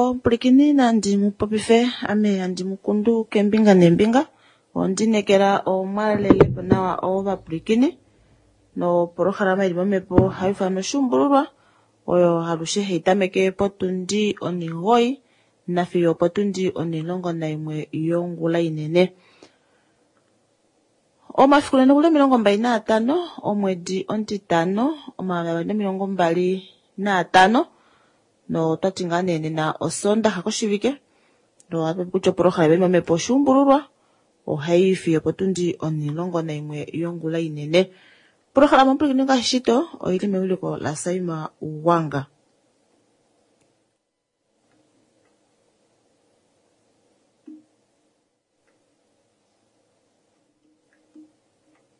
Omupulikini nandi mupopife ame handi mukundu kembinga nembinga ondinekela omwalelepo nawa ovapulikini nopolohalama ili momepo haifanwa oshuumbululwa oyo alushe haitameke potundi 9 nafiyo opotundi 11 yongula inene. Omafiku nena okuli 25 omwedi omutitano 2025 notwati ngaa nee nena osondaxa koshivike nohatupopi kutya opolohalama ili momepo oshuumbululwa ohai fiyo opotundi 11 yongula inene. Opolohalama omupulikini ngaashi shito oili mewiliko laSaima Ugwanga.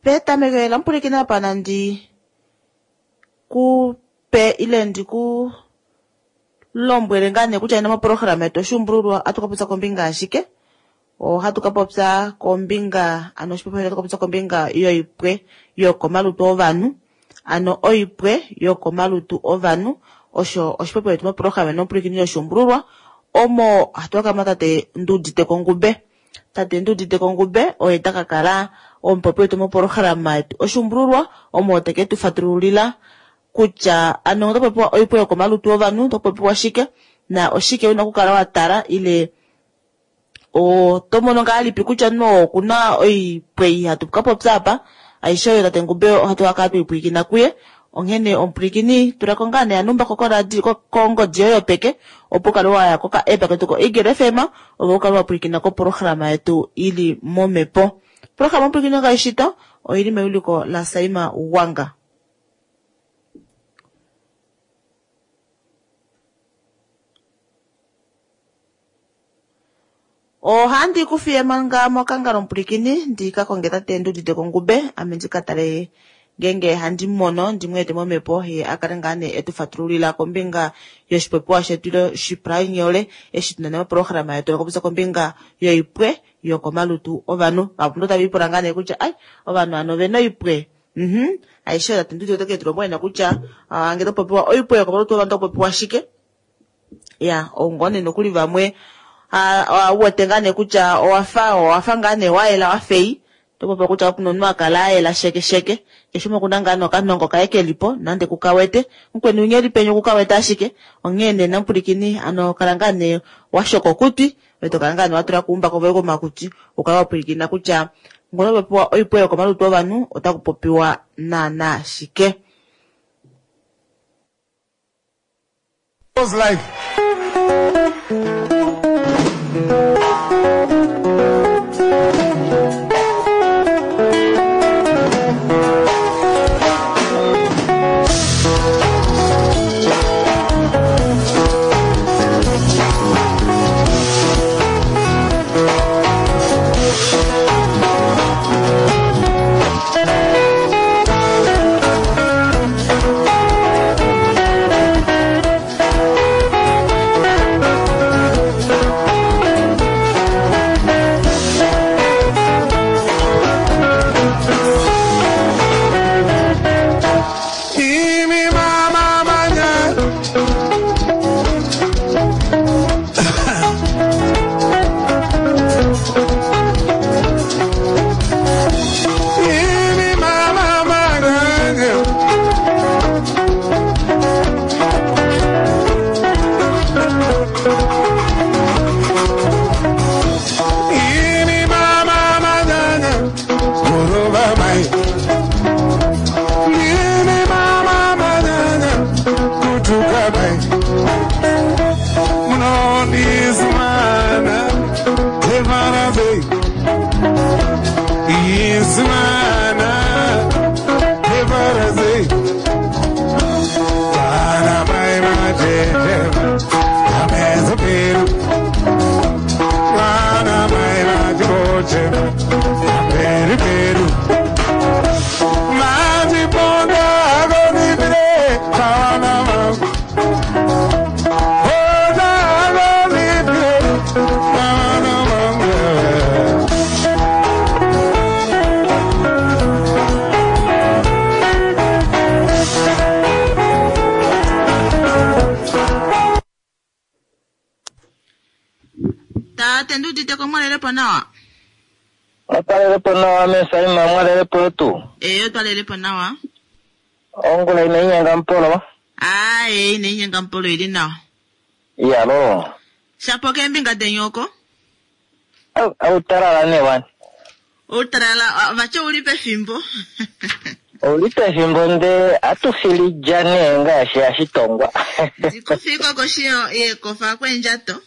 Petameko lomupulikini apa nandi kupe ile ndiku lombwele ngaa nee kutya nena mopolohalama yetu oshuumbululwa ohatu kapopya kombinga yashike. Ohatu kapopya kombinga ano oshipopiwa ohatu kapopya kombinga yoipwe yokomalutu ovanhu, ano oipwe yokomalutu ovanhu osho oshipopiwa shetu mopolohalama nomupulikini yoshuumbululwa omo hatu kakala tate Nduudite Kongube. Tate Nduudite Kongube oye takakala omupopi wetu mopolohalama yetu oshuumbululwa omo teke tufatululila kutya ano oto popiwa oipwe yokomalutu ovanhu oto popiwa shike na oshike una okukala watala ile oto mono ngahelipi kutya no okuna oipwe hatu kapopya apa aishe oyo tate Ngube ohatu kakala twipwilikina kuye. Onghene omupulikini tulako ngaa nee anumbako kongodi yoye yopeke opo ukale waya koka app ketu ko Eagle FM opo ukale wapwilikina kopolohalama yetu ili momepo. Opolohalama omupulikini ngaashi shito oili mewiliko laSaima Ugwanga. Ohandi kufiye manga mokangalo omupulikini ndika konge tate Nduudite Kongube ame ndika tale ngenge handi mono ndimweete momepo ye akale ngaa nee etufatululila kombinga yoshipopiwa shetu ile oshipalanyole eshi tuna mopolohalama yetu lokupopya kombinga yoipwe yokomalutu ovanhu. Vahapu tava ipula ngaa nee kutya ai ovanhu ano ovena oipwe. Aishe tate Nduudite ote ke tu lombwela kutya ngee topopiwa oipwe yokomalutu ovanhu otopopiwa shike. Ya oungone nokuli vamwe uwete ngaa nee kutya owafa ngaa nee wayela wafei topopiwa kutya okuna omunhu akala ayela sheke sheke keshe umwe okuna ngaa nokanongo kaye kelipo nande kukawete mukweni unya eli penya okukawete ashike onghee nee namupulikini ano kala ngaa nee washoka okutwi ove tokala ngaa nee watula kuumbako voye komakutwi ukale wapwilikina kutya ngono topopiwa oipwe yokomalutu ovanhu otaku popiwa naana shike. Life. Tate nduuditeko mwalelepo nawa. Otwalelepo nawa mesaima mwalelepo yetu. Ee otwalelepo nawa. Ongula ina inyenga mpolo. Aaye ina inyenga mpolo ili nawa. Iyalo. Shapo keembinga deni oko? Outalala nee wani. Outalala vati ouli pefimbo. Ouli pefimbo ndee atufilidja nee ngaashi hashitongwa. Ndikufiko koshi yeekofa kweendjato.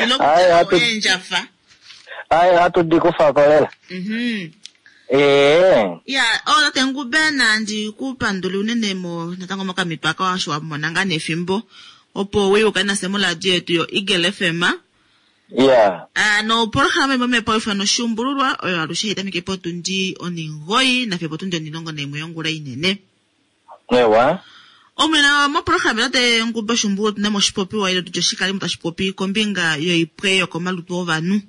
Ilo kutya eendjafa. Aye ohatu di kufako lela. Ee. Ya, oh tate Ngube nandi ku pandule unene mo natango mokamito aka osho wa mona ngaa nefimbo opo uye ukale nafye moradio yetu yo Eagle FM. Ya. Ah, nopolohalama imwe mepaufano Oshuumbululwa oyo alushe hai tameke potundi onhingoyi nafiyo potundi onhilongo naimwe yongula inene. Ewa. Omwene mopolohalama tate Ngube Oshuumbululwa otuna mo oshipopiwa ile tutye oshikalimo tashi popi kombinga yoipwe yokomalutu ovanhu.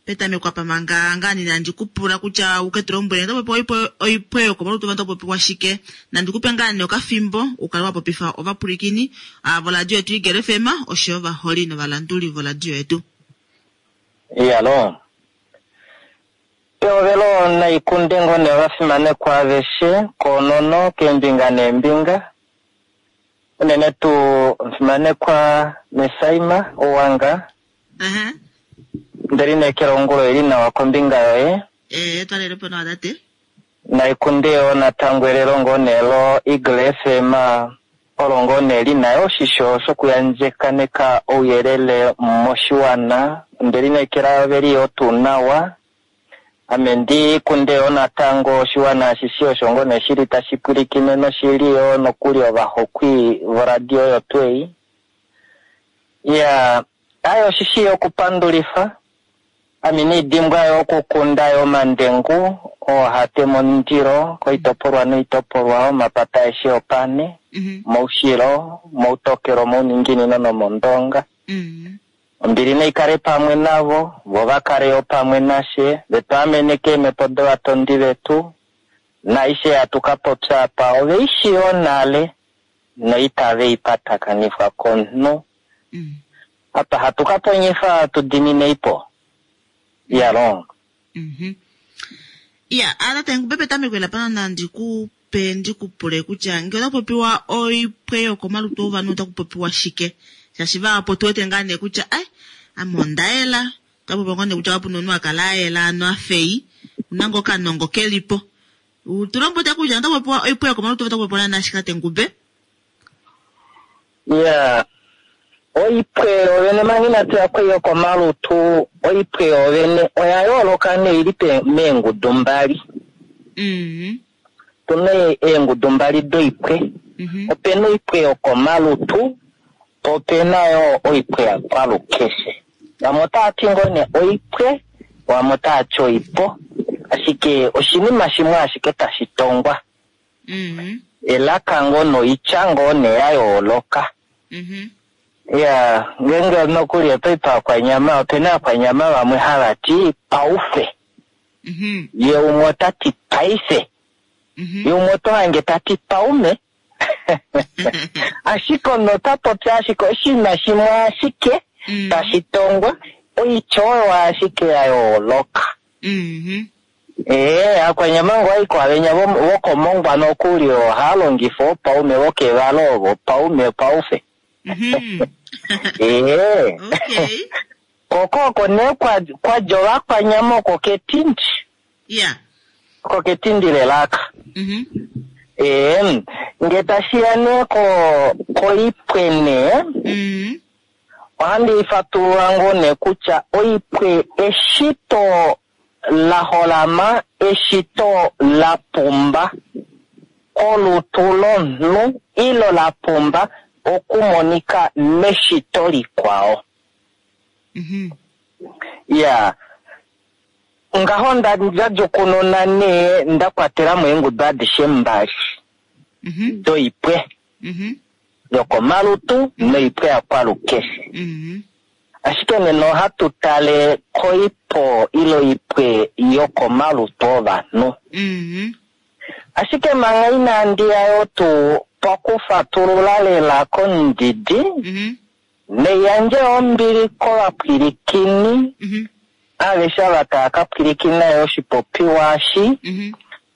Petameko apa manga ngaa nandi ku pula kutya u ke tu lombwele oto popi oipwe yokomalutu ovanhu oto popiwa shike. Nandi ku pe ngaa nee okafimbo u kale wa popifa ovapwilikini voradio yetu Eagle FM oshoyo ovaholi novalanduli voradio yetu. Iyalo. Pehovelo naikunde ngoo nee ovafimanekwa aveshe koonono keembinga neembinga. Unene tuu omufimanekwa Mesaima Owanga. Nde lineekela ongula oili nawa kombinga yoye. Ee, twalelepo nawa tate. Naikunde yoo natango elelo ngoo nee lo Eagle FM olo ngoo nee lina yoo oshisho shokuyandjekaneka ouyelele moshiwana. Nde lineekela veli yoo tuu nawa. Ame ndi kunde yoo natango oshiwana ashishe osho ngoo nee shili tashi pwilikine noshili yoo nokuli ovahokwi voradio oyo tuu ei. Ya, aye oshishi okupandulifa. Ame niidimbwa yo okukunda yo omandengu oo hate momundilo koitopolwa noitopolwa omapata aeshe opane, moushilo, moutokelo, mouninginino nomondonga. Ombili naikale pamwe navo, vo va kale yo pamwe nashe, ve tu amene keemhepo dovatondi vetu, naaishe hatu ka popya apa ove i shii yo nale, noitave i patakanifwa komunhu. Apa hatu ka ponyifa tu diminei po. Iyalong. Iya, tate Ngube petameko ela pano nandi ku pe ndi ku pule kutya ngee otaku popiwa oipwe yokomalutu ovanhu otaku popiwa shike? Shaashi vahapu otu wete ngaa nee kutya ai ame onda yela, otaku popiwa ngoo nee kutya kapu na omunhu a kala a yela ano a fei, una ngoo okanongo ke li po. Tu lombwele kutya otaku popiwa oipwe yokomalutu otaku popiwa naana shike tate Ngube? Ya, oipwe yovene manga inatu ya kwei yokomalutu, oipwe yovene oya yooloka nee ili meengudu mbali. Tuna eengudu mbali doipwe. Opena oipwe yokomalutu, po opena yo oipwe yakwalukeshe. Vamwe otava ti ngoo nee oipwe, vamwe otava ti oipo, ashike oshinima shimwe ashike tashi tongwa. Elaka ngoo noitya ngoo nee ya yooloka. Ya, ngeenge nokuli oto i paakwanyama, opena aakwanyama vamwe hava ti paufe. Ye umwe ota ti paife. Ye umwe oto hange ta ti paume. Ashike omunhu ota popi ashike oshinima shimwe ashike tashi tongwa, oitya oyo ashike ya yooloka. Ee, aakwanyama ngo aiko avenya vokomongwa nokuli ohava longifa oopaume vokevalo ovo, paume paufe. Ee. Koko oko nee kwadja ovakwanyama oko ketindi. Oko ketindi lelaka. Ee, nge tashiya nee koipwe nee, ohandi ifatulula ngoo nee kutya oipwe eshito la holama, eshito la pumba kolutu lomunhu ilo la pumba okumonika meshito likwao. Ya, ngaho nda djukununa nee nda kwatela mo eengudu adishe mbali doipwe yokomalutu noipwe yakwalukeshe. Ashike nena ohatu tale koipo ilo oipwe yokomalutu ovanhu. Ashike manga inandi ya yo tuu pokufatulula lela komudidi, Neyandje ombili kovapwilikini aveshe ava tava ka pwilikina yo oshipopiwa eshi.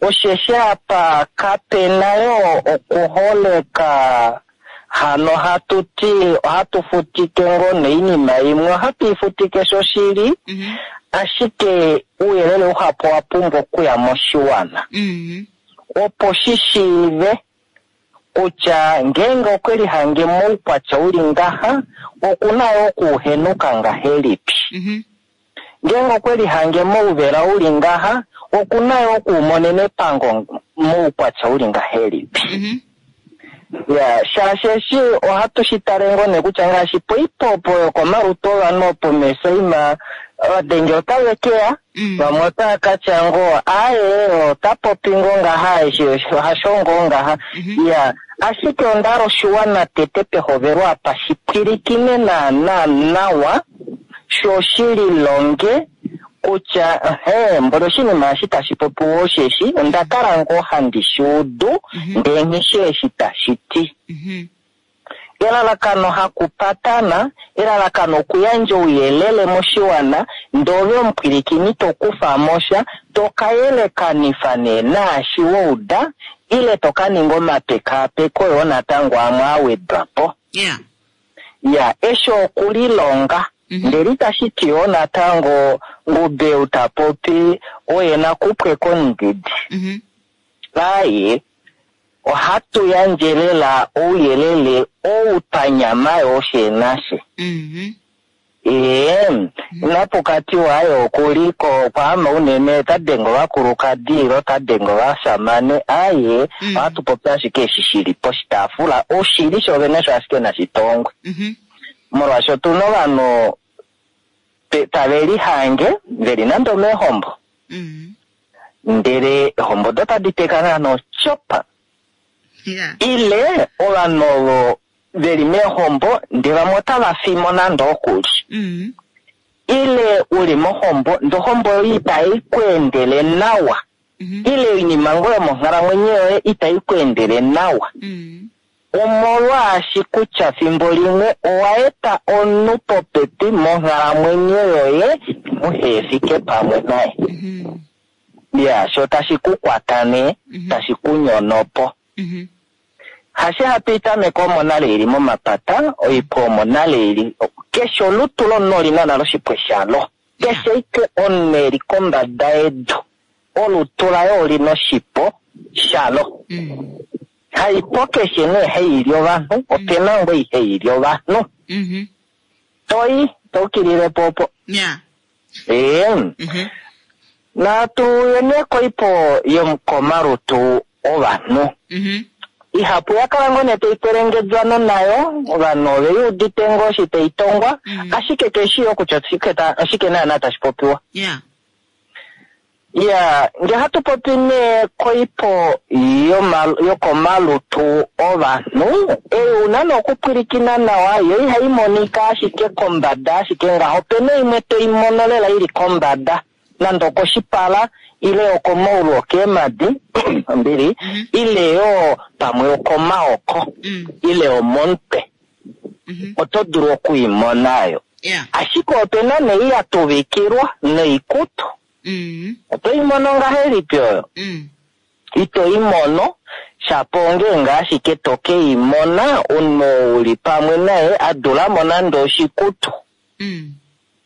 Osheshi apa kape na yo okuholeka, hano hatu ti ohatu futike ngoo noinima imwe, ohatu i futike shoshili, ashike ouyelele uhapu owa pumbwa okuya moshiwana. Opo shi shiive kutya ngeenge okwe lihange moukwatya uli ngaha, oku na yo okuuhenuka ngahelipi. Ngeenge okwe lihange mouvela uli ngaha, oku na yo okuumonena epango moukwatya uli ngahelipi. Ya, shaashi eshi ohatu shi tale ngoo nee kutya ngaashi poipopo yokomalutu ovanhu opo meesaima, ovadenge otave ke ya, vamwe otava ka tya ngoo aaye ota popi ngoo ngaha, eshi hasho ngoo ngaha. Ya, ashike onda hala oshiwana tete pehovelo apa shi pwilikine naana nawa, sho shi lilonge kutya mboli oshinima eshi tashi popiwa osheshi onda kala ngoo handi shi udu, ndee nghi eshi tashi ti. Elalakano hakupatana, elalakano okuyandja ouyelele moshiwana, ndee ove omupwilikini to kufa mo sha, to ka yelekanifa nee naashi wa uda, ile to ka ninga omapekaapeko yoo natango amwe a wedwa po. Ya, eshi okulilonga. Ndele itashi ti yoo natango Ngubeu ta popi oye nakupwe komudidi. Aye, ohatu yandje lela ouyelele ou twa nyama yoo sheenashe. Ee, inapu ka tiwa aye okuli ko kwaama unene ota denge ovakulukadi ile ota denge ovashamane. Aye, ohatu popi ashike eshi shi li poshitaafula, oshili shovene osho ashike nashi tongwe. Molwaashi otu na ovanhu tave lihange ve li nande omeehombo, ndele eehombo odo tadi teka naana otyopa. Ile ovanhu ovo ve li meehombo ndele vamwe otava fimo nande okuli. Ile u li mohombo ndele ohombo yoye itai ku endele nawa. Ile oinima ngoo yomonghalamwenyo yoye itai ku endele nawa. Omolwaashi kutya fimbo limwe owa eta omunhu popepi monghalamwenyo yoye muhe fike pamwe naye. Ya, sho tashi ku kwata nee, tashi ku nyono po. Hashe hatu i tameke omo nale ili momapata, oipwe omo nale ili. Keshe olutu lomunhu oli na nale oshipwe shalo. Keshe ike omunhu eli kombada yedu, olutu laye oli na oshipo shalo. Haipo keshe nee hai li ovanhu, ope na ngoo ihai li ovanhu. Toi, to ukilile po opo. Ee. Natu ye nee koipo yokomalutu ovanhu. Ihapu ya kala ngoo nee tai kwelengedjwa nayo, ovanhu ove i udite ngoo eshi tai tongwa, ashike keshi yo kutya oshike naana tashi popiwa. Ya, nge hatu popi nee koipo yokomalutu ovanhu, ei una nee okupwilikina nawa, yo ihai monika ashike kombada ashike ngaho, opena imwe toi mono lela ili kombada, nande okoshipala, ile okomaulu okeemadi, ombili, ile yo pamwe okomaoko, ile omomutwe. Oto dulu okuimona yo. Ashike opena nee ya tuvikilwa noikutu. Oto i mono ngahelipi oyo? Ito i mono, shapo ongeenge ashike to ke i mona omunhu oo u li pamwe naye a dula mo nande oshikutu.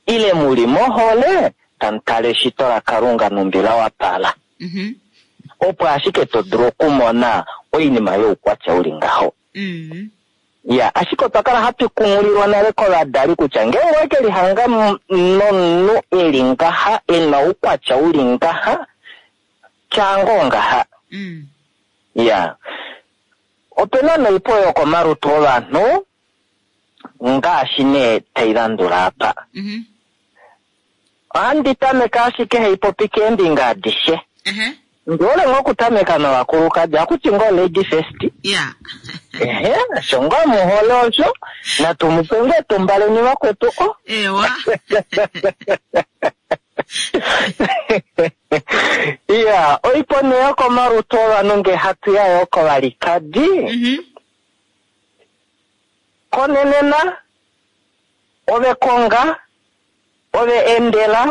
Ile mu li mohole tamu tale eshito laKalunga nhumbi la wapala. Opo ashike to dulu okumona oinima youkwatya u li ngaho. Ya, ashike otwa kala hatu kunghulilwa nale kovadali kutya ngeenge owe ke lihanga nomunhu e li ngaha, e na oukwatya u li ngaha, tya ngoo ngaha. Ya, ope na noipo yokomalutu ovanhu ngaashi nee tai landula apa. Ohandi tameke ashike hai popi keembinga adishe. Ndi hole ngoo okutameka novakulukadi, akuti ngoo lady first. Ehe, osho ngoo muhole osho, natu mu pe ngoo etumba leni vakwetu o. Ewa. Ya, oipo nee yokomalutu ovanhu nge hatu ya yoo kovalikadi. Konenena. Ove konga, ove endela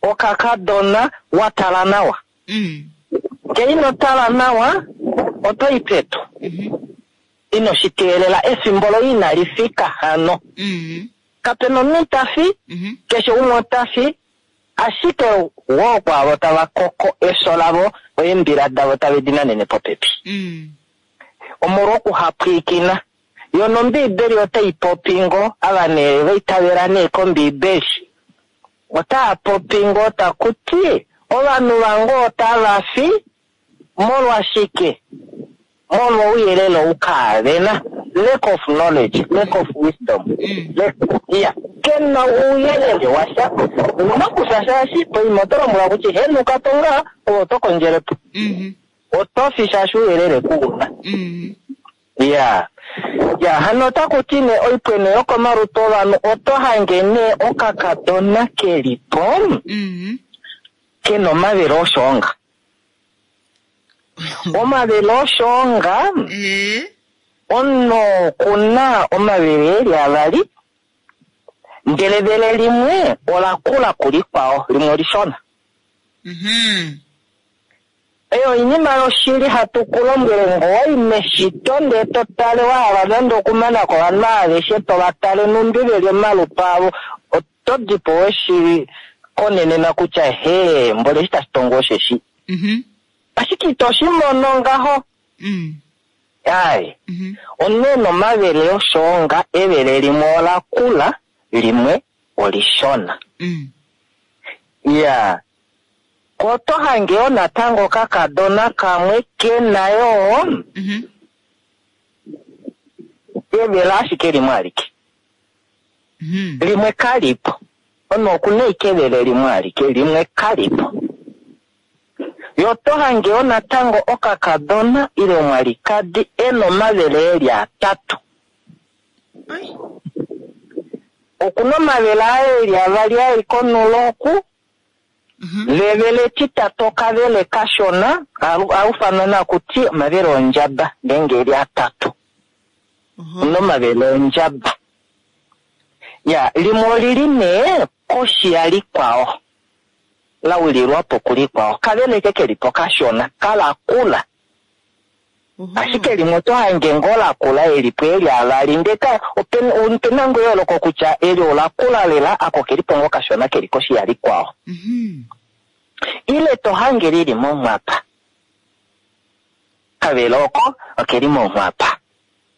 okakadona wa tala nawa. Ngee ino tala nawa, oto i pedu. Ino shi teelela, efimbo loye inali fika hano. Kape na omunhu ita fi, keshe umwe ota fi, ashike woo kwaavo tava koko efyo lavo, eembila davo tave di nanene popepi. Omolwokuhapwiikina. Yo nOmbiibeli otai popi ngoo, ava nee va itavela nee kOmbiibeli, otaa popi ngoo taku ti, ovanhu vange otava fi molwashike? Molwouyelele ou kaavena, lack of knowledge, lack of wisdom. Lack, iya, ke na ouyelele washa. Ouna kufya shaashi poima oto lombwelwa kutya henuka po ngaa, ove oto kondjele po. Oto fi shaashi ouyelele ku una. Iya. Ya, hano otaku ti nee oipwene yokomalutu ovanhu oto hange nee okakadona ke li po, ke na omavele oshoonga. Omavele oshoonga, omunhu oku na omavele e li avali, ndele evele limwe ola kula kulikwao, limwe olishona. Eyo oinima yoshili hatu ku lombwele ngoo meshito ndee to tale wa hala nande okumana ko ovanhu aveshe to va tale nhumbi ve li omalutu avo, oto di po we shi konenena kutya hee mboli eshi tashi tongo osheshi. Ashike ito shi mono ngaho. Ai, omunhu e na omavele oshoonga, evele limwe ola kula, limwe olishona. Iyaa. Ko oto hange yoo natango okakadona kamwe ke na yoo evele ashike limwe alike. Limwe kali po. Omunhu oku na ashike evele limwe alike, limwe kali po. Yo oto hange yoo natango okakadona ile omwalikadi e na omavele e li atatu. Oku na omavele aye e li avali a li konulo oku, Levele etitatu okavele kashona, a ufanwa naku ti omavele ondjaba, ngeenge eli atatu. Omu na omavele ondjaba. Ya, limwe olili nee koshi yalikwao, la wililwa po kulikwao. Kavele eke keli po kashona, kalakula. Ashike limwe oto hange ngoo la kula eli po eli avali, ndee ka, ope na ngoo eyooloko kutya eli ola kula lela, ako keli po ngoo kashona keli koshi yalikwao. Ile to hange lili monghwapa. Kavele oko okeli monghwapa.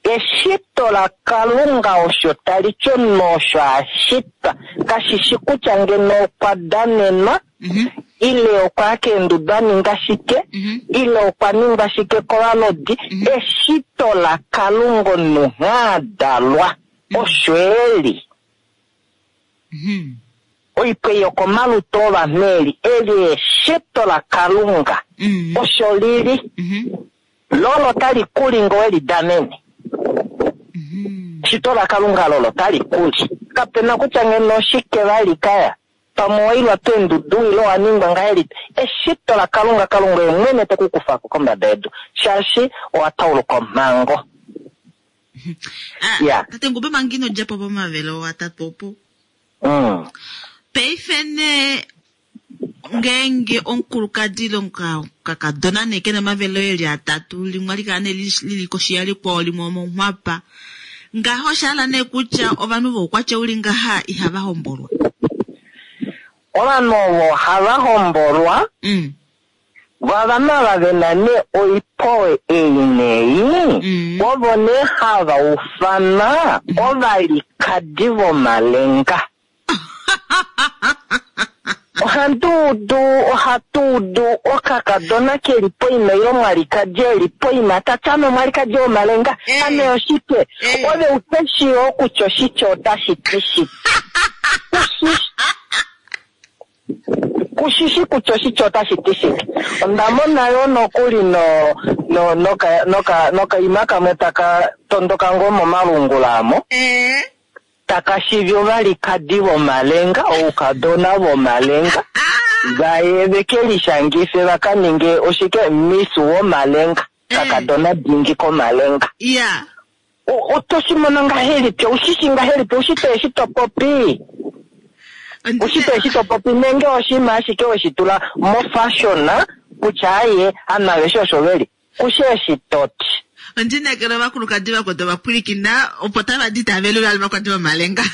Eshito laKalunga osho tali ti omunhu osho a shitwa. Kashi shi kutya ngeno okwa danenwa, ile okwa ya keendudu a ninga shike, ile okwa ningwa shike kovalodi. Eshito laKalunga omunhu nghee a dalwa, osho e li. Oipwe yokomalutu ovanhu eli, eli eshito laKalunga, osho li li. Lolo tali kuli ngo we li danene. Eshito laKalunga lolo tali kuli. Kape na kutya ngeno oshike vali kaya. Pamwe owa ilwa peendudu ile owa ningwa ngahelipi. Eshito laKalunga, Kalunga oye mwene te ku kufa ko kombada yedu. Shaashi owa tauluka omhango. Ah, Tate Ngube manga ino dja po pomavelo atatu opo. Paife nee ngeenge omukulukadi ile omukakadona nee ke na omavele eli atatu, limwe ohali kala nee li li koshi yalikwao, limwe omonghwapa. Ngaho osha hala nee kutya ovanhu voukwatya u li ngaha ihava hombolwa? Ovanhu ovo hava hombolwa, vo ovanhu ava ve na nee oipowe ei nei, ovo nee hava ufanwa ovalikadi vomalenga. Ohandi udu, ohatu udu okakadona ke li poima ile omwalikadi e li poima ta ti ame omwalikadi womalenga. Ame oshike? Ove uhe shii yoo kutya oshitya otashi ti shike. Ku shi shi kutya oshitya otashi ti shike. Onda mona yoo nokuli no, no, noka, noka, nokaima kamwe taka tondoka ngoo momalungula amo. Taka shivi ovalikadi vomalenga, oukadona vomalenga, va ye ve ke lishangife va ka ninge oshike, Miss womalenga, kakadona dingi komalenga. Oto shi mono ngahelipi? Oushi shi ngahelipi? Oushi to eshi to popi? Oushi to eshi to popi nenge oshinima ashike weshi tula mofashion kutya aye ovanhu aveshe osho veli. Kushe eshi toti. Ondinekela ovakulukadi vakwetu ovapwilikina opo tava di tava velula ovakulukadi vomalenga.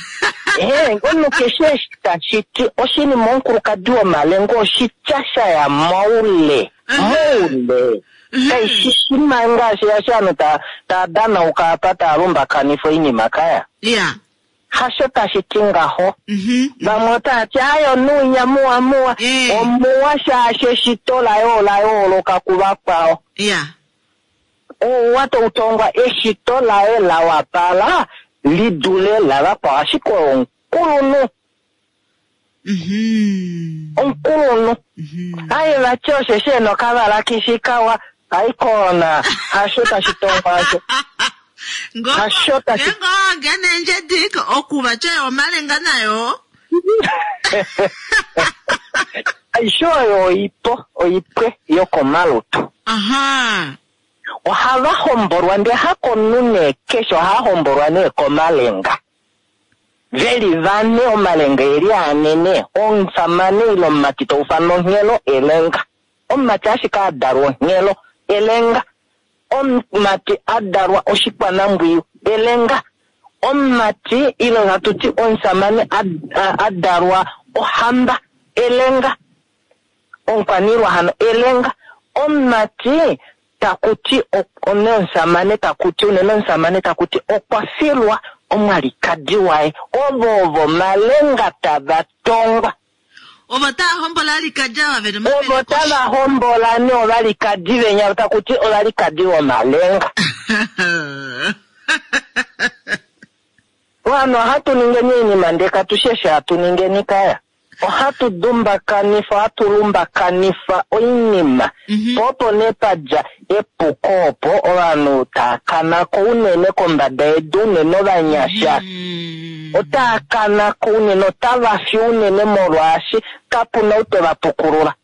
Omunhu keshe eshi tashi ti oshinima omukulukadi womalenga oshitya sha ya moule. Moule. Kaishi shima ngaashi ashi ovanhu taa danauka apa taa lumbakanifa oinima kaya. Hasho tashi ti ngaho. Vamwe otava ti aye onuunya muwa muwa. Omuwa shaashi eshito laye ola yooloka kuvakwao. Ouwa tautongwa eshito laye la wapala li dule lavakwao, ashike omukulunhu. Omukulunhu. Aye vati osheshi ena okavalakishi kawa aikona hasho tashi tongwa asho. Hasho tashi Ngo ngene ndjediko okuva tye omalenga nayo. Aishe oyo oipo, oipwe yokomalutu. Ohava hombolwa ndee hakomunhu nee keshe, ohava hombolwa nee komalenga. Veli vane omalenga eli anene, omusamane ile omumati taufana onghelo elenga. Omumati ashike adalwa onghelo elenga. Omumati adalwa oshikwanambwiyu elenga. Omumati ile hatu ti omusamane adalwa ohamba elenga. Omukwaniilwa hano elenga. Omumati takuti omusamane takuti unene omusamane takuti okwa filwa omwalikadi waye. Ovo ovo malenga tava tongwa. Ovo tava hombola alikadi ava vena Ovo tava hombola ne ovalikadi venya takuti ovalikadi vomalenga. Ovanhu ohatu ningeni oinima ndee katushi eshi hatu ningeni kaya. Ohatu dumbakanifa, ohatu lumbakanifa oinima. Po opo nee padja epuko opo ovanhu taa kanako unene kombada yedu, unene ovanyasha. Otaa kanako unene, otava fi unene molwaashi kapuna ou te va pukulula.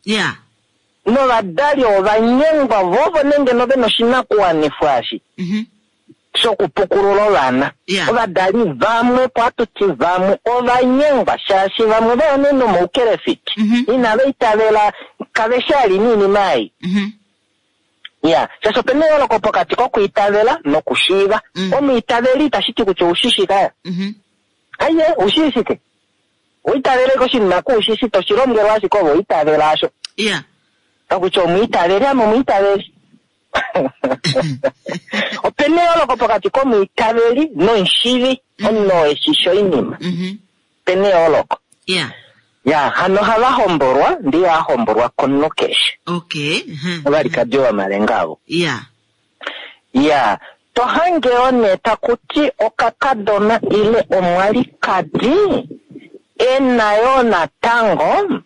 Novadali ovanyengwa vovo nenge nove noshinakuwanifwa eshi shokupukulula ovana. Ovadali vamwe po hatu ti vamwe ovanyengwa shaashi vamwe vaya nee nomoukelefiti. Inava itavela kave shi ali niinima ei. Shaashi opena eyooloko pokati kokwiitavela nokushiiva. Omwiitaveli itashi ti kutya oushi kaya. Aye, oushi shike? Uitavele koshinima kuushi toshi lombwelwa ashike ovo uitavela asho. Kakutya omwiitaveli ame omwiitaveli. Opena eyooloko pokati komwiitaveli nomushivi, omunhu oo eshi oinima. Opena eyooloko. Hano ohava hombolwa, ndee ihava hombolwa komunhu keshe. Ovalikadi vomalenga avo. To hange yoo nee takuti okakadona ile omwalikadi ena yoo natango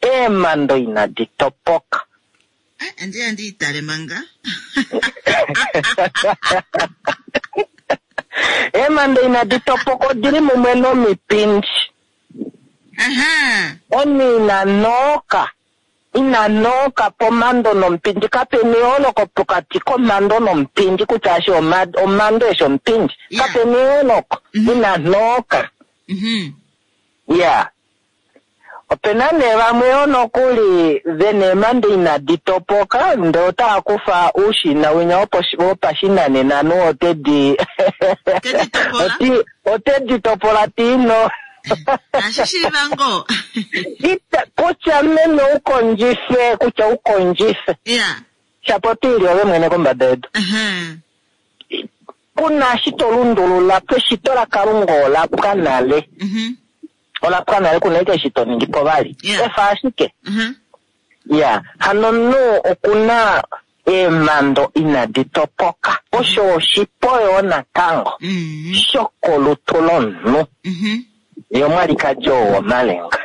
eemando inadi topoka. Andi itale manga. Eemando inadi topoka odili mumwe nomipindi. Omunhu ina nooka. Ina nooka pomando nomupindi. Kapena eyooloko pokati komando nomupindi kutya ashi omando eshi omupindi. Kapena eyooloko. Ina nooka. Opena nee vamwe yoo nokuli vena eemando inadi topoka ndee otava kufa uushina winya wopashinanena nu otedi otedi topola tiino. Ashi shiiva ngoo. Kutya meme ukondjife, kutya ukondjife. Shapo tiili ove mwene kombada yedu. Kuna eshi to lundulula eshito laKalunga ola pwa nale. Ola pwa nale kuna eke eshi to ningi po vali. Efa ashike. Hano omunhu okuna eemando inadi topoka. Osho oshipo yoo natango. Shokolutu lomunhu. Ye omwalikadi oo womalenga.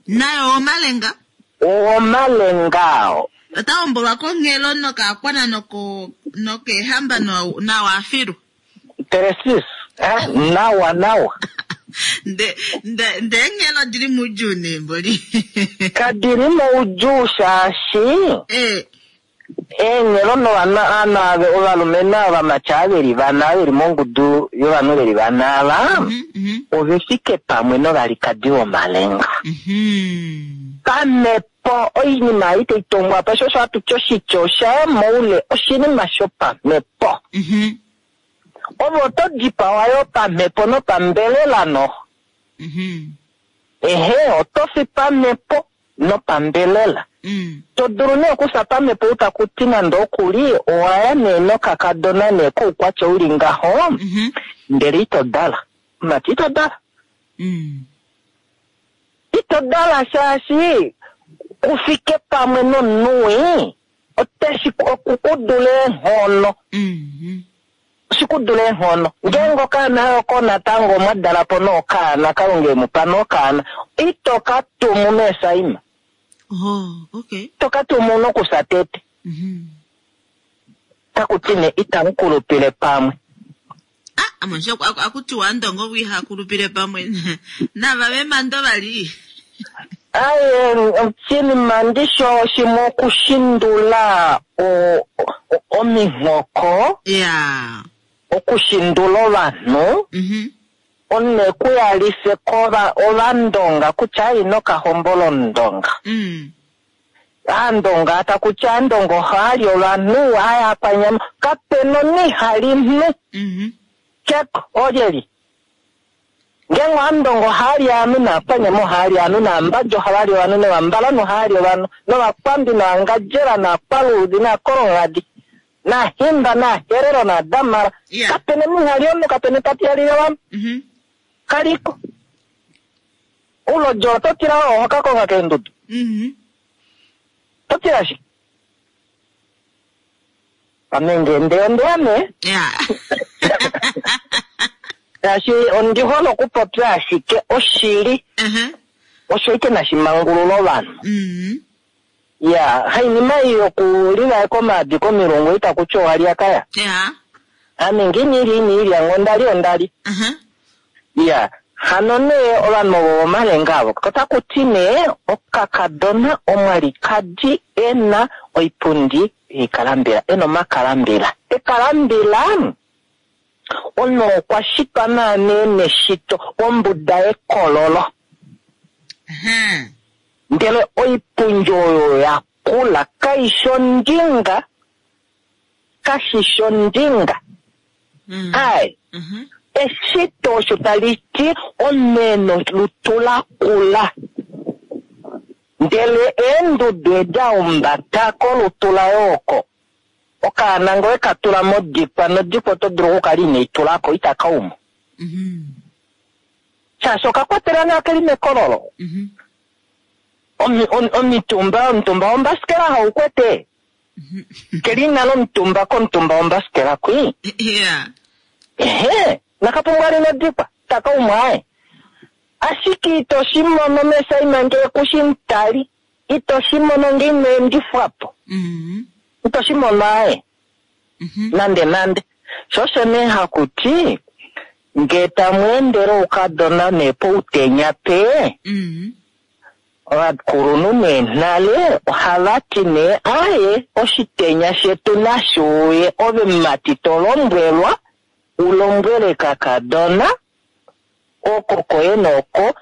Naye owomalenga? Owomalenga oo. Ota hombolwa konghelo nokaakwana nokeehamba nawa afilu. Teresis, nawa nawa. Nde enghelo dili moudjuu nee mboli. Kadili moudjuu shaashi. Eenyelo novanhu ave ovalumenhu ovamati ava veli vana veli mongudu yovanhu veli vana ava ove fike pamwe novalikadi vomalenga. Pamhepo oinima ei tai tongwa pa, sho osho hatu ti oshitya osha ya moule, oshinima shopamhepo. Ove oto dipawa yo pamhepo nopambelela noho. Ehe, oto fi pamhepo nopambelela. To dulu nee okufya pamhepo ou taku ti nande oku li owa ya nee nokakadona nee koukwatya u li ngaho, ndele ito dala. Mati ito dala. Ito dala shaashi ku fike pamwe nomunhu wii, otashi oku ku dula eenghono. Oshi ku dula eenghono. Ngeenge okaana oko natango omwa dala po nokaana, Kalunga e mu pa nokaana, ito ka tumu meesaima. Oh, okay. Ito ka tumu nokufya tete. Taku ti nee itamu kulupile pamwe. Ah, amonshi akutiwa andongo gwi iha kulupile pamwe nava vemando vali. Aye, oshinima ndisho shimwe okushindula ominghoko. Okushindula ovanhu. One ku yalife ovandonga kutya ino ka hombola omundonga. Aandonga taku ti aandonga ohaali ovanhu, haya kwanyama, kapena omunhu ihali nhu. Keko, olyeli. Ngeenge aandonga ohaali ovanhu, naakwanyama ohaali ovanhu, naambadja ohavali ovanhu, novambalanhu ohaali ovanhu, novakwambi, novangadjela, naakwaluudhi, naakolonghadi, naahimba, naaherero, naadamara. Kapena omunhu ihali omunhu, kapena etati ihali ovanhu. Kaliko. Oulodjo oto tila oho ka konga keendudu. Oto tila shike? Ame nge nde ondeya nee. Shaashi ondi hole okupopya ashike oshili. Osho ike nashi mangulula ovanhu. Ya, hainima ei yokulivaeka omaadi komilungu itaku ti owa lya kaya. Ame nge ina ilya ina ilya nge onda li onda li. Ya, hano nee ovanhu ovo vomalenga avo otaku ti nee okakadona omwalikadi e na oipundi yoikalambila, e na omakalambila. Ekalambila omunhu okwa shitwa naanee neshito ombuda yekololo. Ndele oipundi oyo ya kula kai shi ondinga, kashi shi ondinga. Ai, eshito osho tali ti omunhu e na olutu la kula. Ndele eendudu edi a humbata kolutu laye oko, okaana ngee oweka tula modikwa, nodikwa oto dulu okukala inei tula ko, itaka umu. Shaashi oka kwatelwa ngaa keli mekololo. Omitumba, omutumba wombasikela hau kwete. Keli nale omutumba komutumba wombasikela kwi. Ehe, nakapumbwa li nodikwa, taka umu aye. Ashike ito shi mono mesaima ngee kushi mutali, ito shi mono ngee ino endifwa po. Ito shi mono aye. Nande nande. Sho osho nee haku ti, ngee tamu endele oukadona nee poutenya pe, ovakulunhu nee nale ohava ti nee aye, oshitenya shetu nashi uye, ove mumati to lombwelwa, u lombwele kakadona, oko koye noko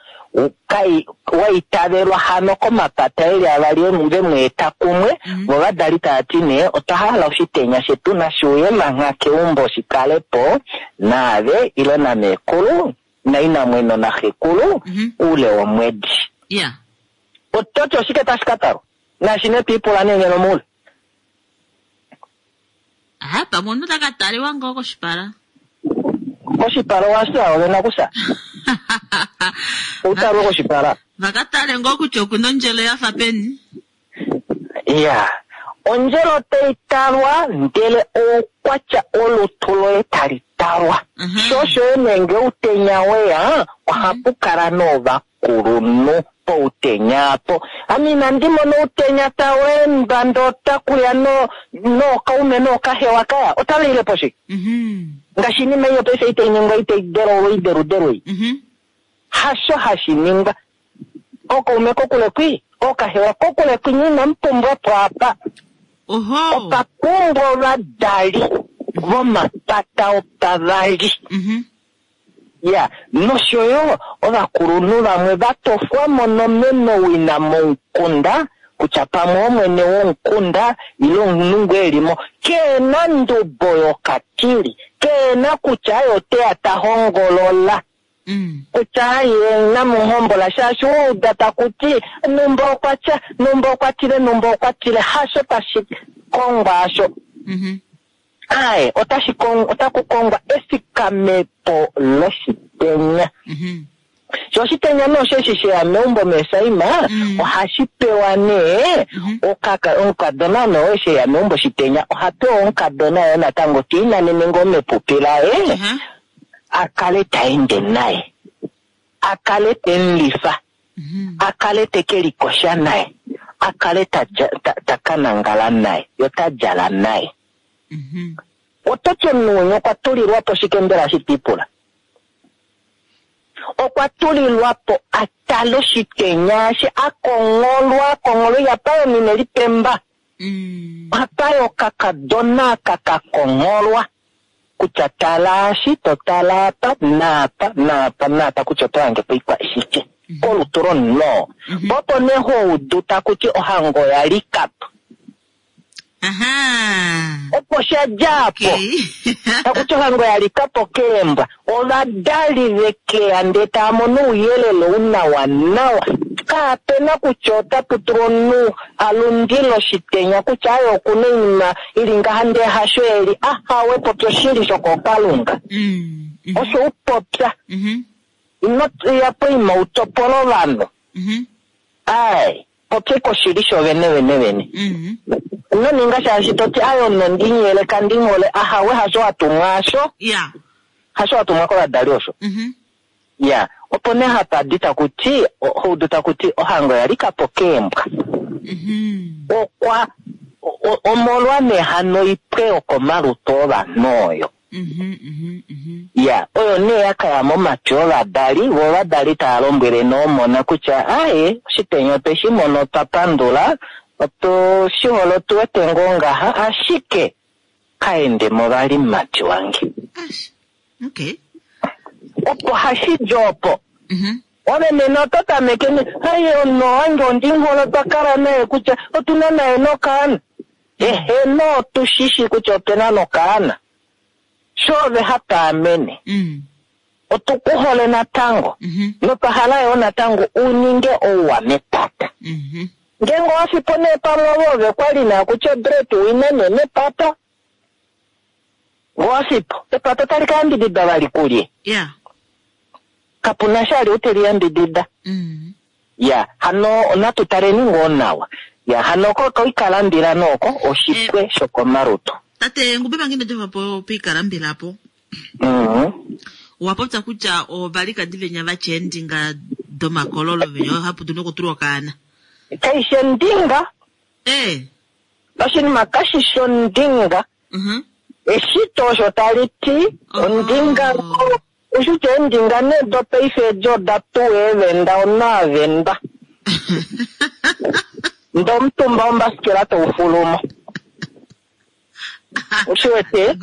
wa itavelwa hano komapata eli avali ve mu eta kumwe, vo vadali tava ti nee otwa hala oshitenya shetu nashi uye mangha keumbo shi kale po naave ile nameekulu nainamweno naxekulu oule womwedi. Oto ti oshike tashi ka talwa? Naashi nee twiipula nee ngeno moule. Ah, pamwe omunhu ta ka taliwa ngoo koshipala. Koshipala owa fya, ove nakufya. Ou talwe koshipala. Va ka tale ngoo kutya oku na ondjelo ya fa peni. Ya, ondjelo tai talwa ndele oukwatya olutu loye tali talwa. Sho osho yo nee ngee outenya weya, ohapu kala novakulunhu poutenya apo. Ame inandi mona outenya tau endwa ndee otaku ya nookaume nookahewa kaya, otava ile po shike? Ngaashi oinima ei yopaife itai ningwa itai delolwa oideludelu ei. Hasho hashi ningwa. Ookaume kokule kwi, ookahewa kokule kwi, nye inamu pumbwa po apa. Oho. Opa pumbwa ovadali vomapata opavali. Ya, nosho yo ovakulunhu vamwe va tofwa mo nomenowina momukunda, kutya pamwe omwene womukunda ile omunhu ngoo e li mo, ke na ndubo yokatili, ke na kutya aye oteya ta hongolola. Kutya aye inamu hombola, shaashi wa uda taku ti numba okwa tya, numba okwa tile, numba okwa tile, hasho tashi kongwa asho. Aye, otaku kongwa efikamepo loshitenya. Sho oshitenya nee osheshi sheya meumbo meesaima, ohashi pewa nee omukadona nee oye sheya meumbo shitenya, oha pewa omukadona yo natango te inanene ngoo mepupi laye, a kale ta ende naye, a kale te mu lifa, a kale te ke likosha naye, a kale ta ka nangala naye, yo ta djala naye. Oto ti omunhu wenye okwa tulilwa po shike mbela shi tipula? Okwa tulilwa po a tale oshitenya eshi a kongholwa, a kongholwa ihapa yo mine lipemba. Ohapa yo okakadona aka ka kongholwa. Kutya tala eshi, to tala apa, naapa, naapa, naapa, kutya oto hange po oikwa shike. Kolutu lomunhu. Po opo nee ho udu taku ti ohango oya lika po. Opo sha dja po. Taku ti ohango ya lika po keembwa. Ovadali vekeya ndee tava mono ouyelele ou nawa nawa. Kapena kutya otapu tulwa omunhu a lundile oshitenya kutya aye okuna oinima ili ngaha ndee hasho eli. Ahawe, popya oshili shokokalunga. Osho u popya. Ino ya poima u topole ovanhu. Ai, popye koshili sho vene vene vene. Ino ninga shaashi to ti aye omunhu ondinyele kandinghole. Ahawe, hasho wa tumwa asho. Hasho wa tumwa kovadali osho. Ya, opo nee hapa di taku ti, houdu taku ti ohango ya lika po keembwa. Okwa omolwa nee hano oipwe yokomalutu ovanhu oyo. Ya, oyo nee ya kaya momatwi ovadali, vo ovadali tava lombwele noomona kutya aye, oshitenya otwe shi mono otwa pandula, otu shi hole otu wete ngoo ngaha, ashike kaende mo vali mumati wange. Opo hashi di opo. Ove nena oto tameke ne, aye, omunhu wange ondinghole otwa kala naye kutya otu na naye nokaana. Eheno, otu shi shi kutya ope na nokaana. Sho ove hapa amene. Otu ku hole natango. Notwa hala yo natango u ninge ouwa mepata. Ngeenge owa fipo nee pamwe ove ove kwa li naa kutya bread winner nee mepata. Owa fipo, epata otali ka yambidida vali kulye. Kapuna sha li uteli yambidida. Ya, hano natu taleni ngoo nawa. Ya, hano ko koikalambila noko oshipwe shokomalutu. Tate Ngube mangine jova po piikalambila po. Owa popya kutya ovalikadi venya vatya eendinga domakololo venya ohapu dulu nokutulwa okaana. Kaishi endinga. Oshinima kashi shi ondinga. Eshito osho tali ti, ondinga oshitya eendinga nee dopaife edi oda tuwa eevenda, onaavenda. Ndo omutumba wombasikela taufulumo. Oshi wete?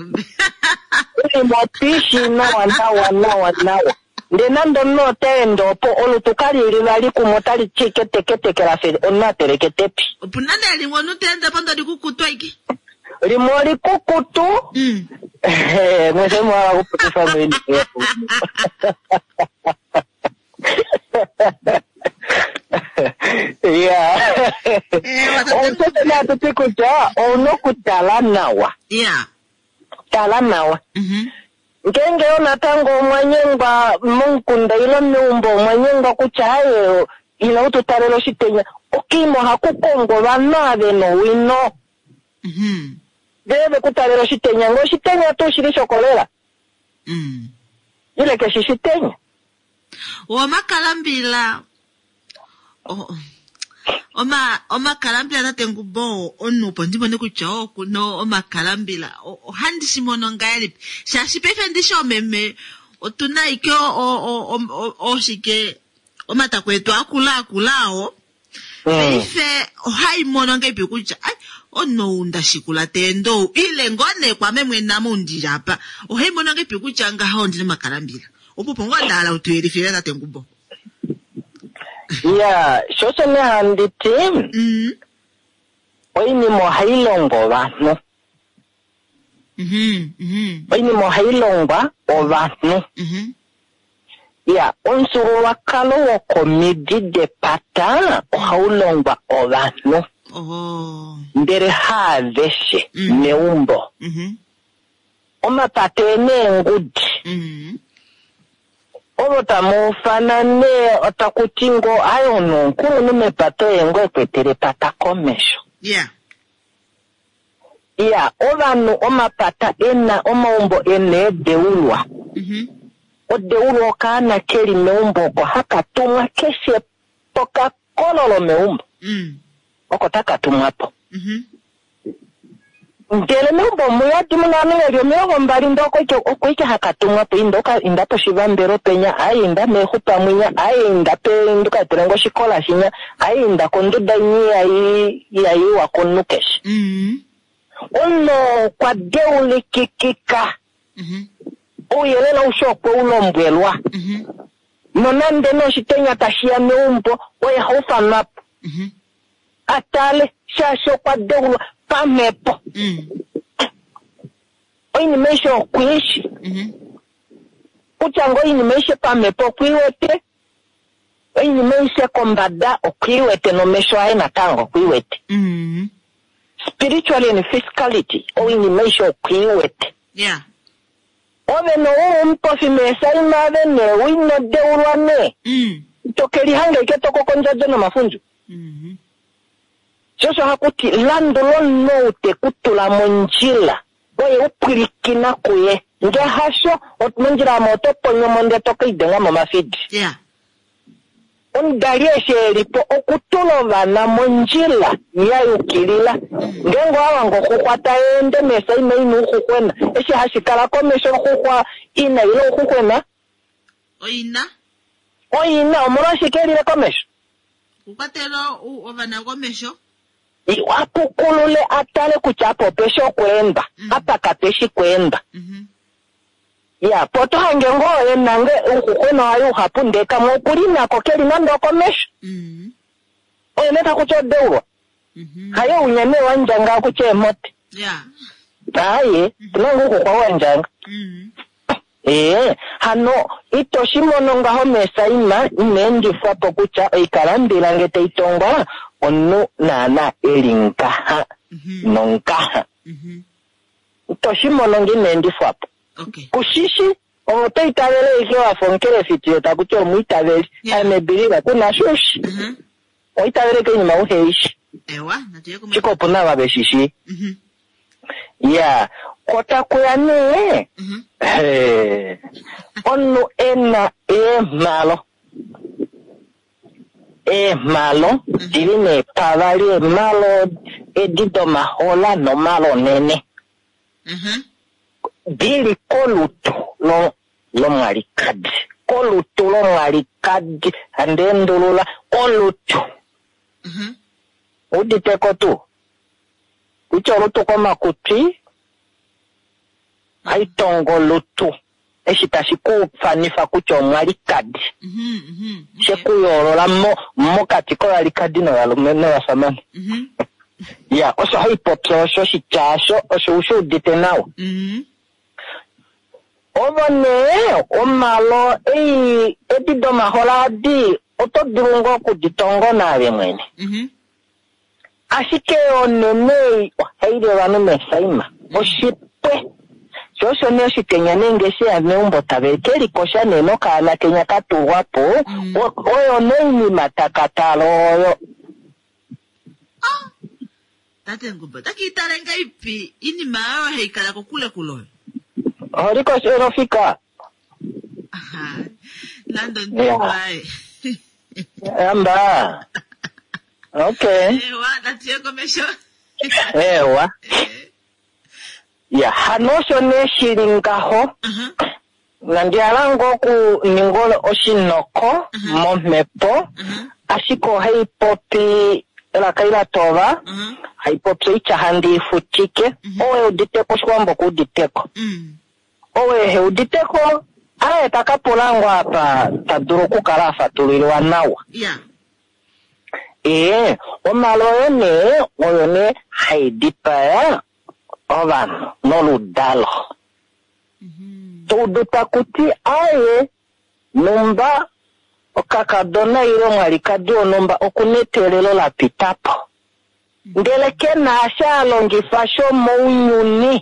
Oinima otiishi nawa, nawa, nawa, nawa. Ndee nande omunhu ota ende opo, olutu kali li vali kumwe, otali ti kete, kete, kela fe, omunhu a teleke tepi. Opu na nee limwe omunhu ta ende po ndo likukutu aike. Limwe olikukutu. Mwese mwa wala kupukifa mwini. Ya. Omutoto naa tuti kutya, ouna okutala nawa. Tala nawa. Ngeenge yo natango omwa nyengwa momukunda ile meumbo omwa nyengwa kutya aye, ila u tu talele oshitenya, okiima ohaku kongwa ovanhu ave nowino. Ndee ve ku talela oshitenya, ngee oshitenya tuu shili shokolela. Ile keshi shitenya. Omakalambila, omakalambila tate Ngubo, omunhu opo ndi mone kutya okuno omakalambila, ohandi shi mono ngahelipi? Shaashi paife ndi shi omeme, otu na ike oshike, omatako etu akula akula ao. Paife ohai mono ngahelipi kutya, ai, Omunhu ou nda shikula ta ende ou, ile ngoo nee kwaame mwene ame ou ndili apa, ohai mono ngahelipi kutya ngaha ondi na omakalambila? Opo opo ngoo nda hala u tu yelifile tate Ngubo. Ya, sho osho nee handi ti, oinima ohai longwa ovanhu. Oinima ohai longwa ovanhu. Ya, omufyuululwakalo wokomidi depata ohau longwa ovanhu. Ndele haaveshe meumbo. Omapata e neengudi. Ovo tamu ufana nee otaku ti ngoo aye omunhu omukulunhu mepata oye ngoo e kwetele epata komesho. Iya, ovanhu omapata e na omaumbo e na eedeulwa. Odeulwa okaana ke li meumbo oko haka tumwa keshe pokakololo meumbo. Oko taka tumwa po. Ndele meumbo omu yadi mu na ovanhu ve li 20 ndee oko ike, oko ike haka tumwa po. Inda oka, inda poshivambelo penya, aye inda meexupa mwinya, aye inda pe, inda uka etele nge oshikola shinya, aye inda konduda inya ihai, ihai iwa komunhu keshe. Omunhu oo okwa deulikikika. Ouyelele aushe okwe u lombwelwa. Nonande nee oshitenya tashi ya meumbo, oye ha ufanwa po. A tale, shaashi okwa deulwa pamhepo. Oinima aishe okwe i shi. Kutya ngoo oinima aishe pamhepo okwe i wete, oinima aishe kombada okwe i wete nomesho aye natango okwe i wete. Spiritually and physicality, oinima aishe okwe i wete. Ove no u omupofi meesaima ave nee u ino deulwa nee. Ito ke lihanga ike to koko ondjadjo nomafundju. Sho osho haku ti, landula omunhu ou te ku tula mondjila, oye u pwilikina kuye. Nge hasho, mondjila omo oto ponyo mo ndee to ke lidenga momafidi. Omudali eshi e li po okutula ovana mondjila ya yukilila. Ngeenge owa wanga oxuxwa tai ende meesaima ina ouxuxwena, eshi hashi kala komesho oxuxwa ina ile ouxuxwena? Oina. Oina, omolwashike e lile komesho? Okukwatela ovana komesho. A pukulule a tale kutya apa ope shi okweendwa, apa kape shi kweendwa. Ya, po oto hange ngoo e na nge ouxuxwena waye uhapu ndee kamwe oku li nako ke li nande okomesho. Oye nee taku ti odeulwa. Haye unya nee wa ndjanga kutya eemhote. Aaye, opu na ngoo ouxuxwa wa ndjanga. Ee, hano ito shi mono ngaho meesaima ina endifwa po kutya oikalambila nge tai tongwa omunhu naana e li ngaha nongaha. Ito shi mono nge ina endifwa po. Ku shi shi, ove oto itavele ashike wa fa omukelefiti yo taku ti omwiitaveli. I'm a believer. Ku na sho u shi. Oho itavele ashike oinima uhe i shi. Ashike opu na ava ve shi shii. Iya, ko taku ya nee, hee, omunhu e na eemhalo. Eemhalo di li nee pavali, eemhalo edi domahola nomhalo onene. Di li kolutu lo, lomwalikadi. Kolutu lomwalikadi. Handi endulula, kolutu. Udite ko tuu? Kutya olutu komakutwi, ohai tongo olutu, eshi tashi ku fanifa kutya omwalikadi. She ku yoolola mo, mokati kovalikadi novalumenhu novashamane. Ya, osho hai popi osho, oshitya osho, osho u shi udite nawa. Ovo nee, omalo ei, edi domahola adi, oto dulu ngoo oku di tongo naave mwene. Ashike onene ei ohai li ovanhu meesaima. Oshipwe. Sho osho nee oshitenya nee nge she ya meumbo tave ke likosha nee nokaana kenya ka tulwa po, oyo nee oinima taka tala oyo. Ah! Tate Ngumba, ota ki itale ngaipi inima oyo hai kala kokule kule oyo? Oho likosha lofika? Aha. Nande ondivae. Amba. Okay. Ewa, natu ye komesho. Ewa. Ya, hano osho nee shi li ngaho. Nandi hala ngoo okuninga oshinoko momhepo, ashike ohai popi. Elaka ila tova, haipopi oitya handi ifutike, owe uditeko Oshiwambo ku uditeko. Owe he uditeko, aye taka pula ngo apa ta dulu okukala a fatulilwa nawa. Ee, omalo oyo nee, oyo nee hai dipaya ovanhu noludalo. Toudu taku ti aye numba okakadona ile omwalikadi wonhumba okuna eteelelo la pita po. Ndele ke na asha a longifa shomounyuni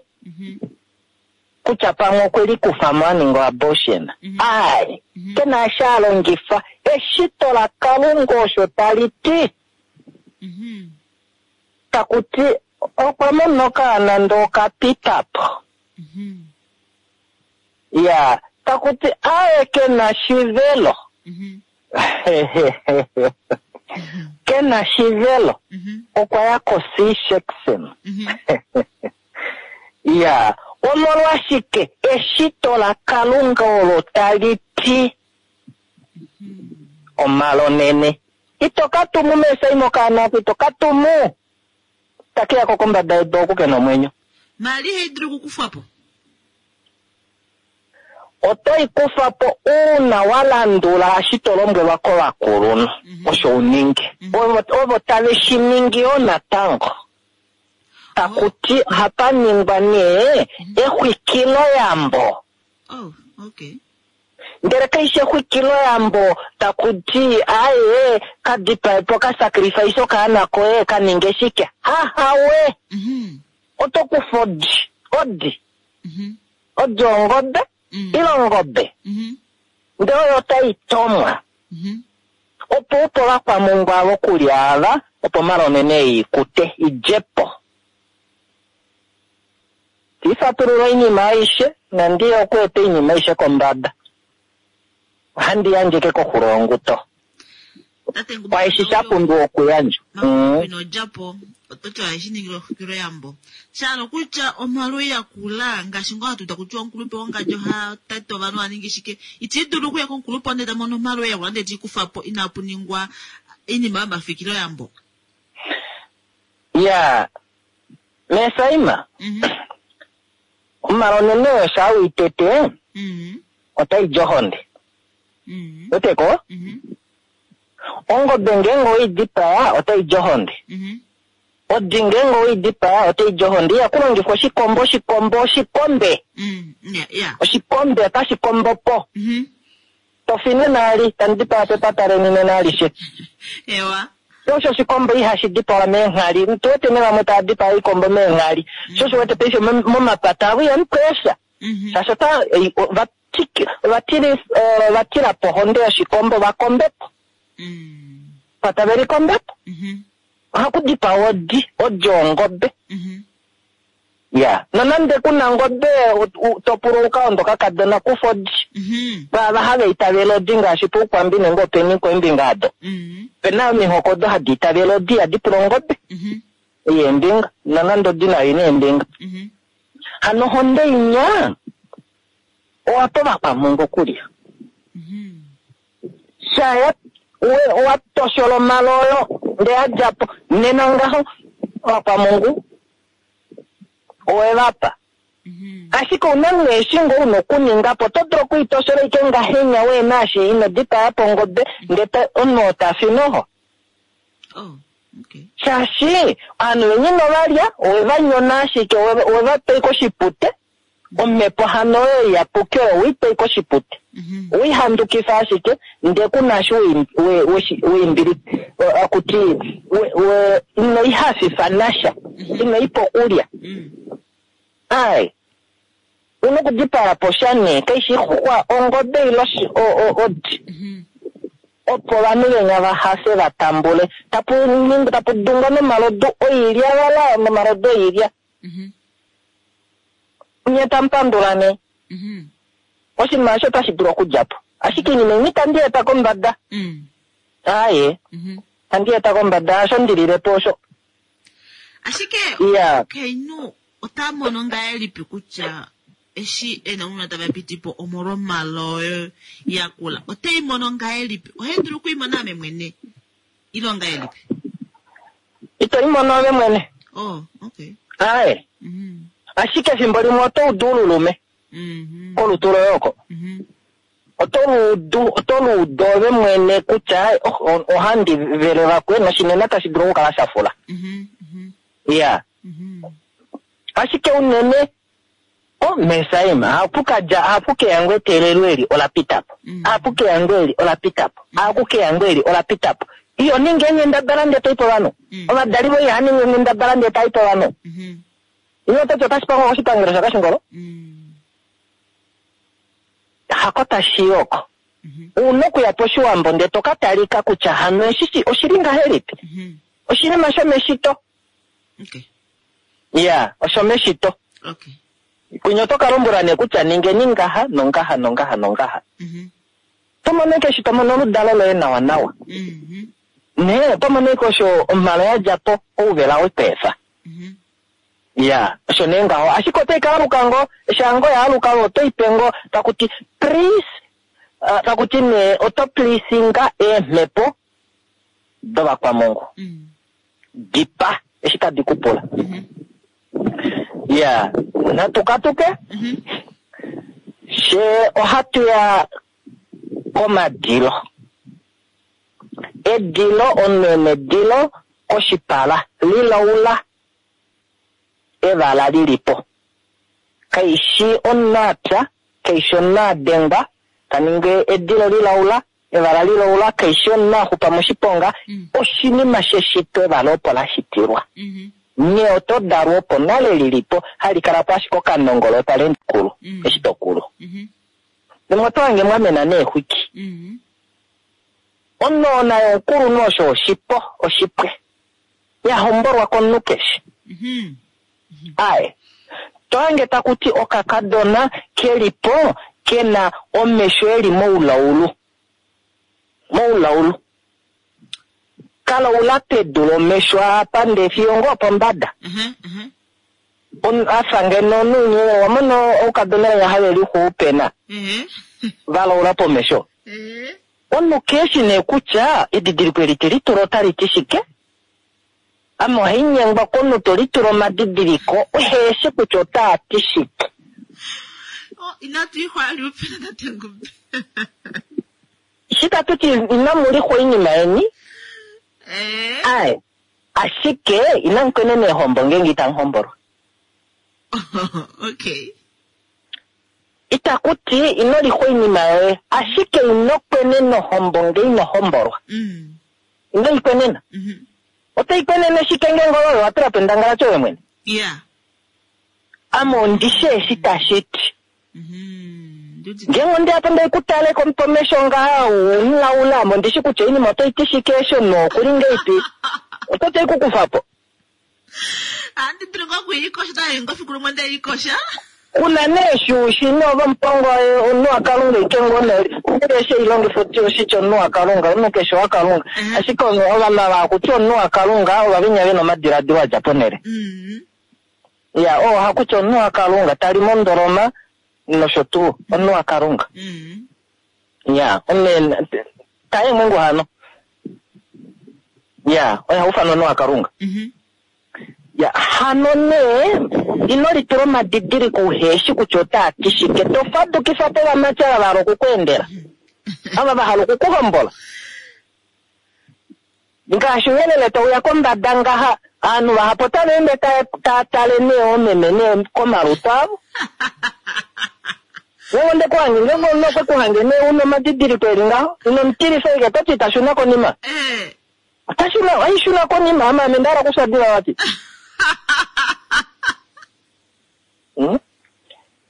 kutya pamwe okwe likufa mo a ninga abortion. Ai, ke na asha a longifa. Eshito laKalunga osho tali ti. Taku ti okwa mona okaana ndee okapita po. Ya, taku ti aye ke na shivelo. Ke na shivelo. Okwa ya ko-C-section. Ya, omolwashike eshito laKalunga olo tali ti omalonene. Ito ka tumu mesaimo okaana ako, ito ka tumu. Take ya ko kombada yedu oku ke na omwenyo. Mali ihai dulu okukufwa po. Oto i kufa po uuna wa landula eshi to lombwelwa kovakulunhu osho u ninge. Ovo tave shi ningi yo natango. Taku ti ohapa ningwa nee exwikiloyambo. Oh, okay. Ndele kaishi exwikiloyambo taku ti aye ka dipae po ka sacrifice okaana koye ka ninge shike. Hahawe. Oto kufa odi, odi. Odi ongobe, ile ongobe. Ndele oyo otai tomwa. Opo upe ovakwamhungu ava okulya ava, opo omalonene ei ikute, i dje po. Ti fatulula oinima aishe, nandi ye okueta oinima aishe kombada. Ohandi yandje ke koxulo yonguto. Kwaeshi sha pumbiwa okuyandjwa. Ino dja po, oto ti ohashi ningilwa exwikiloyambo. Sha hala okutya omhalo ya kula, ngaashi ngoo hatu uda kutya omukulupe wongadji oha tete ovanhu oha ningi shike. Iti dulu okuya komukulupe ndele ta mono omhalo ya kula ndele te i kufa po inapu ningwa oinima yomafikiloyambo. Ya, Mesaima, omhalo onene oyo shaa we i tete, otai di ohonde. Weteko? Ongobe ngeenge owei dipaa, otai di ohonde. Odi ngeenge owei dipaa, otai di ohonde. Ihaku longifwa oshikombo, oshikombo, oshikombe. Oshikombe otashi kombo po. Tofi nena ali, tamu dipaa pepata leni nena alishe. Ewa. Osho oshikombo ihashi dipawa meenghali. Tu wete nee vamwe tava dipaa oikombo meenghali. Sho osho wete paife momapata avo ihamu kwesha. Shaashi ota, ova ova tila po ohonde yoshikombo va kombe po. Pa tave likombe po. Ohaku dipawa odi, odi ongobe. Ya, nonande ku na ongobe to pulwa u ka onde okakadona, kufa odi. Kwaava hava itavele odi ngaashi pOukwambi nenge openi koimbinga ado. Ope na omihoko odo hadi itavele odi ihadi pula ongobe yeembinga, nonande odi nayo ina eembinga. Hano ohonde inya owa pa ovakwamhungu okulya. Shaya owa toshola omaloyo ndee ya dja po, nena ngaho ovakwamhungu owe va pa. Ashike ouna nee eshi ngoo una okuninga po, oto dulu okuitoshola ashike ngahenya weena eshi ino dipaya po ongobe ndee omunhu oo ta fi noho. Oh, okay. Shaashi ovanhu veni ino va lya, owe va nyona ashike, owe va pa ashike oshipute. Omhepo hano oyo iyapuki oyo we i pa ashike oshipute. Owe i handukifa ashike, ndee ku na eshi we akuti ino i hafifa nasha, ino i pa okulya. Ai, una okudipaya po sha nee, kaishi ixuxwa, ongobe ile odi. Opo ovanhu venya va hafe va tambule. Tapu tapu dungwa nomalodu oilya vala nomalodu oilya. Nye tamu pandula nee. Oshinima osho otashi dulu okudja po. Ashike oinima imwe itandi eta kombada. Aaye. Itandi eta kombada, hasho ndi lile po osho. Ashike omukainhu ota mono ngahelipi kutya eshi e na ounona tava piti po omolwomalo oyo ya kula? Ote i mono ngahelipi? Ohai dulu oku i mona ame mwene ile ongahelipi? Ito i mono ove mwene. Oh, okay. Aye. Ashike efimbo limwe oto udu ululume. Kolutu loye oko. Oto luudu, oto luudu ove mwene kutya oh, ohandi vele vakwe noshinena tashi dulu okukala sha fula. Ya. Ashike unene o mesaima hapu ka dja hapu ke yango eteelelo eli ola pita po. Hapu ke yango eli ola pita po. Hapu ke yango eli ola pita po. Iyo ninga eenghendabala ndee to i povanhu. Ovadali voye ihava ningi eenghendabala ndee tai povanhu. Ile oto ti otashi pangwa koshipangelo shaKashingolo? Hako tashi i oko. U na okuya pOshiwambo ndee to ka talika kutya hano eshi oshi li ngahelipi. Oshinima shomeshito. Okay. Ya, oshomeshito. Okay. Kwinya oto ka lombwelwa nee kutya ningeni ngaha nongaha nongaha nongaha. To mono ashike eshi to mono oludalo loye nawanawa. Nee, oto mono ashike osho omhalo ya dja po, ouvela we ku efa. Ya, osho nee ngaho. Ashike otai ka aluka ngoo, eshi ngoo ya aluka ove oto i pe ngoo taku ti please, taku ti nee oto pleasinga eemhepo dovakwamongo. Di pa eshi tadi ku pula. Ya, natu katuke. Fye ohatu ya komadilo. Edilo, omunhu e nedilo koshipala, lilaula evala li li po. Kai shi omunhu a pya, kai shi omunhu a dengwa, ta ningi edilo lilaula, evala lilaula, kai shi omunhu a xupa moshiponga, oshinima sheshito evala opo la shitilwa. Nye oto dalwa opo nale li li po, hali kala po ashike okanongolo tali ende kulu, eshi to kulu. Limwe oto hange mwa mena neexwiki. Onoona yomukulunhu osho oshipo, oshipwe. Ya hombolwa komunhu keshe. Aye. To hange taku ti okakadona ke li po ke na omesho e li moulaulu. Moulaulu. Ka laula pedu lomesho apa ndee fiyo ngoo opombada. A fa ngeno omunhu owa mona oukadona venya have lixu pena. Va laula pomesho. Omunhu keshi nee kutya edidiliko eli te litula otali ti shike. Ame ohai nyengwa komunhu to litula omadidiliko uheshi kutya otaa ti shike. Oh, inatu ixwa ali upena tate Ngumbi. Shi tatu ti inamu lixwa oinima yeni. Aye. Ashike inamu kwenena eehombo ngeenge itamu hombolwa. Okay. Itaku ti ino lixwa oinima yoye, ashike ino kwenena ohombo nge ino hombolwa. Ino i kwenena. Oto i kwenene shike ngeenge ove owa tula po endangalati ove mwene? Yeah. Ame ondi shi eshi tashi ti. Ngeenge onde ya po ndai ku tale pomesho ngaha, umulaula, ame ondi shi kutya oinima oto i ti shike eshi omunhu oku li ngeipi. Oto ti ku kufa po. Ohandi dulu ngoo okuilikosha, otayi ngoo fiku limwe nde likosha. Kuna nee eshi u shi nee ove omupango waye omunhu waKalunga ike ngoo nee ndele eshi eilongifo oti oshitya omunhu waKalunga omunhu keshe waKalunga ashike ovanhu ava hakuti omunhu waKalunga ova venya vena omadiladilo a dja ponhele ya oo hakuti omunhu waKalunga tali mondoloma nosho tuu omunhu waKalunga ya omunhu taye hano ya oye haufanwa omunhu waKalunga Ya, hano nee, ino litula omadidiliko uheshi kutya otaa ti shike. To fadukifa po ovamati ava va hala oku ku endela, ava va hala oku ku hombola. Ngaashi ouyelele tau ya kombada ngaha, ovanhu vahapu otava ende tava tale nee oomeme nee komalutu avo. Ngeenge onde ku hange, ngeenge omunhu okwe ku hange nee u na omadidiliko e li ngaho, ino mu tilifa ashike, oto ti ita shuna konima. Ota shuna, ohai shuna konima, ame ame nda hala okufya diva vati. Hmm?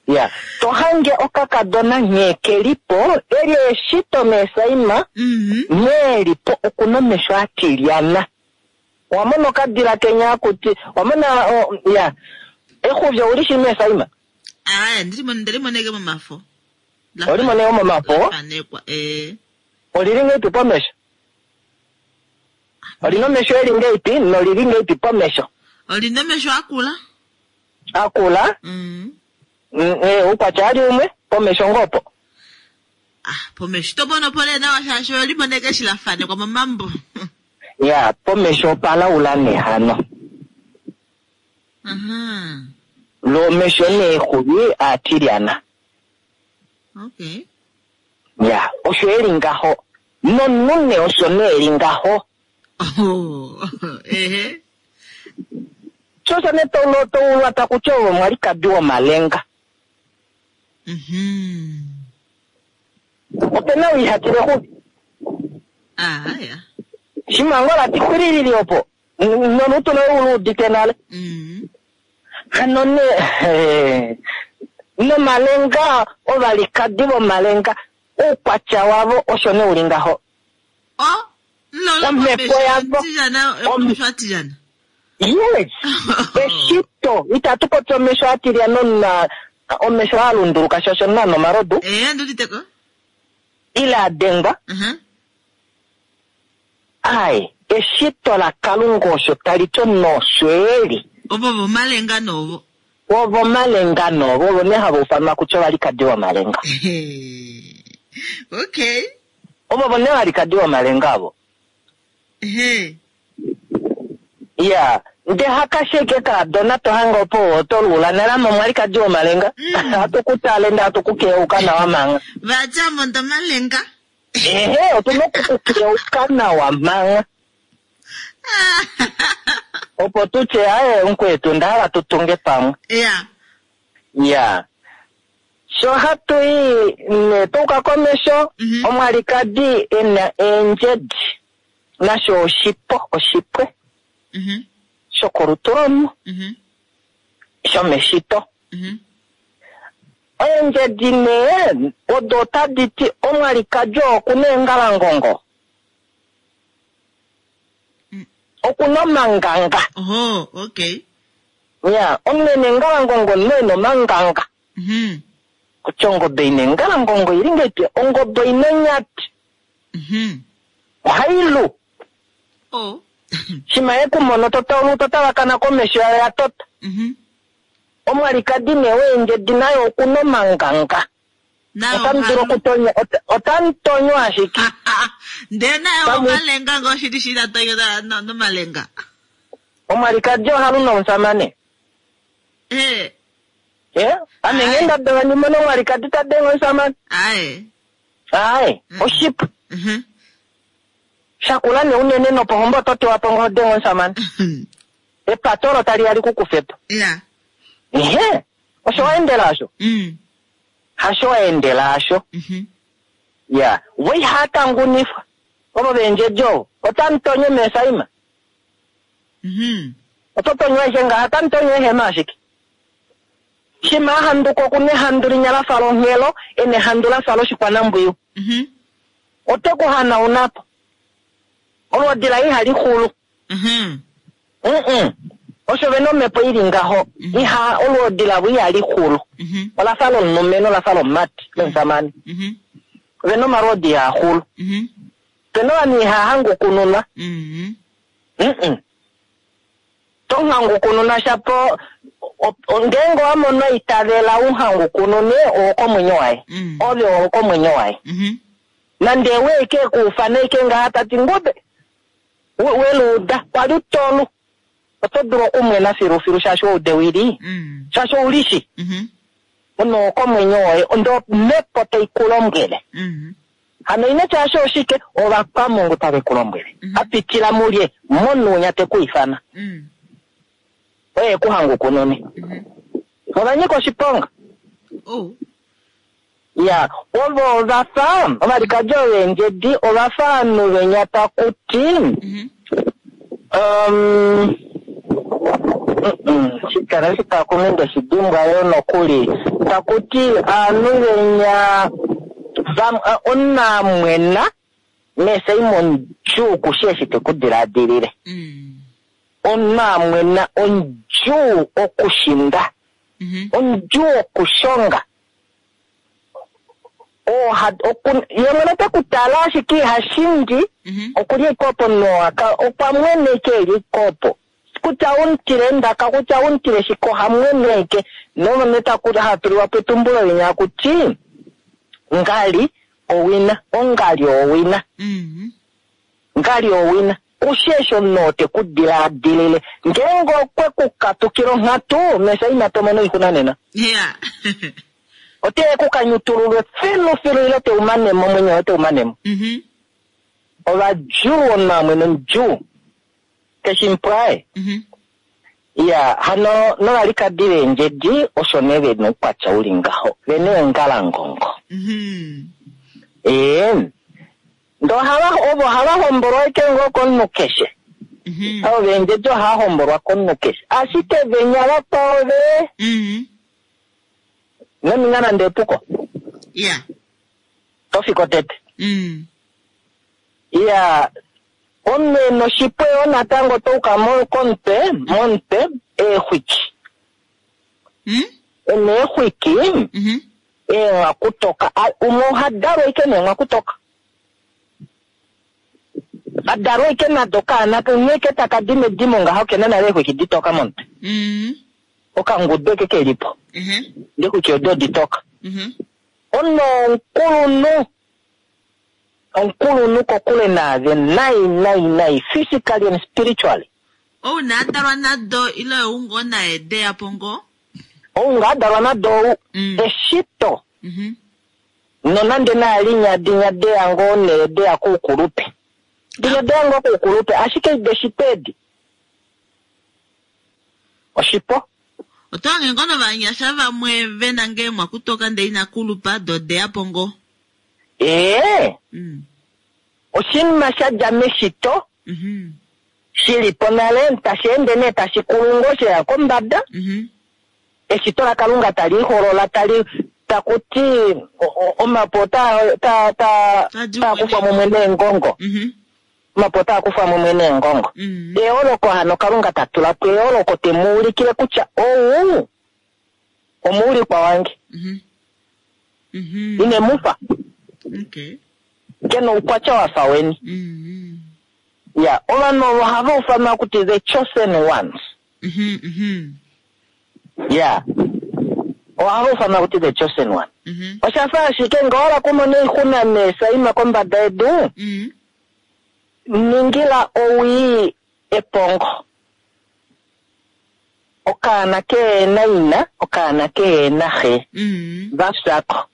Ya, to hange okakadona nghee ke li po, eli eshito meesaima, nghee e li po oku na omesho a tilyana. Owa mona okadila kenya akuti, owa mona, o, ya, exuvyo ouli shi meesaima? Aye, ndili moneke momafo. Oli moneke momafo? Lafanekwa, ee. Olili ngeipi pomesho? Olina omesho eli ngeipi nolili ngeipi pomesho? Olina omesho akula. Akula? Oukwatya ali umwe pomesho ngoo po. Ah, pomesho to mono po nee nawa shaashi oli moneke eshi la fanekwa momambo. Ya, pomesho opalaula nehano. Aha. Lomesho neexuvi aatilyana. Okay. Ya, osho eli ngaho. Nomunhu nee osho nee eli ngaho. Oh. Ehe. Sho osho nee toulwa taku ti ove omwalikadi womalenga. Ope na ou iha tila exuvi. Ah, ya. Shimha ngoo la ti xwililili opo, nolutu loye u luudite nale. Hano nee, nomalenga, ovalikadi vomalenga, oukwatya wavo osho nee u li ngaho. Oh, lolo Omhepo yavo. Tilyana, omesho atilyana. Yes. Eshito, itatu popi omesho atilyana na omesho a lunduluka shaashi omunhu ana omalodu. Eh, nduditeko. Ile a dengwa. Ai, eshito laKalunga osho tali ti omunhu osho e li. Ovo vomalenga novo. Ovo malenga novo, ovo nee hava ufanwa kutya ovalikadi vomalenga. Okay. Ovo vo nee valikadi vomalenga avo. Ehe. Ya, nde hakasheke kaadona to hange opo oto luula nale ame omwalikadi womalenga. Hatu ku tale nde hatu ku keuka nawa manga. Vatya mondo malenga. Ehe, otu na oku ku keuka nawa manga. Opo tu tye, aye, mukwetu, nda hala tu tunge pamwe. Ya. Ya. Sho hatu i ne tuuka komesho, omwalikadi e na eendjedi, nasho oshipo, oshipwe shokolutu lomunhu, shomeshito. Eendjedi nee odo otadi ti omwalikadi oo oku na eengalangongo. Oku na omanganga. Oho, okay. Ya, omunhu e na eengalangongo omunhu e na omanganga. Kutya ongobe ina engalangongo ili ngahelipi? Ongobe ina onyati. Ohai lu. Oh. Shima ye ku mono to taulu to tavakana komesho yayo ya tota. Omwalikadi nee weendjedi naye oku na omanganga. Otamu dulu okutonya, otamu tonywa ashike. Ndee naye omalenga ngoo shili shili atonya nomalenga. Omwalikadi oha lu nomusamane. Eh. Eh, ame nghee nda dala ndi mone omwalikadi ta denge omusamane. Aye. Aye, oshipu. Shakula nee unene nopohombo oto tewa po ngoo denge omusamane. Epato olo tali ya li ku kufe po. Ya. Ehe, osho wa endela asho. Hasho wa endela asho. Ya, vo ihaa tangunifwa. Ovo veendjedi ovo. Otamu tonye meesaima. Oto tonywa aishe ngaha, otamu tonywa eehema ashike. Shima a handuka oku na ehandu linya la fa longhelo, e na ehandu la fa loshikwanambwiyu. Ote ku hanauna po. Olwoodi laye ihali xulu. Osho ve na omhepo i li ngaho. Iha, olwoodi lavo ihali xulu. Ola fa lomulumenhu, ola fa lomumati, lomusamane. Ve na omalwoodi ihaa xulu. Pe na ovanhu ihaa hangukununwa. To hangukununa shapo, ngeenge owa mono itavela u hangukunune, owokomwenyo waye. Ove owokomwenyo waye. Nande we ke kuufana ike ngaha ta ti ngube, weluuda, kwali tolu. Oto dulu okumwena filufilu shaashi oude wili. Shaashi oulishi. Ono owokomwenyo woye, ndo omhepo tai ku lombwele. Hano ino tya osho oshike, ovakwamungu tave ku lombwele. A pitila mulye, monunya te ku ifana. Oye ku hangukunune. Ova nyika oshiponga. Ya, ovo ova fa, ovalikadi oveendjedi, ova fa ovanhu venya taku ti, shikala shitakume nde shi dimbwa yo nokuli. Taku ti, ovanhu venya, omunhu a mwena, meseimo ondjuu kushi eshi te ku diladilile. Omunhu a mwena ondjuu okushinda. Ondjuu okushonga. Ye mwene ote ku tala ashike iha shindi, oku li ike opo nowa okwa mwene ike e li ike opo. Kutya umutile endaka, kutya umutile shike, oha mwene ike. Nomone taku hatuliwa po etumbulo linya akuti, ngali owina, ongali owina. Ngali owina. Kushi eshi omunhu oo te ku dilaadilile. Ngeenge okwe ku katukila onghatu, Mesaima to mono oixuna nena. Yeah. Ote ku kanyutululwe filufilu ile te u mane mo, omwenyo woye te u mane mo. Mhm. Ovadjuu omunhu amwe nomudjuu. Keshi mpwae. Mhm. Ya, hano novalikadi veendjedi osho nee ve na oukwatya u li ngaho. Ve na eengalangongo. Mhm. Ee. Ndee ohava, ovo ohava hombolwa ashike ngoo komunhu keshe. Mhm. Avo veendjedi ohava hombolwa komunhu keshe. Ashike venya vakwao ve Mhm. ino ninga nande epuko. Yeah. To fiko tete. Iya, omunhu e na oshipwe yoo natango oto uka mo komutwe, momutwe, eexwiki. E na eexwiki, eenghwakutoka. A, umwe oha dalwa ashike neenghwakutoka. A dalwa ashike nado okaana, umwe ashike taka di medimo ngaho ke na nale eexwiki ditoka momutwe. Okangudu eke ke li po. Ndee eexwiki odo oditoka. Omunhu omukulunhu, omukulunhu kokule naave nai nai nai, physically and spiritually. Ou na a dalwa nado ile ou ngoo naye de ya po ngoo? Ou ngaa a dalwa nado ou. Eshito. Nonande naalinya dinya de ya ngoo nee de ya koukulupe. Dinya de ya ngoo koukulupe, ashike deshito edi. Oshipo. Oto hange ngoo novanyasha vamwe ve na ngee mwakutoka ndee ina kulupa, do de ya po ngoo. Ee. Oshinima sha dja meshito, shi li po nale, tashi ende nee tashi kulu ngoo she ya kombada. Eshito laKalunga tali iholola, tali, taku ti, omapu otaa, taa, taa, taa kufwa mumwe neengongo. Omapu otaa kufwa mumwe neengongo. Eholoko hano Kalunga ta tula po eholoko te mu ulikile kutya ou omuulikwa wange. Ine mu fa. Ke na oukwatya wa fa weni. Ya, ovanhu ovo ohava ufanwa kuti the chosen ones. Ya, ohava ufanwa kuti the chosen one. Osha fa ashike ngee owa hala okumona oixuna neesaima kombada yedu, ningila owii epongo. Okaana kehe na ina, okaana kehe na xe, va fya ko.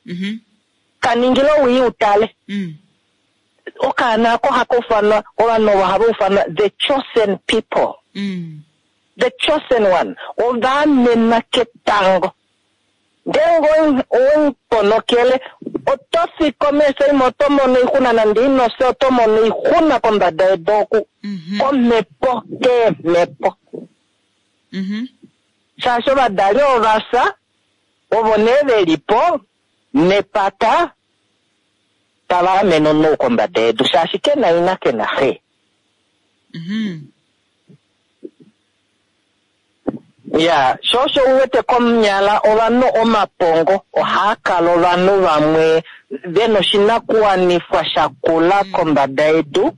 Ka ningila owii u tale. Okaana oko ohaka ufanwa, ovanhu ovo ohava ufanwa the chosen people. The chosen one. Ova amenwa ketango. Ngeenge owe mu ponokele, oto fi komesho imwe, oto mono oixuna nande ino fya, oto mono oixuna kombada yedu oku, komhepo, keemhepo. Shaashi ovadali ova fya, ovo nee ve li po, nepata, tava amene omunhu ou kombada yedu, shaashi ke na ina, ke na xe. Ya, sho osho u wete komunyala ovanhu omapongo ohaa kala ovanhu vamwe ve na oshinakuwanifwa sha kula kombada yedu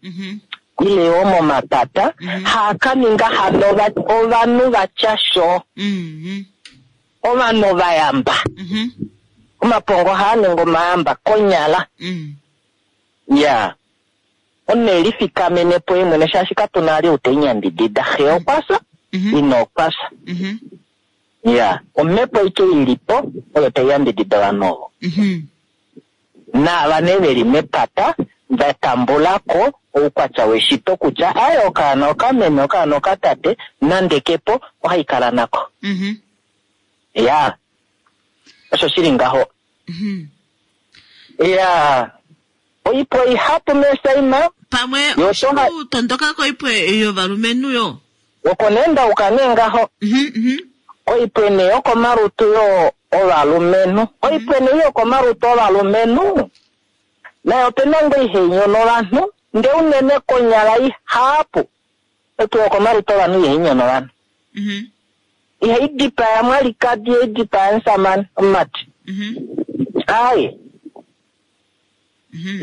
ile yoo momapata, haa ka ninga hano ovanhu va tya sho, ovanhu ovayamba. Omapongo ohaa ningi omayamba konyala. Ya. Omunhu e lifikamene po ye mwene shaashi katu na ali ou te nyambidida. Xe okwa fya, ina okwa fya. Ya, omhepo aike i li po oyo tai yambidida ovanhu ovo. Naava nee ve li mepata va tambula ko oukwatya weshito kutya aye okaana okameme, okaana okatate, nande ke po, ohai kala nako. Ya, osho shi li ngaho. Ya. Oipwe ihapu meesaima. Pamwe oshipu tondoka koipwe yovalumenhu yo. Oko nee ndauka nee ngaho. Oipwe nee yokomalutu yo ovalumenhu. Oipwe nee yokomalutu ovalumenhu nayo opena ngoo ihai nyono ovanhu, ndee unene konyala ihapu oipwe yokomalutu ovanhu ihai nyono ovanhu. Ihai dipaya mwalikadi, ihai dipaya musamane, omumati. Aaye.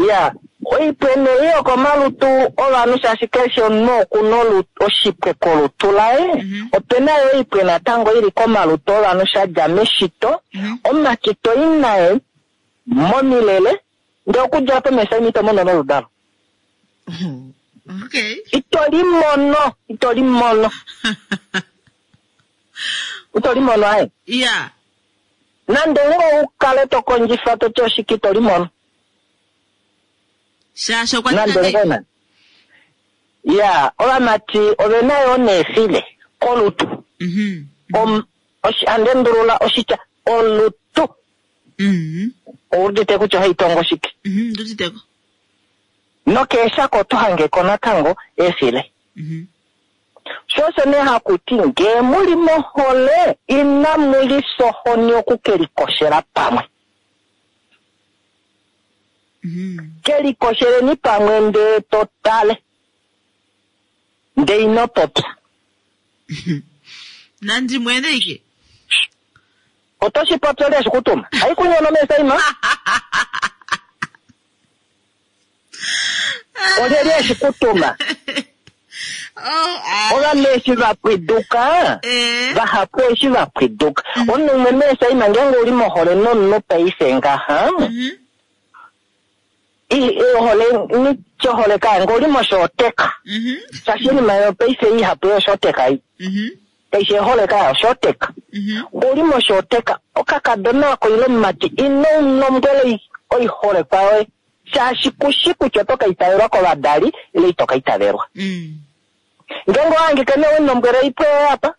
Ya, oipwe nee yokomalutu ovanhu shaashi keshe omunhu oku na oshipwe kolutu laye. Ope na yo oipwe natango i li komalutu ovanhu sha dja meshito. Omumati to i naye momilele, ndee okudja opo mesaima ito mono noludalo. Okay. Ito Ito limono, ito limono. Ito limono aye. Ya. Nande ngo ukale to kondjifa to ti oshike ito limono. Shaashi okwa Nande ninga ngo na. Ya, ovamati ove na yo neefile kolutu. Ande ndulula oshitya olutu. Oudite kutya ohai tongo shike. Nduditeko. Nokeeshako oto hangeko natango eefile. Shosho nee hakuti ngee muli mohole inamu lisohoni okukelikoshela pamwe. Kelikosheleni pamwe ndee to tale. Ndee ino popya. Nandi mwene ike. Oto shi popya olye shikutuma. Haikunyono mesaima. Olyelye shikutuma. Oh, Ovanhu eshi va pwiduka, vahapu eshi va pwiduka. Omunhu umwe mesaima ngeenge uli mohole nomunhu paife ngaha, ohole nitye ohole kaange uli moshooteka. Shaashi oinima yopaife ihapu yoshooteka ei. Kaishi ehole kaya oshooteka. Uli moshooteka, okakadona ako ile omumati ino mulombwela oiholekwa yoye. Shaashi kushi kutya oto ka itavelwa kovadali ile ito ka itavelwa. Ngeenge owahangika nee wemulombwela oipwe yoye apa,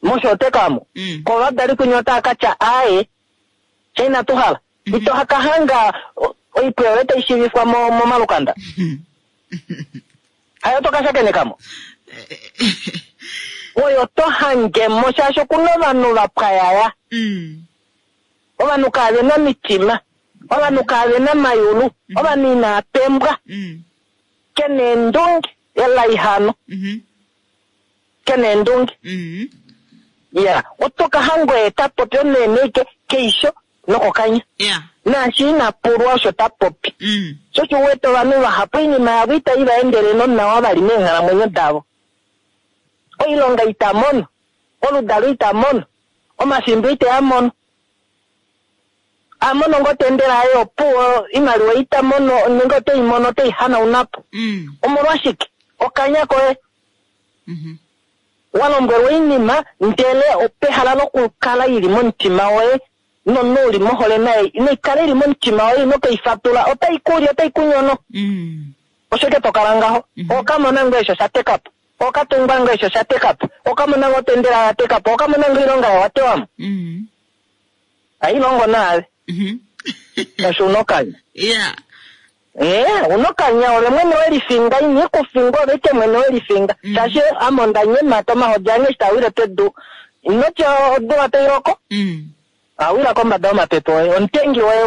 moshooteka omo, kovadali kwinya otava ka tya aaye, fye inatu hala. Ito ka hanga oipwe yoye tai shiivifwa momalukanda. Hayo to ka shakenekamo. Oyo to hangemo shaashi okuna ovanhu va pwayaya. Ovanhu kavena omitima. Ovanhu kavena mayulu. Ovanhu inaa pembwa. Kena eendunge elaihano. Kena eendunge. Ya, oto ka hanga oye ta popi omunene ike keisho nokokanya. Naashi ina pulwa osho ta popi. Sho osho uwete ovanhu vahapu oinima yavo itai va endele nonawa vali meenghalamwenyo davo. Oilonga ita mono, oludalo ita mono, omafimbo ite a mono. A mono ngoo tendela aye opuwo, imaliwa ita mono, nenge otei mono otei hanaunapo. Omolwashike? Okanya koye. Wa lombwelwa oinima ndele opehala lokukala ili momutima woye nomunhu uli mohole naye naikale ili momutima woye ino keifatula otai kuli otai kunyono. Osho ke tokala ngaho. Okamona ngoo esho sha teka po. Okatungwa ngoo esho sha teka po. Okamona ngoo otendela ya teka po. Okamona ngoo oilonga ya watewamo. Hailongo naave. Shaashi una okanya. Una okanya ove mwene welifinga, ina ikufinga ove ike mwene welifinga. Shaashi ame onda nyemata omahodi ange eshi taa wile pedu. Inotya odula tai loko. Awila kombada yomapepe oye, omutengi woye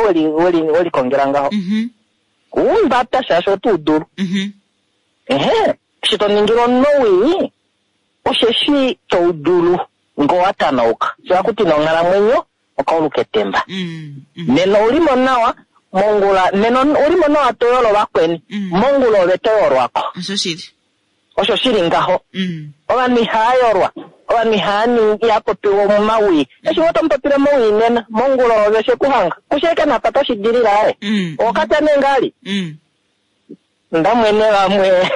welikongela ngaho. Umbata shaashi oto udulu. Ehe, eshi to ningile omunhu owii, osheshi to udulu ngoo wa tanauka. Sho hakuti nonghalamwenyo okauluka etemba. Nena oulimo nawa mongula, nena oulimo nawa to yolo vakweni. Mongula ove to yolwako. Osho shili. Osho shili ngaho. Ovanhu ihava yolwa. Ovanhu ihava ningi, ihava popiwa momawii. Eshi ngoo tomupopile mowii nena, mongula ove shekuhanga. Kushe napa toshi dilila aye. Okatya nee ngali. Ndamwene vamwe.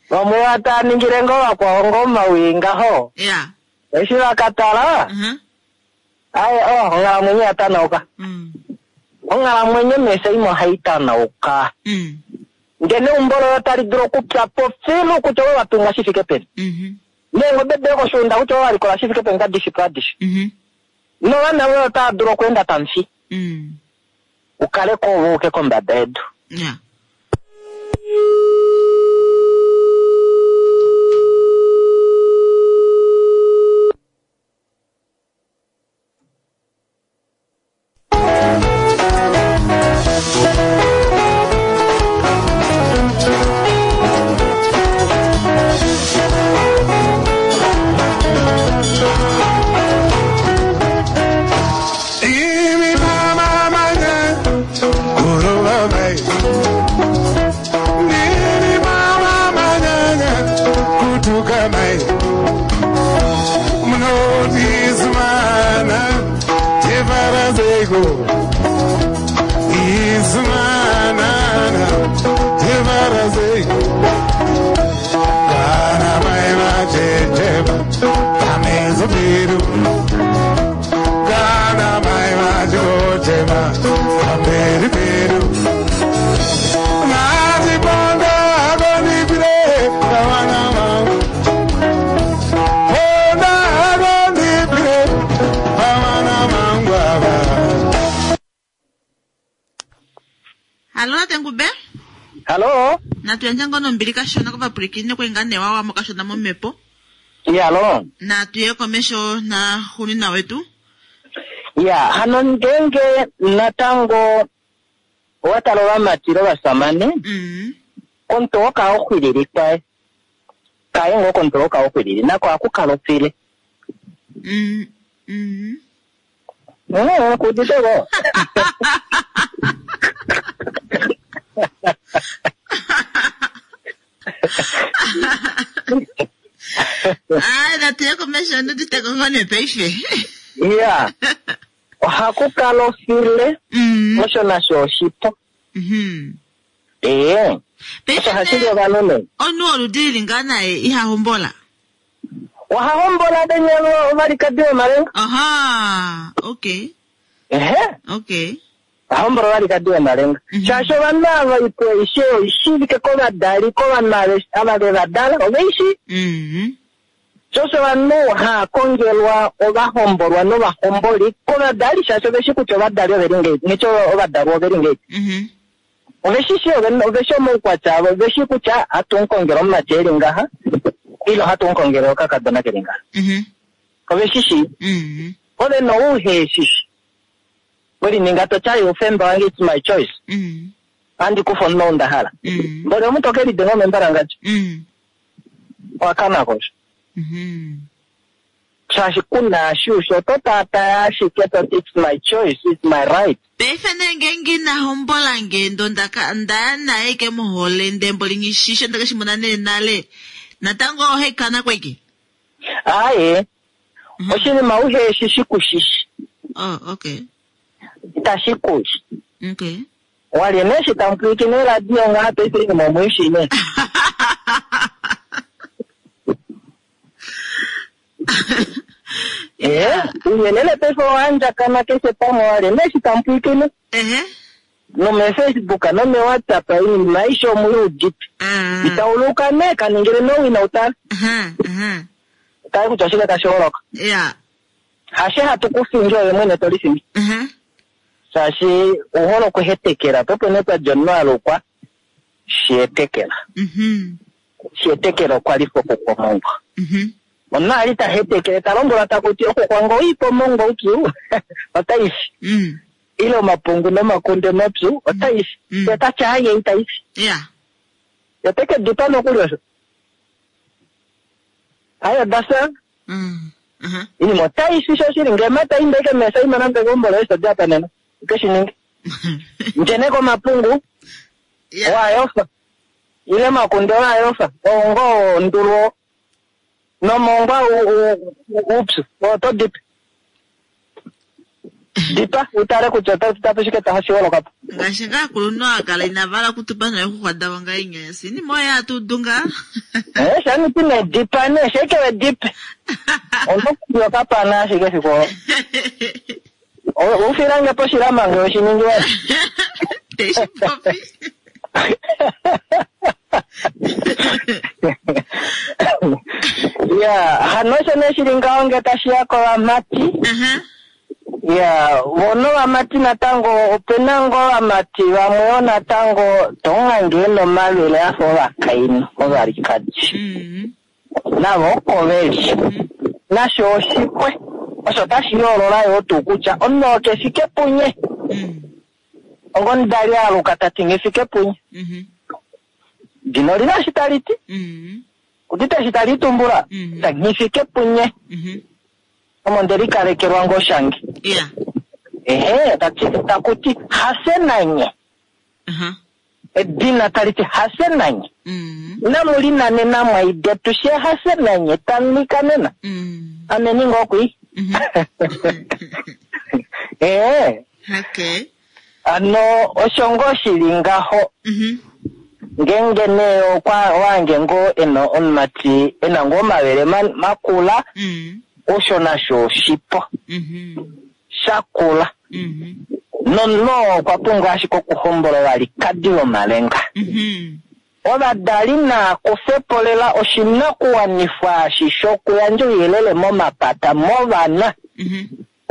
Vamwe vataningile ngoo vakwao ngoo omawii ngaho. Eshi vakatala, aye, onghalamwenyo ya tanauka. Onghalamwenyo meseimo ohai tanauka. Ndele neumbo loye otali dulu okupya po filu kutya ove watunga shi fike peni. Neengobe doye koshuunda kutya ove walikola shi fike peni kadishi po adishe. Novana voye otava dulu okweenda pamufi. Ukale ko ove uke kombada yedu. Hallo tate Ngube. Hallo. Natu yandje ngoo nombili kashona kovapwilikini okwali ngaa nee wawamo kashona momhepo. Ya, hallo. Natu ye komesho na xunina wetu. Ya, hano ngeenge natango owa tala ovamati lovasamane, komutu oo kaa oxwilili kwaye. Kaye ngoo komutu oo kaa oxwilili, nako ohaku kala ofile. Ku udite ko? Ai, natu ye komesho ndudite ko ngoo nee paife. Ya, ohaku kala ofile, osho nasho oshipo. Ee, Paife osho hashi li nee, ovanhu nee. omunhu woludi lili ngaa naye iha hombola? Oha hombola venya ovalikadi vomalenga. Aha, okay. Ehe. Okay. Oha hombola ovalikadi vomalenga. Shaashi ovanhu ava oipo aishe oishivike kovadali, kovanhu ava ve va dala, oveishi. Sho osho ovanhu haa kongelwa ovahombolwa novahomboli kovadali, shaashi oveshi kutya ovadali ove li ngahelipi, neti ovadalwa ove li ngahelipi. Ove shi shi, ove shi omaukwatya avo, ove shi kutya hatu mu kongele omumati e li ngaha, ile ohatu mu kongele okakadona ke li ngaha. Ove shi shii. Ove no uhe shi shi. We lininga to tya oufemba wange, it's my choice. Ohandi kufa omunhu ou nda hala. Mboli omuntu oke lidenga omembalangadja. Owa kana ko osho. Shaashi ku na eshi ushi, oto taataya ashike to ti it's my choice, it's my right. Paife nee ngeenge ina hombola nge ndo ndaka ndaya naye ike mohole ndee mboli nghishishe ndeke shi mona nee nale, natango ohe kana kweke? Aaye, oshinima uhe shi shi ku shishi. Oh, okay. Itashi ku shi. Okay. Walye nee eshi tamu pwilikine oradio ngaha paife oinima omu i shii nee. Ee, ouyelele paife owa andjakana keshe pamwe, walye nee eshi tamu pwilikine. NomeFacebook nomeWhatsApp oinima aishe omu i udite. Itauluka nee, ka ningile nee owina u tale. Tale kutya oshike tashi holoka. Hashe hatu ku fingi oye mwene to lifingi. Shaashi ou hole okuhetekela, po opo nee pa dja omunhu a lukwa Sheetekela. Sheetekela okwa li pokukwa omongwa. Omunhu a li ta hetekele ta lombwelwa taku ti okukwa ngoo oipa omongwa upyu otai fi. Ile omapungu nomakunde mapyu otai fi. Ye ta ti aaye itai fi. Ye te ke di pa nokuli osho. Aye oda fya. Inima otai fi shoshili. Ngee mata inda ike meesaima nande keumbo loye eshi to di apa nena. Uke shi ninge. Ndjene komapungu waayofa. Ile makunde waayofa. Oo ngoo ndulu oo. Nomongwa upyu. Oto dipe. Dipa utale kutya ota shike tashi holoka po. Ngaashi ngaa aakulunhu aa kala inava hala okutupa noixuxwa davo ngaa inya yasi. Inima oyo hatu udu ngaa. Eh, shani ti ne dipa ne, sheke we dipe. Onokuya okapana ashike efiku olo. Oufilange poshilama nge oshiningi wa. Teshi popi. Ya, hano osho nee shili ngaho nge tashi ya kovamati. Ya, vo novamati natango ope na ngoo ovamati vamwe yoo natango tomuhange e na omavele a fa ovakainhu ovalikadi. Navo oko ve li. Nasho oshipwe. Osho otashi yoolola yoo tuu kutya omunhu oo ke fike punye. Ongomudali a aluka ta ti nghi fike punye. Dina oli na eshi tali ti. Udite eshi tali tumbula? Ta nghi fike punye. Omo nde likalekelwa ngoo shange. Ehe, taku ti hase nanye. Edina tali ti hase nanye. Inamu linanena mwaidetu she hase nanye tamu likanena. Ame ninga okwi. Ee. Ano osho ngoo shi li ngaho. Ngeenge nee okwa wange ngoo e na omumati e na ngoo omavele makula, osho nasho oshipo shakula. Nomunhu oo okwa pumbwa ashike okuhombola ovalikadi vomalenga. Ovadali naa kufe po lela oshinakuwanifwa eshi shokuyandja ouyelele momapata movana.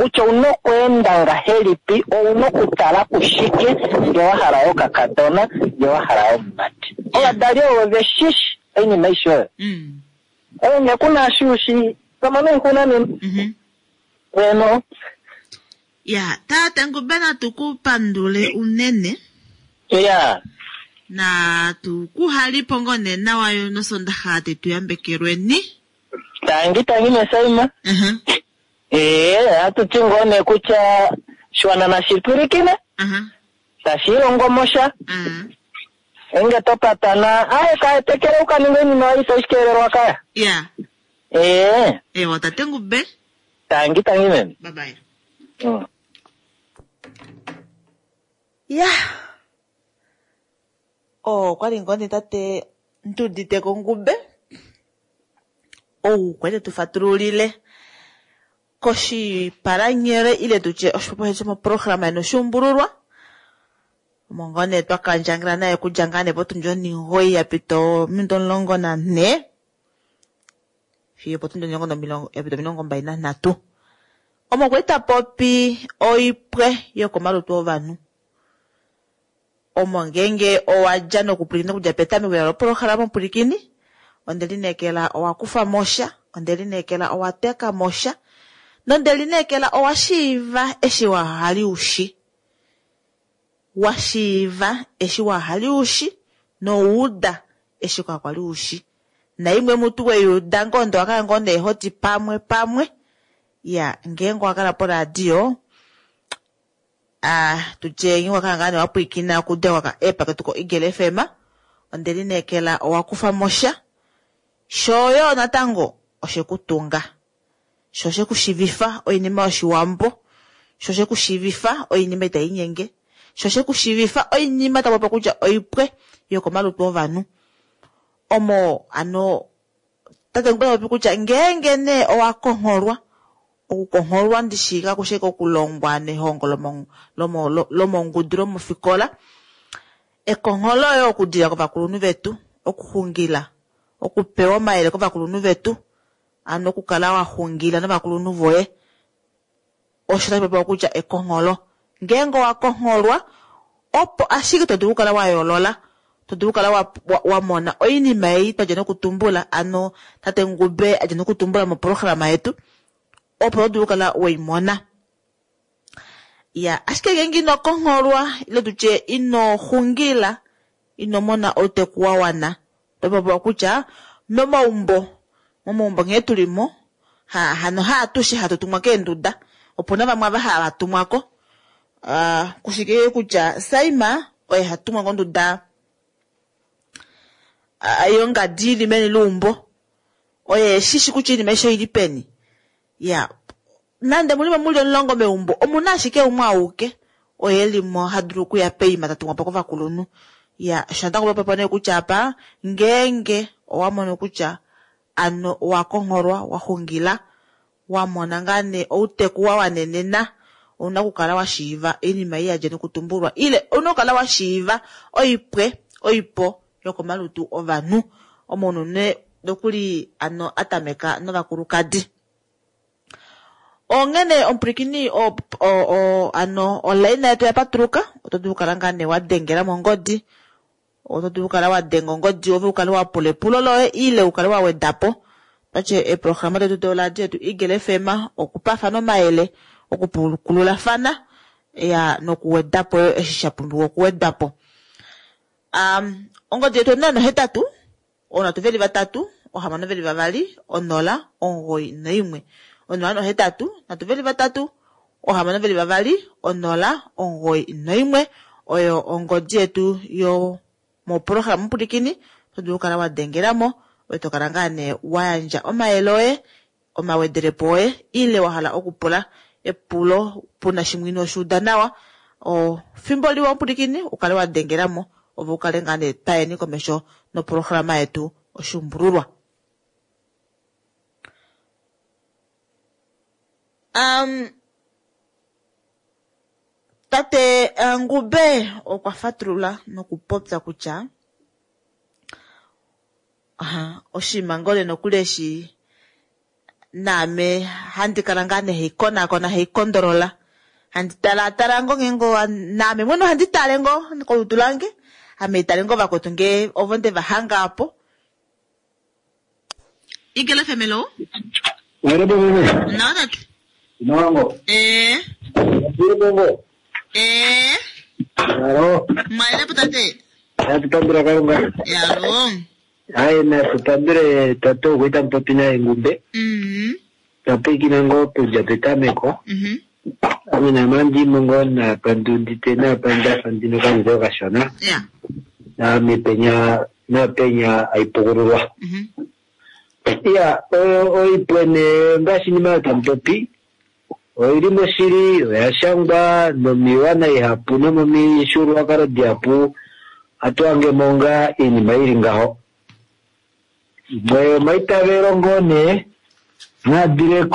Kutya ouna okweenda ngahelipi, ouna okutala kushike ngee wa hala okakadona, ngee wa hala omumati. Ovadali ovo veshishi oinima aishe oyo. Oyo ngee kuna eshi ushi, to mono oixuna nena. Eno. Ya, tate Ngube natu ku pandule unene. Ya. Natu ku halipo ngoo nee nawa yo nosondaxa tetu yambekelweni. Tangi tangi mesaima. Ee, ohatu ti ngoo nee kutya shiwana nashi pwilikine. Tashi ilongo mo sha. Enge to patana, aye kaetekele u ka ninge oinima oyo itashi keelelwa kaya. Ya. Ee. Ewa tate Ngube. Tangi tangi meme. Bye bye. Ya. Oh, okwali ngoo nee tate Nduditeko Ngube. Ou kwali te tu fatululile koshipalanyole ile tutye oshipopiwa shomoprograma ynoshuumbululwa. Omo ngoo nee twa kandjangela naye okudja ngaa nee potundi onhingoyi ya pita ominute 14 fiyo potundi omulongo nomilongo ya pita 23. Omo kwali ta popi oipwe yokomalutu ovanhu. Omo ngeenge owa dja nokupwilikina okudja petameko loprograma omupwilikini, onde lineekela owa kufa mo sha, onde lineekela owa teka mo sha, nonde lineekela owa shiiva eshi wa hali ushi. Wa shiiva eshi wa hali ushi, nouda eshi kwa kwali ushi. Naimwe mutu weyuda ngoo ndo wakala ngoo nee hoti pamwe pamwe. Ya, ngeenge owa kala poradio, tutye ngeenge owa kala ngaa nee wa pwilikina okuda kwa app ketu ko Eagle FM, onde lineekela owa kufa mo sha. Shoyo natango oshe ku tunga. Sho oshe ku shiivifa oinima yoshiwambo. Sho oshe ku shiivifa oinima itai nyenge. Sho oshe ku shiivifa oinima tapopi kutya oipwe yokomalutu ovanhu. Omo ano tate Ngube popi kutya ngeenge nee owa kongholwa, okukongholwa ndishi kakushe kokulongwa nehongo lomongudu lomofikola. Ekongholo oyo okudila kovakulunhu vetu, okuxungila, okupewa omayele kovakulunhu vetu, ano okukala wa xungila novakulunhu voye. Osho tashi popiwa kutya ekongholo. Ngeenge owa kongholwa, opo ashike to dulu okukala wa yoolola, to dulu okukala wa mona oinima ei twa dja nokutumbula, ano tate Ngube a dja nokutumbula moprograma yetu, opo to dulu okukala wei mona. Ya, ashike ngeenge ino kongholwa, ile tutye ino xungila, ino mona outeku wa wana, to popiwa kutya momaumbo, momaumbo nghee tuli mo, hano haatushe hatu tumwa keenduda, opuna vamwe ava hava tumwa ko. Kushike kutya Saima oye ha tumwa konduda yongadi ili meni leumbo, oye shishi kutya oinima aishe oili peni. Ya, nande mulimo muli 10 meumbo, omuna ashike umwe auke oye limo ha dulu okuya peima ta tumwa po kovakulunhu. Ya, osho natango popepo nee kutya apa ngeenge owa mono kutya ano owa kongholwa, wa xungila, wa mona ngaa nee outeku wa wanenena, ouna okukala wa shiiva oinima ei ya dja nokutumbulwa, ile ouna okukala wa shiiva oipwe, oipo yokomalutu ovanhu. Omunhu ne nokuli ano a tameka novakulukadi. Onghene omupwilikini ano olaina yetu ya patuluka, oto dulu okukala ngaa nee wa dengela mongodi, oto dulu okukala wa denga ongodi ove ukale wa pula epulo loye ile ukale wa weda po. Twatye eeprograma detu doradio yetu Eagle FM okupafana omayele, okupukululafana, ya nokuweda po eshi sha pumbiwa okuwedwa po. Ongodi yetu onola nohetatu, onhatu veli vatatu, ohamano veli vavali, onola, omugoyi noimwe. Onola nohetatu, nhatu veli vatatu, ohamano veli vavali, onola, omugoyi noimwe. Oyo ongodi yetu yo moprograma mupwilikini, oto dulu okukala wa dengela mo, oye to kala ngaa nee wa yandja omayele oye, omawedelepo oye, ile wa hala okupula epulo puna shimwe ino shuuda nawa. Fimbo liwa mupwilikini, ukale wa dengela mo, ove ukale ngaa nee twayeni komesho noprograma yetu oshuumbululwa. Tate Ngube okwa fatulula nokupopya kutya oshinima ngoo nee nokuli eshi Naame handi kala ngaa nee haikonakona haikondolola handi talaatala ngoo ngeenge naame mwene ohandi tale ngoo kolutu lange ame tale ngoo vakwetu ngee ovo nde va hanga apo. Igele FM hello. Nawa tate. Nawa Eh. Eh. Yalo. Mwalelepo tate. Natupandula Kalunga. Yalo. Hayi natupandule tate okuita mupopi naye Ngumbe. Tapwiikina ngoo okulya petameko. Ame namandimo ngoo napa ndiudite napa ndafa ndina okamutwe okashona. Ya. Naame penya napenya aipukululwa. Iya, oipwene ngaashi inima oyo tamupopi oili moshili oya shangwa nomiiwana ihapu nomomifyuululwakalo dihapu ohatu hangemo ngaa iinima ili ngaho. Imwe yomaitavelo ngoo nee naadile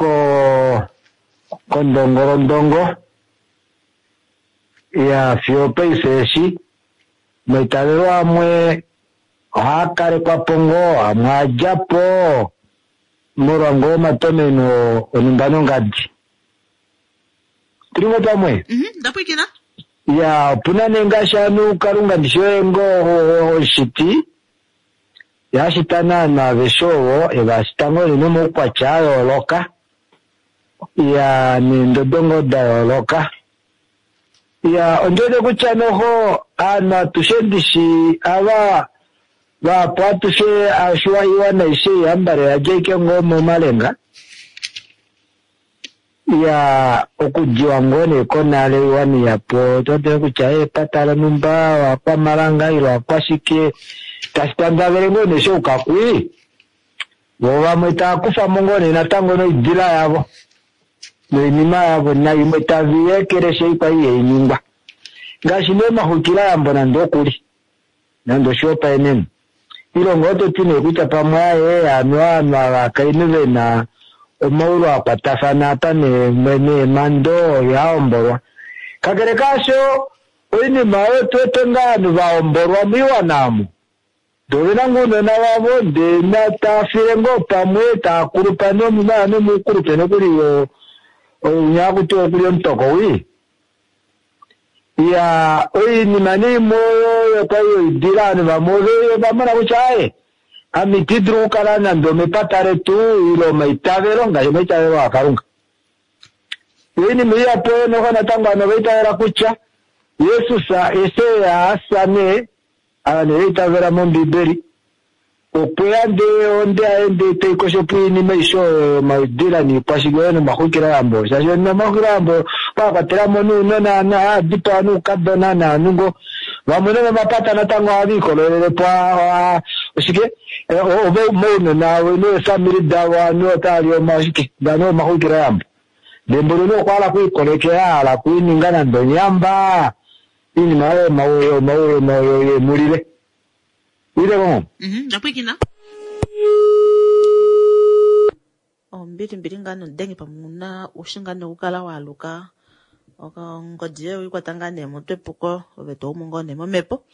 kondongolondongo ya fiyo paife eshi omaitavelo amwe ohaa kalekwa po ngoo amwe adja po molwa ngoo omatomeno onhumba nongadi. Tuli ngoo pamwe? Ndapwiikina. Ya, opuna nee ngaashi ovanhu Kalunga ndishi oye ngoo omushiti yashita naana aveshe ovo evashita ngoo nee nomaukwatya a yooloka ya neendodo ngoo da yooloka. Ya, ondiwete kutya noho aanhu atushe ndishi ava vahapu atushe ashiwa iwana aishe ihambale yadja ashike ngoo momalenga. Ya, okudiwa ngoo nee konale iwana ihapu otodule kutya epata lonhumba wakwamalanga ile wakwashike tashi tandavele ngoo nee shoukakwi vo vamwe tava kufamo ngoo nee natango noidila yavo noinima yavo naimwe tavi ekeleshe ikwa ihainingwa ngaashi nee omaxwikilayambo nande okuli nande oshihopaenenwa ilongo oto ti nee kutya pamwe aye ovanhu ovakainhu vena omaulu akwatafana apa neemando ihahombolwa. Kakele kaasho oinima oyo tuwete ngaa ovanhu vahombolwa moiwana omo ndee ovena ngoo ounona vavo ndee tava file ngoo pamwe taakulupa nomuukulupe nokuli ounya hakuti okuli omutoko wii. Ya, oinima nee imwe oyo kwali yoidila ovanhu vamwe ovamona kutya aye ame iti dulu okukala nande omepata letu ile omaitavelo ngaashi omaitavelo aKalunga. Oinima ihapu oyo noho natango ovanhu ovaitavela kutya Jesus eshi asa nee ovanhu ovaitavela mOmbibeli okweya ndee onde yaye ndee taikosho po oinima aishe oyo yomaudila niikwashike oyo nomaxwikiloyambo shaashi nomaxwikiloyambo okwakwatelamo nounona haadipawa noukadona naanhu ngoo vamwe nomomapata natango ohava ikolelele po oshike mounona neefamili davo ovanhu otavali oshike ndano omaxwikiloyambo ndee mboli nee okwahala okwiikolekela ahala okwiininga nande onyamba iinima oyo yemulile. Ile ngoo? Ndapwiikina. Ombili mbili ngaa nodenge pamwe una ushi ngaa nokukala waaluka ongodi yoye oikwata ngaa nee motwe puko ove toumu ngoo nee momhepo.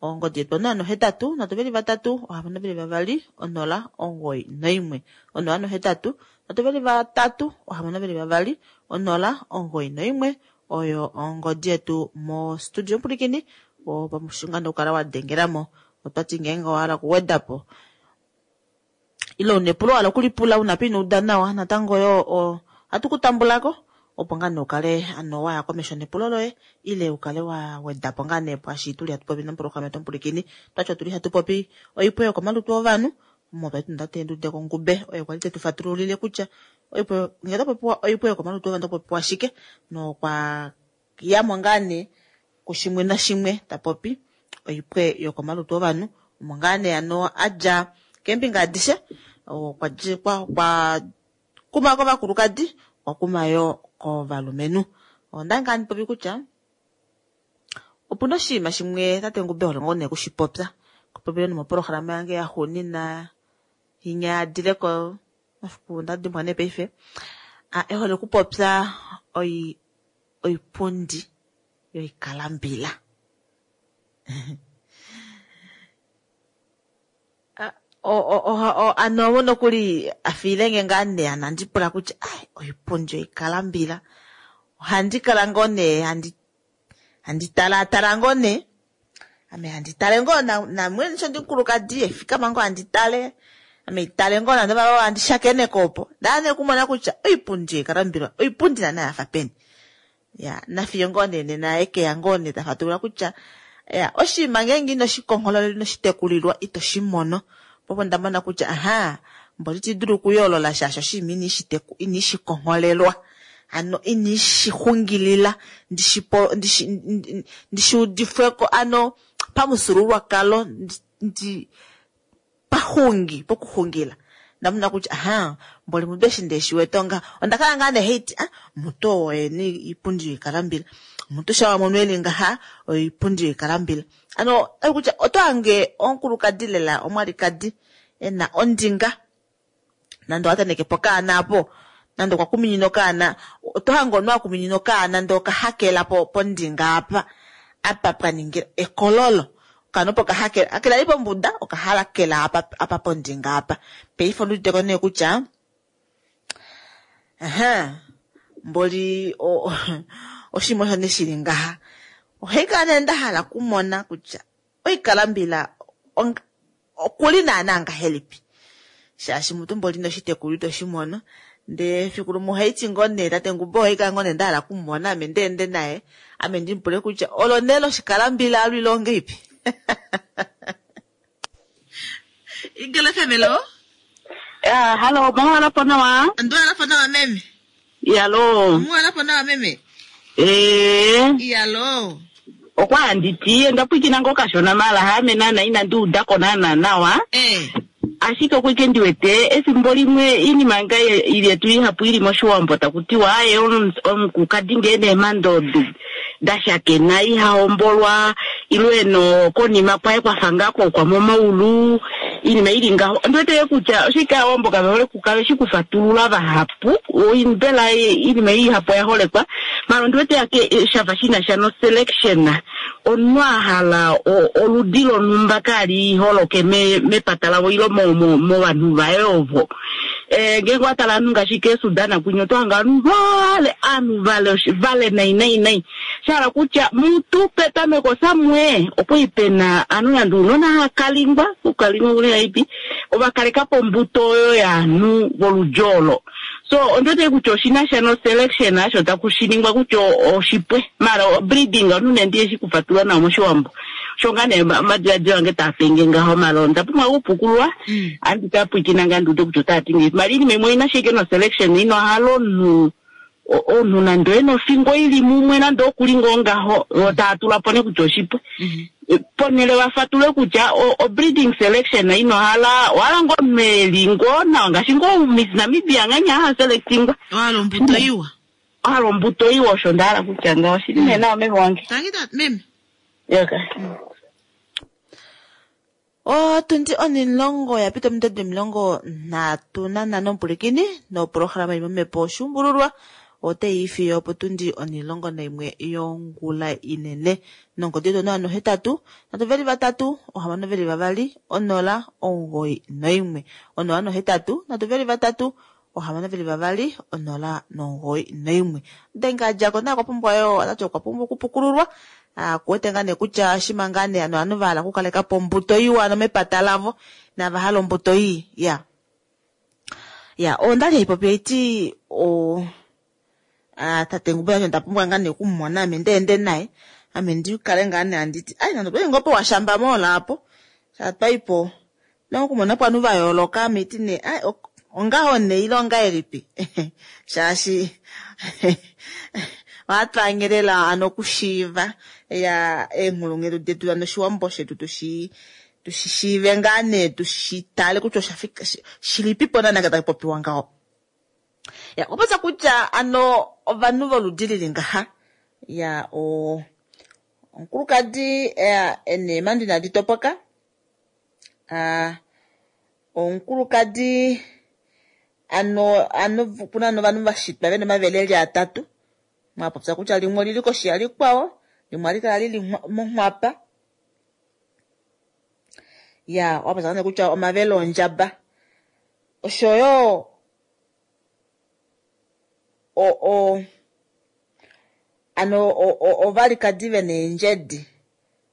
Ongodi yetu 083 323 622 091 083 323 622 091 oyo ongodi yetu mo studio Mpulikini opamushinga nokukala wa dengelamo. Otwati ngeenge owahala okuwedapo ile una epulo wahala okulipula una pa inouda nawa natango yo ohatu kutambulako opo ngaa nee ukale ano waya komesho nepulo loye ile ukale wa wedapo ngaa nee pwaashi tuli hatu popi noprograma yetu Mpulikini. Twati otuli hatu popi oipwe yokomalutu ovanhu omo twali tuna tate Ndudeko Ngube oye kwali tetu fatululile kutya oipwe ngee otapopiwa oipwe yokomalutu ovanhu otapopiwa shike nokwa yamo ngaa nee kushimwe nashimwe tapopi oipwe yokomalutu ovanhu omo ngaa nee ano adja keembinga adishe okwa kuma kovakulukadi okwa kuma yo kovalumenhu. Onda ngaa ndipopi kutya opuna oshinima shimwe tate Ngube hole ngoo nee okushipopya kopopile nomoprograma yange yaxuunina inya yadileko mafiku ndadimbwa nee paife ehole okupopya oipundi yoikalambila. Ano omo nokuli afiilenge ngaa nee ano andi pula kutya ai oipundi oikalambila ohandi kala ngoo nee handi talaatala ngoo nee ame handi tale ngoo namwene sho ndimukulukadi efikama ngoo handi tale ame itale ngoo nande vava handi shakeneko opo ndaa nee okumona kutya oipundi oikalambila oipundi naana yafa peni ya nafiyo ngoo nee nena ekeya ngoo nee tafatulula kutya ya oshinima ngeenge ino shikonghololelwa ino shitekulilwa ito shi mono popo nda mona kutya aha mboli iti dulu okuyoolola shaashi oshinima ini shikongholelwa ano ini shixungilila ndishi udifweko ano pamufyuululwakalo ndi paxungi pokuxungila ndamona kutya aha mboli mutu eshi ndeshi wete onga onda kala ngaa nee haiti ah mutu oo oyena iipundi yoikalambila mutu sha wamono eli ngaha oipundi yoikalambila ano kutya oto hange omukulukadi lela omwalikadi ena ondinga nande owataneke po okaana apo nande okwa kuminina okaana oto hange omunhu akuminina okaana ndee okahakela pondinga apa apa pwaningila ekololo okaana opo okahakela hakela li pombuda okahalakela apa pondinga apa paife ondiuditeko nee kutya aha mboli oshinima osho nee shili ngaha ohaikala nee ndahala okumona kutya oikalambila okuli naana ngahelipi shaashi mutu mboli inoshitekulwa ito shi mono ndee efiku limwe ohaiti ngoo nee tate Ngumba ohaikala ngoo nee ndahala okumumona ame ndeende naye ame ndimupule kutya olo nee loshikalambila alwile ongeipi Ingele FM lo Halo, muhalapo nawa? Nduhalapo nawa meme. Iyalo. Muhalapo nawa meme. Iyalo. Okwa anditi onda pwikina ngoo kashona mala haame naana inandi udako naana nawa. Ashike okwike ndiwete efimbo limwe iinima nga yetu ihapu ili moshiwambo taku tiwa aye omukukadi ngee neemando dashakena ihahombolwa ilwe no konima kwaye kwafa ngaa kokwa momaulu iinima ili ngaho. Ondiwete kutya oshike aawambo kave hole kukala eshi kufatulula vahapu mbela iinima ihapu oya holekwa mala ondiwete ake shafa shina sha no selection omunhu ahala oludi lonhumba kali holoke mepata lavo ilo movanhu vaye ovo. Ngeenge watala ovanhu ngaashi keeSudan kwinya oto hanga ovanhu vale ovanhu vale nai nai nai shahala kutya mutu petameko samwe okwali pena ovanhu nande ounona hakalingwa kukalingwa kuleipi ovakalekapo ombuto oyo yaanhu voludji olo. So ondiwete kutya oshina sha no selection asho taku shiningwa kutya oshipwe mala breeding omunhu nee ndiye shikufatulula nawa moshiwambo osho ngaa nee omadiladilo ange taapenge ngaho mala onda pumbwa okupukululwa andi kapwikina ngaa ndiude kutya otaati ngahelipi mala iinima imwe oina shike no selection ino hala omunhu omunhu nande ena ofingo ili mumwe nande okuli ngoo ngaho taatula po nee kutya oshipwe ponhele vafatule kutya o breeding selection ino hala ohala ngoo omunhu eli ngoo nawa ngaashi ngoo Miss Namibia nganya haselectingwa ohala ombuto iwa ohala ombuto iwa osho ndahala kutya ngaho shili nee nawa meme wange. Tangi meme. Yoka. Otundi 10 yapita ominute 35 omupulikini noprograma imwe mepo oshuumbululwa otayi fiyo opo tundi 11 yongula inene nongodi yetu 083 323 622 091 083 323 622 091 Denga djako naye okwa pumbwa yo otati okwa pumbwa okupukululwa kuwete ngaa nee kutya shima ngaa nee ano ovanhu vahala okukalekapo ombuto iwa ano mepata lavo nava hala ombuto ii ya ya ondali haipopi haiti tate Ngumba yandje onda pumbwa ngaa nee okumumona ame ndeende naye ame ndikale ngaa nee anditi ai nande otwali ngoo powashamba moola apo shatwaipo okumona po ovanhu vayooloka ame iti nee ai ongaho nee ile ongahelipi shaashi ohatwaangelela ano okushiiva ya eenghulunghedi detu ano oshiwambo shetu tushi tushishiive ngaa nee tushitale kutya oshafika shilipipo naana tashi popiwa ngaho. Ya okupopya kutya ano ovanhu voludi lili ngaha ya omukulukadi eneemando inadi topoka omukulukadi ano ano puna ovanhu vashitwa vena omavele eli atatu mwapopya kutya limwe olili koshi yalikwao limwe ohali kala lili monghwapa. Ya, owa popya kutya omavele ondjaba. Oshoyo o o ano ovalikadi ve neendjedi.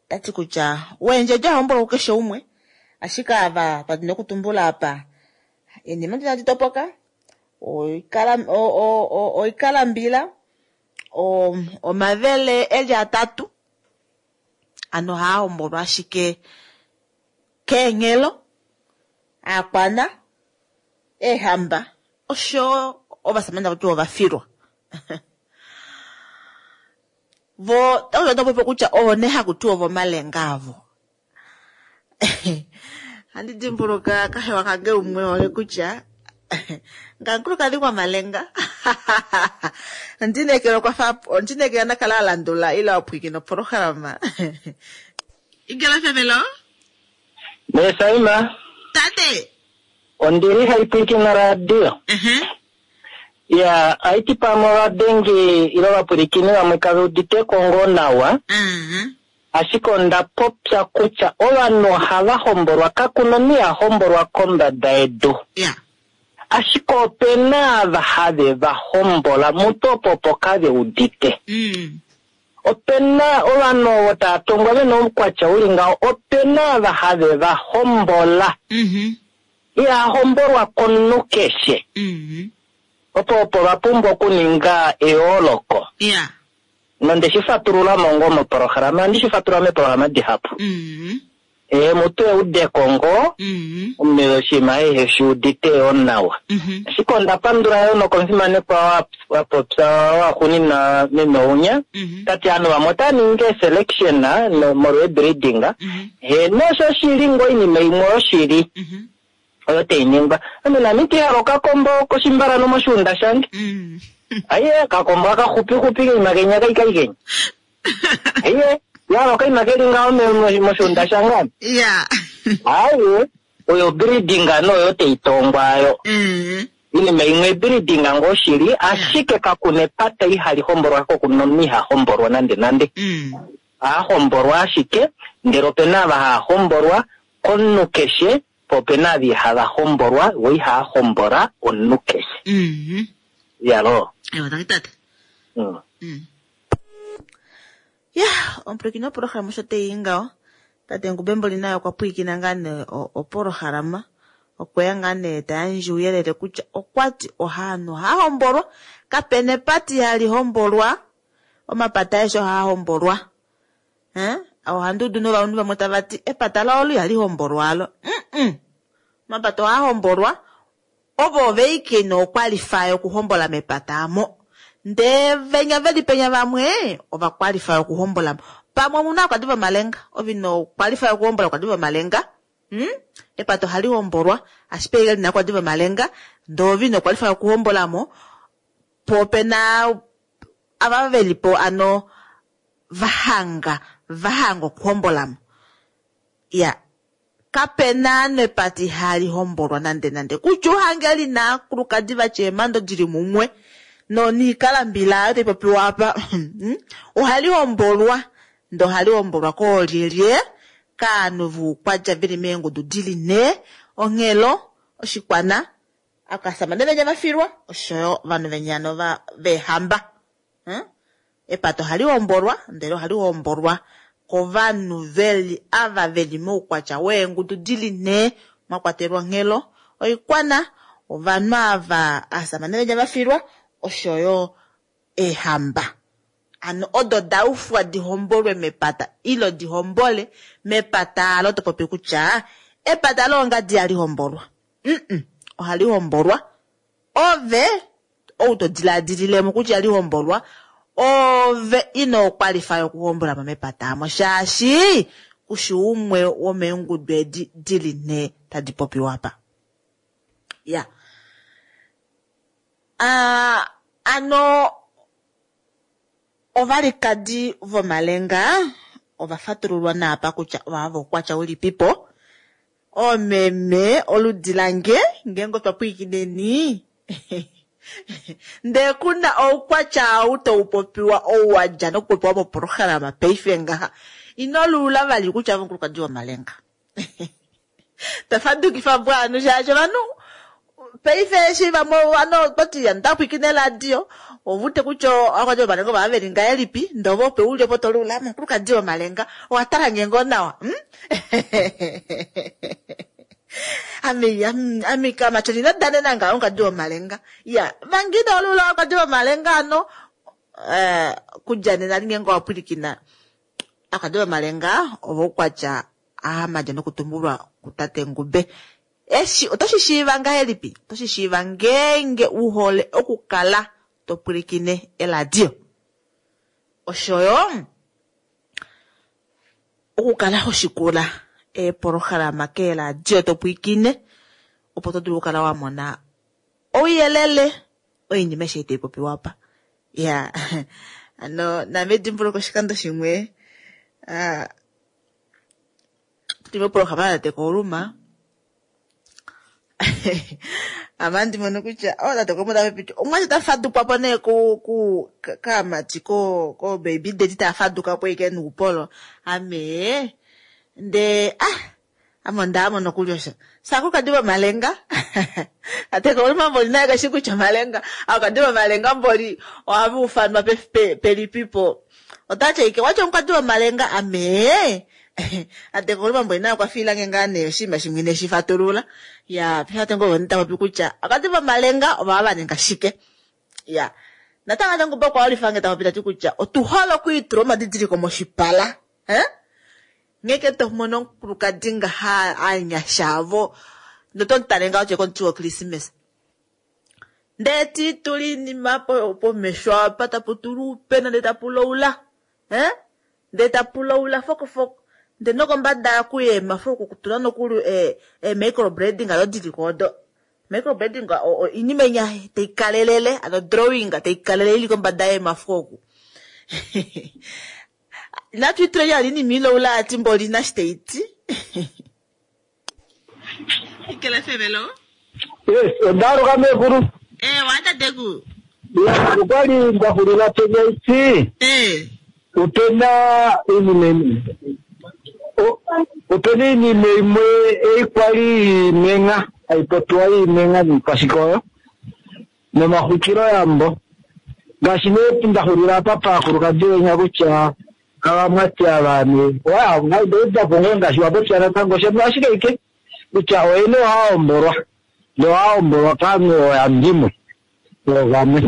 Tati kutya weendjedi ahombolwa kukeshe umwe, ashike ava twa dina okutumbula apa eenima inadi topoka, oikalambila, omavele eli atatu, ano ohaa hombolwa ashike keenghelo, aakwana, eehamba, osho ovasamane tava ti ovafilwa. Vo otava popi kutya ovo nee haku tiwa ovomalenga avo. Handi dimbuluka kahewa kange umwe ole kutya ngamukulukadhi gwamalenga. Ondinekela okwa ondinekela nakala a landula ile a pwiikina opolohalama. Ingela Femelo? Mesaima. Tate. Ondili hai pwiikina radio. Ya, aiti pamwe ovadengi ile ovapwilikini vamwe kave udite ko ngoo nawa. Ashike onda popya kutya ovanhu ohava hombolwa, kakuna omunhu iha hombolwa kombada yedu. Ashike opena ava have va hombola mutu opo opo kave udite. Opena ovanhu ovo tava tongwa vena oukwatya uli ngaho, opena ava have va hombola. Iha hombolwa komunhu keshe. Opo opo va pumbwa okuninga eyooloko. Nonde shi fatulula mo ngoo mopolohalama, ohandi shi fatulula meepolohalama dihapu. Mutu eudeko ngoo, omunhu oshinima ehe shi udite yoo nawa. Ashike onda pandula yoo nokomufimanekwa wa popya waxuuninwa meme Ounya, ta ti ovanhu vamwe otava ningi eeselection molwa eebreeding. Heeno, osho shili ngoo oinima imwe yoshili. Oyo tai ningwa. Ame nami ite hala okakombo koshimbalano moshiunda shange. Aiye, okakombo aka xupixupi keima kenya kaikai kenya. Aiye, yahala okaima keli ngaho moshiunda shange ame. Aiye, oyo breeding noyo tai tongwa ayo. Oinima imwe breeding ngoo shili, ashike kakuna epata ihali hombolwa ko kuna omunhu iha hombolwa nande nande. Oha hombolwa ashike, ndele opena ava hava hombolwa komunhu keshe, po opena ava ihava hombolwa, vo ihava hombola omunhu keshe. Yalo. Ewa, tangi tate. Ya, omupwilikini wopolohalama osho tei ngaho. Tate Ngubemboli naye okwa pwilikina ngaa nee opolohalama. Okweya ngaa nee ta yandje ouyelele kutya okwa ti ohaanhu ohaa hombolwa, kapena epata ihali hombolwa, omapata aeshe ohaa hombolwa. Ohandi udu novanhu vamwe tava ti epata lao olo ihali hombolwa alo. Omapata ohaa hombolwa, ovo oveike nookwalifa yokuhombola mepata amo. Ndee venya veli penya vamwe ovakwalifa yokuhombola. Pamwe omuna okwadi vomalenga, ove ino kwalifa yokuhombola okwadi vomalenga. Epata ohali hombolwa, ashike paife lina okwadi vomalenga, ndee ove ino kwalifa yokuhombolamo, po opena ava velipo ano vahanga, vahanga okuhombolamo. Ya, kapena nepata ihali hombolwa nande nande. Kutya uhange lina akulukadi vatya eemando dili mumwe, noniikalambila ayo tai popiwa apa, ohali hombolwa, ndee ohali hombolwa koolyelye, kaanhu voukwatya veli meengudu dili nhee, onghelo, oshikwana, akasamane venya vafilwa, oshoyo ovanhu venya nova veehamba. Epata ohali hombolwa, ndele ohali hombolwa kovanhu veli ava veli moukwatya weengudu dili nhee, mwa kwatelwa onghelo, oikwana, ovanhu ava asamane venya vafilwa, oshoyo eehamba. Ano odo da ufwa di hombolwe mepata ilo di hombole mepata alo to popi kutya epata loongadi ihali hombolwa. Ohali hombolwa. Ove ou to diladililemo kutya ihali hombolwa, ove ino kwalifa yokuhombola mo mepata amo, shaashi kushi umwe womeengudu edi dili nhee tadi popiwa apa. Ya. Ano ovalikadi vomalenga ova fatululwa naapa kutya ovava voukwatya ulipipo. Oomeme oludi lange ngeenge otwa pwiikineni ndee kuna oukwatya ou tau popiwa ou wa dja nokupopiwa mopolohalama paife ngaha, ino luula vali kutya ove omukulukadi womalenga. Tafadukifa po ovanhu shaashi ovanhu paife eshi vamwe ovanhu ototi ndapwikine radio ovute kutya akwati omalenga ova veli ngahelipi ndee ove ope uli opo tolula omukulukadi womalenga owa tala nge ngoo nawa hmm? Ame ame kamatyoni ino danena ngaho omukadi womalenga ya vangina olula omukadi womalenga ano eh, kudja nena linge owa pwilikina akadi womalenga ovoukwatya ahamadja nokutumbulwa kutate Ngube. Eshi oto shi shiiva ngahelipi? Oto shi shiiva ngeenge u hole okukala to pwilikine eladio. Oshoyo okukala ho shikula eepolohalama keeladio to pwilikine opo to dulu okukala wa mona ouyelele oinima eshi tai popiwa apa. Ya ano naame edimbuluko oshikando shimwe ah, tuli mopolohalama yatate Kouluma ame mono kutya oh tate Kouluma ta popi omwati ta fadukwa po nee ku ku kaamati ko ko baby daddy ta faduka po ike nuupolo ame nde ah ame onda mono nokuli osho sakulukadi vomalenga tate Kouluma mboli naye kashi kutya omalenga akadi vomalenga mboli ohava ufanwa pelipipo otatya ike watya omukadi womalenga ame ate Kouluma mboli naye okwa fiilange ngaa nee oshinima shimwe ineshi fatulula ya pefate ngoo ta popi kutya akadi vomalenga ovava va ninga shike ya natango ate ngumba okwa ulifange ta popi tati kutya otu hole okwiitula omadidiliko moshipala eh? Ngeke to mono omukulukadi ngaha anyasha avo noto mutale ngaho tye komuti woKrismesa ndee tiitula iinima pomesho apa tapu tulwa uupena ndee tapu laula eh? Ndee tapu laula fokofoko ndee nokombada kuyeemafo oku kutula nokuli e microblading ado diliko odo microblading iinima inya taikalelele ano drawing taikalelele ili kombada yeemafo oku inatu ituleni ali iinima ilaula ati mboli nashi taiti ikele fevelo Yes, ondaaluka meekulu. Eh, watateku Ya, okwali nda xulila penya iti eh opena iinima opena iinima imwe ei kwali iimenga haipopiwa iimenga niikwashike oyo nomaxwikiloyambo ngaashi nee nda xulila apa paakulukadi wenya kutya avamwati avane waudapo ngoo ngaashi wapopya natango shemu ashike ike kutya oyene ohaahombolwa nohaahombolwa kaanhu ooyandimwe oovamwe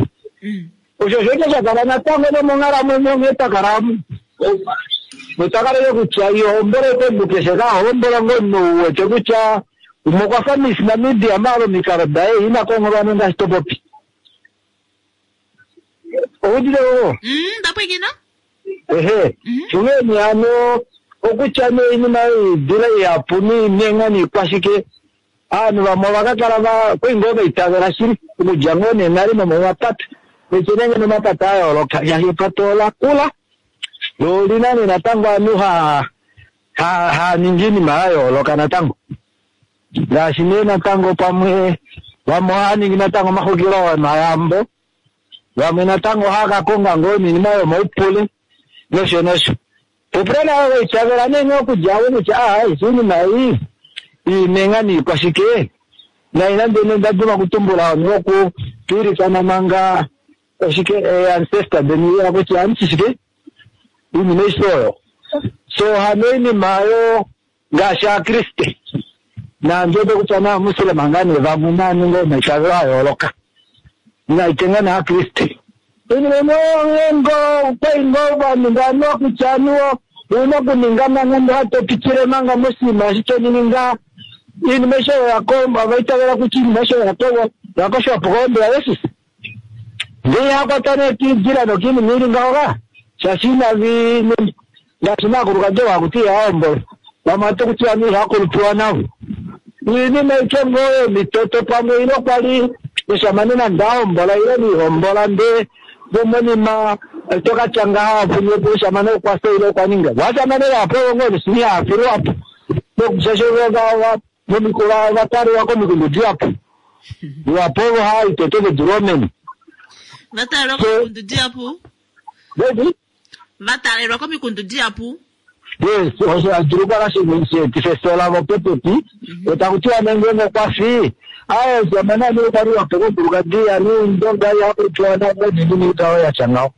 osho osho sha kala natango nomonghalamwenyo nghee twakala notakalele kutya ihombola eke keshe kahombola ngoo omunhu uwete kutya umwe okwa fa Miss Namibia maala omikalo daye ina kongholwa ngaashi to popi oudile oo ndapwikina ehe shungeni hano okutya nee iinima yoidila ihapu niimenga niikwashike aanhu vamwe ovakakala va kwai ngoo vaitavela shili okudja ngoo nee nale nomomapata echenenge nomapata a yooloka shaashi epata ola kula lo olina nee natango aanhu haa ningi iinima ya yooloka natango ngaashi nee natango pamwe vamwe ohaa ningi natango omaxwikilo omayambo vamwe natango ohaa ka konga ngoo niinima yomaupule nosho nosho popula nayo vaitavela nee nee okudja avo kutya aa eshi iinima ei iimenga niikwashike nai nande nee ndaduma kutumbula ovanhu voku twiilikana manga oshike ancestor deni ya kutya amushi shike iinima aishe oyo so hano iinima oyo ngaashi aakriste naandu kutya naamuslema ngaa nee vamwe naaninga omaitavelo a yooloka naitenga naakriste iinima imwe ngo kwai ngoo vanhu vanhu kutya anuwo una okuninga manga ndo hatopitile manga moshinima eshi toninga iinima aishe oyo vaitavela kutya iinima aishe oyo yakoshwapo kombela Jesus ndee hakwata nee kiidila nokiinima ili ngaho ka shaashi inavi ngaashi naakulukadi vakuti ihahombola vamwe ate kutiwa ni ihakulupiwa navo iinima ike ngoo yomitoto pamwe ile kwali oshamane nande ahombola ile nihombola ndee vomonima tokatya ngaha apunyepo oshamane okwasa ile okwaninga washamane vapo ngoo nesini hafilwapo nokushashe vataliwa komikundu dihapu iwapo ovo haitoto vedulu omene vatalelwa komikundu dihapu vedi vatalelwa komikundu dihapu. Yes, osho adulu kala sheetifa efyo lavo popepi. Taku tiwa nee ngeenge okwa fi, aaye omushamane anuwa okwa li wa pewa omukulukadi anuwa ondonga ihaku tiwa naanaa noinima ikwao ya tya ngaho.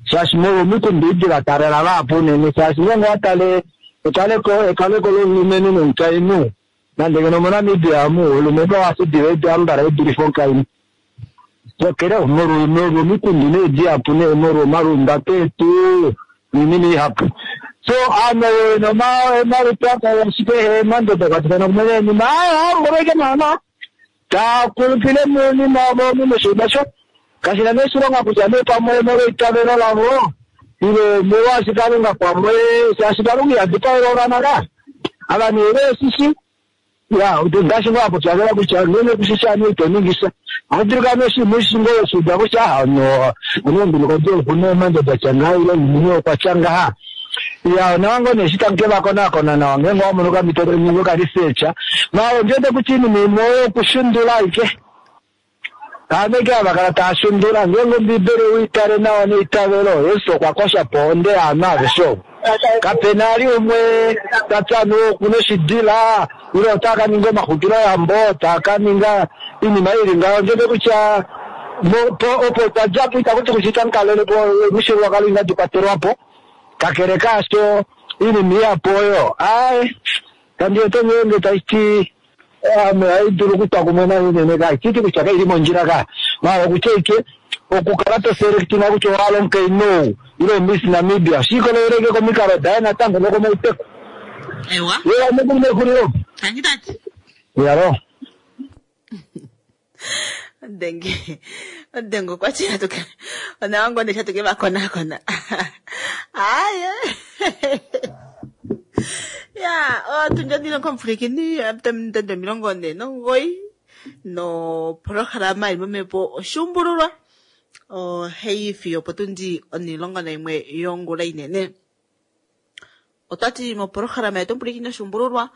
Shaashi molwa omikundu edi va taalela vahapu unene, shaashi ngeenge owa tale ekaleko ekaleko lomulumenhu nomukainhu, nande ngeno moNamibia omu omulumenhu oha fi diva edu ambala e dulife omukainhu. Kakele molwa omikundu nee dihapu nee molwa omalumbato etu noinima ihapu. So aanhu ovo vena omalutu akala ashike eemando da kwatafana kumwe neenima, aaye ohombolwa ashike naana taa kulupile moinima yavo omu moshiima sho kashi na nee oshilonga kutya nee pamwe molweitavelo lavo ile molwaashi Kalunga pamwe shaashi Kalunga iha dipaele ovana ka ava nee veeshishi ya ngaashi ngoo apopya vela kutya ngeenge kushishi ame ito ningi sha ohadulu kala noshinima ushi ngoo weshiuda kutya aha no omukulukadi okuna eemando da tya ngaha ile omulumenhu okwa tya ngaha. Ya onawa ngoo nee eshi tamu ke va konakona nawa ngeenge owa mono okamhito toningi oka research maala ondi wete kutya oinima imwe oyo okushundula ashike. Aanhu ashike hava kala tava shundula ngeenge Ombiibeli owei tale nawa neitavelo, Jesus okwa kosha po ohonde yaanhu aveshe ovo. Kape na ali umwe ta ti anuwa oku na oshidila ile ota ka ninga omaxwikiloyambo, ta ka ninga oinima ili ngaho. Ondi wete kutya opo twa dja po itaku ti kutya itamu kalele po omifyuululwakalo inadi kwatelwa po. Kakele kaasho, oinima ihapu oyo aaye kandi wete ngeenge tashi ti ame ohai dulu okutwa kumwe nayo unene ka iti kutya kaili mondjila ka maala okutya ike okukala to selektinga kutya owa hala omukainhu ou ile oMiss Namibia oshi ikolelele ike komikalo daye natango nokomauteku. Ewa. Ye ame mexulilo. Tangi tati. Yalo. Odenge. Odenge okwa ti atuke. Onawa ngoo nee shatuke va konakona. Aaye. Ya, otundi omilongo omupwilikini ominute 49 noprograma ili momhepo oshuumbululwa ohai fiyo opotundi 11 yongula inene. Otwati moprograma yetu omupwilikini oshuumbululwa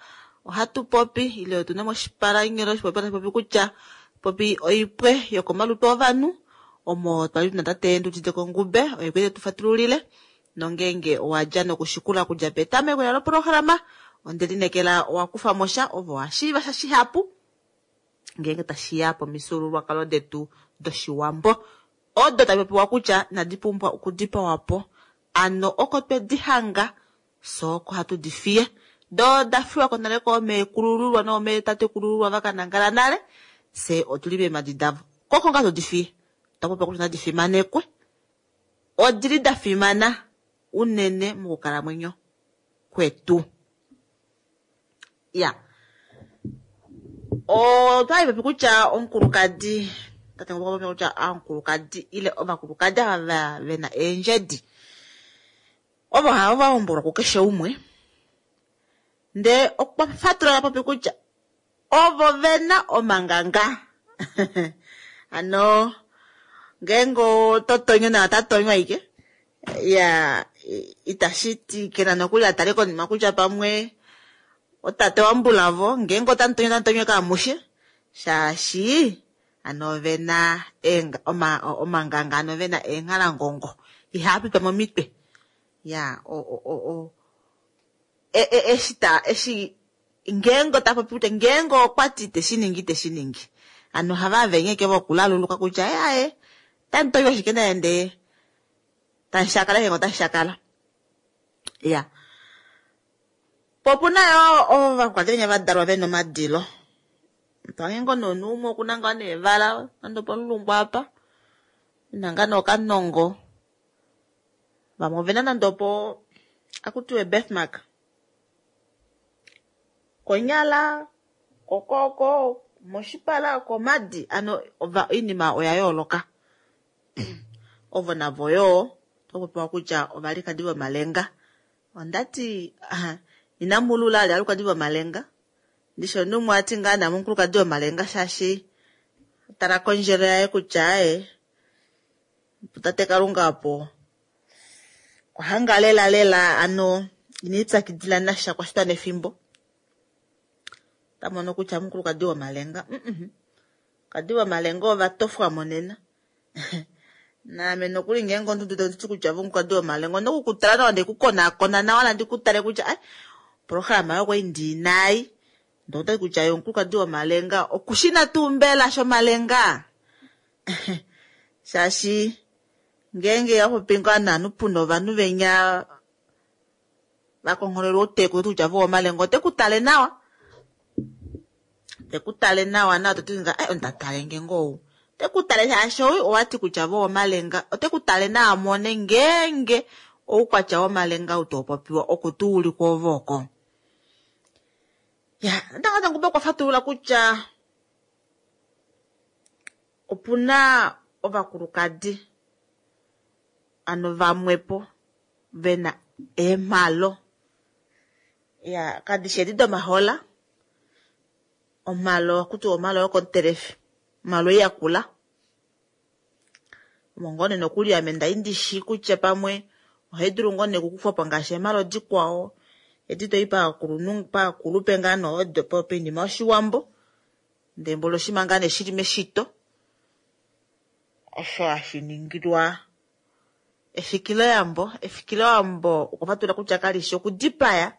ohatu popi ile otuna moshipalanyolo oshipopi tashi popi kutya popi oipwe yokomalutu ovanhu omo twali tuna tate Ndudite Kongube oye kwete tufatululile nongeenge owa dja nokushikula okudja petameko loprograma onde lineekela owa kufa mo sha ovo wa shiiva sha shihapu ngeenge tashiya pomifyuululwakalo detu doshiwambo odo tadi popiwa kutya inadi pumbwa okudipawa po ano oko twedi hanga fye oko hatu di fiye doo oda fiwa ko nale koomeekulululwa noomeetatekulululwa va ka nangala nale fye otuli meemadi davo koko ngaa todi fiye otwa popya kutya nadi fimanekwe odili da fimana unene mokukalamwenyo kwetu. Ya otwali popi kutya omukulukadi tate ngoka popi kutya omukulukadi ile ovakulukadi ava vena eendjedi ovo hava va hombolwa kukeshe umwe ndee okwa fatulula popi kutya ovo vena omanganga ano ngeenge oto tonyo naye ota tonywa ashike ya itashi ti kena nokuli atale konima kutya pamwe otate wambulavo ngeenge otamu tonyo otamu tonywa kaamushe shaashi ano ovena omanganga ano vena eenghalangongo ihaa pitwa momitwe ya eshi ta eshi ngeenge ota popi kutya ngeenge okwa ti iteshi ningi iteshi ningi ano ohava avenyeke vokulaluluka kutya aaye otamu tonywa ashike naye ndee tamu shakala ngeenge otashi shakala. Ya po opuna yo ovakulukadi venya va dalwa vena omadilo pange ngoo nomunhu umwe okuna ngaa neevala nande opomulungu apa ena ngaa nookanongo vamwe ovena nande opo akutiwe birthmark konyala kokooko moshipala komadi ano oinima oya yooloka ovo navo yoo otopopiwa kutya ovalikadi vomalenga ondati inamulula ali alukadi vomalenga ndishi omunhu umwe ati ngaa naame omukulukadi womalenga shaashi tala kondjelo yaye kutya aaye tate Kalunga opo ohanga lela lela ano inipyakidila nasha kwashitwa nefimbo tamono kutya omukulukadi womalenga kadi womalenga ova tofwa monena. Naame nokuli ngeenge omuntu to ti kutya vomukadi womalenga onda oku kutala nawa nde ku konakona nawa nandi ku tale kutya ai programa yo kwai ndinai ndee otati kutya ye omukulukadi womalenga okushina tuu mbela shomalenga shaashi ngeenge wapopi ngaa naanhu puna ovanhu venya vakongholelwa outeku toti kutya vo omalenga ote ku tale nawa te ku tale nawa nawa toti nga ai onda tale nge ngoo ou te ku tale shaashi ou owati kutya vo omalenga ote ku tale nawa mone ngeenge oukwatya womalenga ou tau popiwa oku tuu uli kwoove oko. Ya, natango Nangombe okwa fatulula kutya opuna ovakulukadi ano vamwepo vena eemhalo ya kadishi edi domahola omhalo okutiwa omhalo yokomutelefi omhalo ei yakula omo ngoo nee nokuli ame ndali ndishi kutya pamwe ohai dulu ngoo nee okukufwapo ngaashi eemhalo dikwao edi toi paakulunhu paakulupe ngaa nee odo poinima yoshiwambo ndee mboli oshinima ngaa nee shili meshito osho hashi ningilwa efikiloyambo. Efikiloyambo okwa fatulula kutya kalishi okudipaya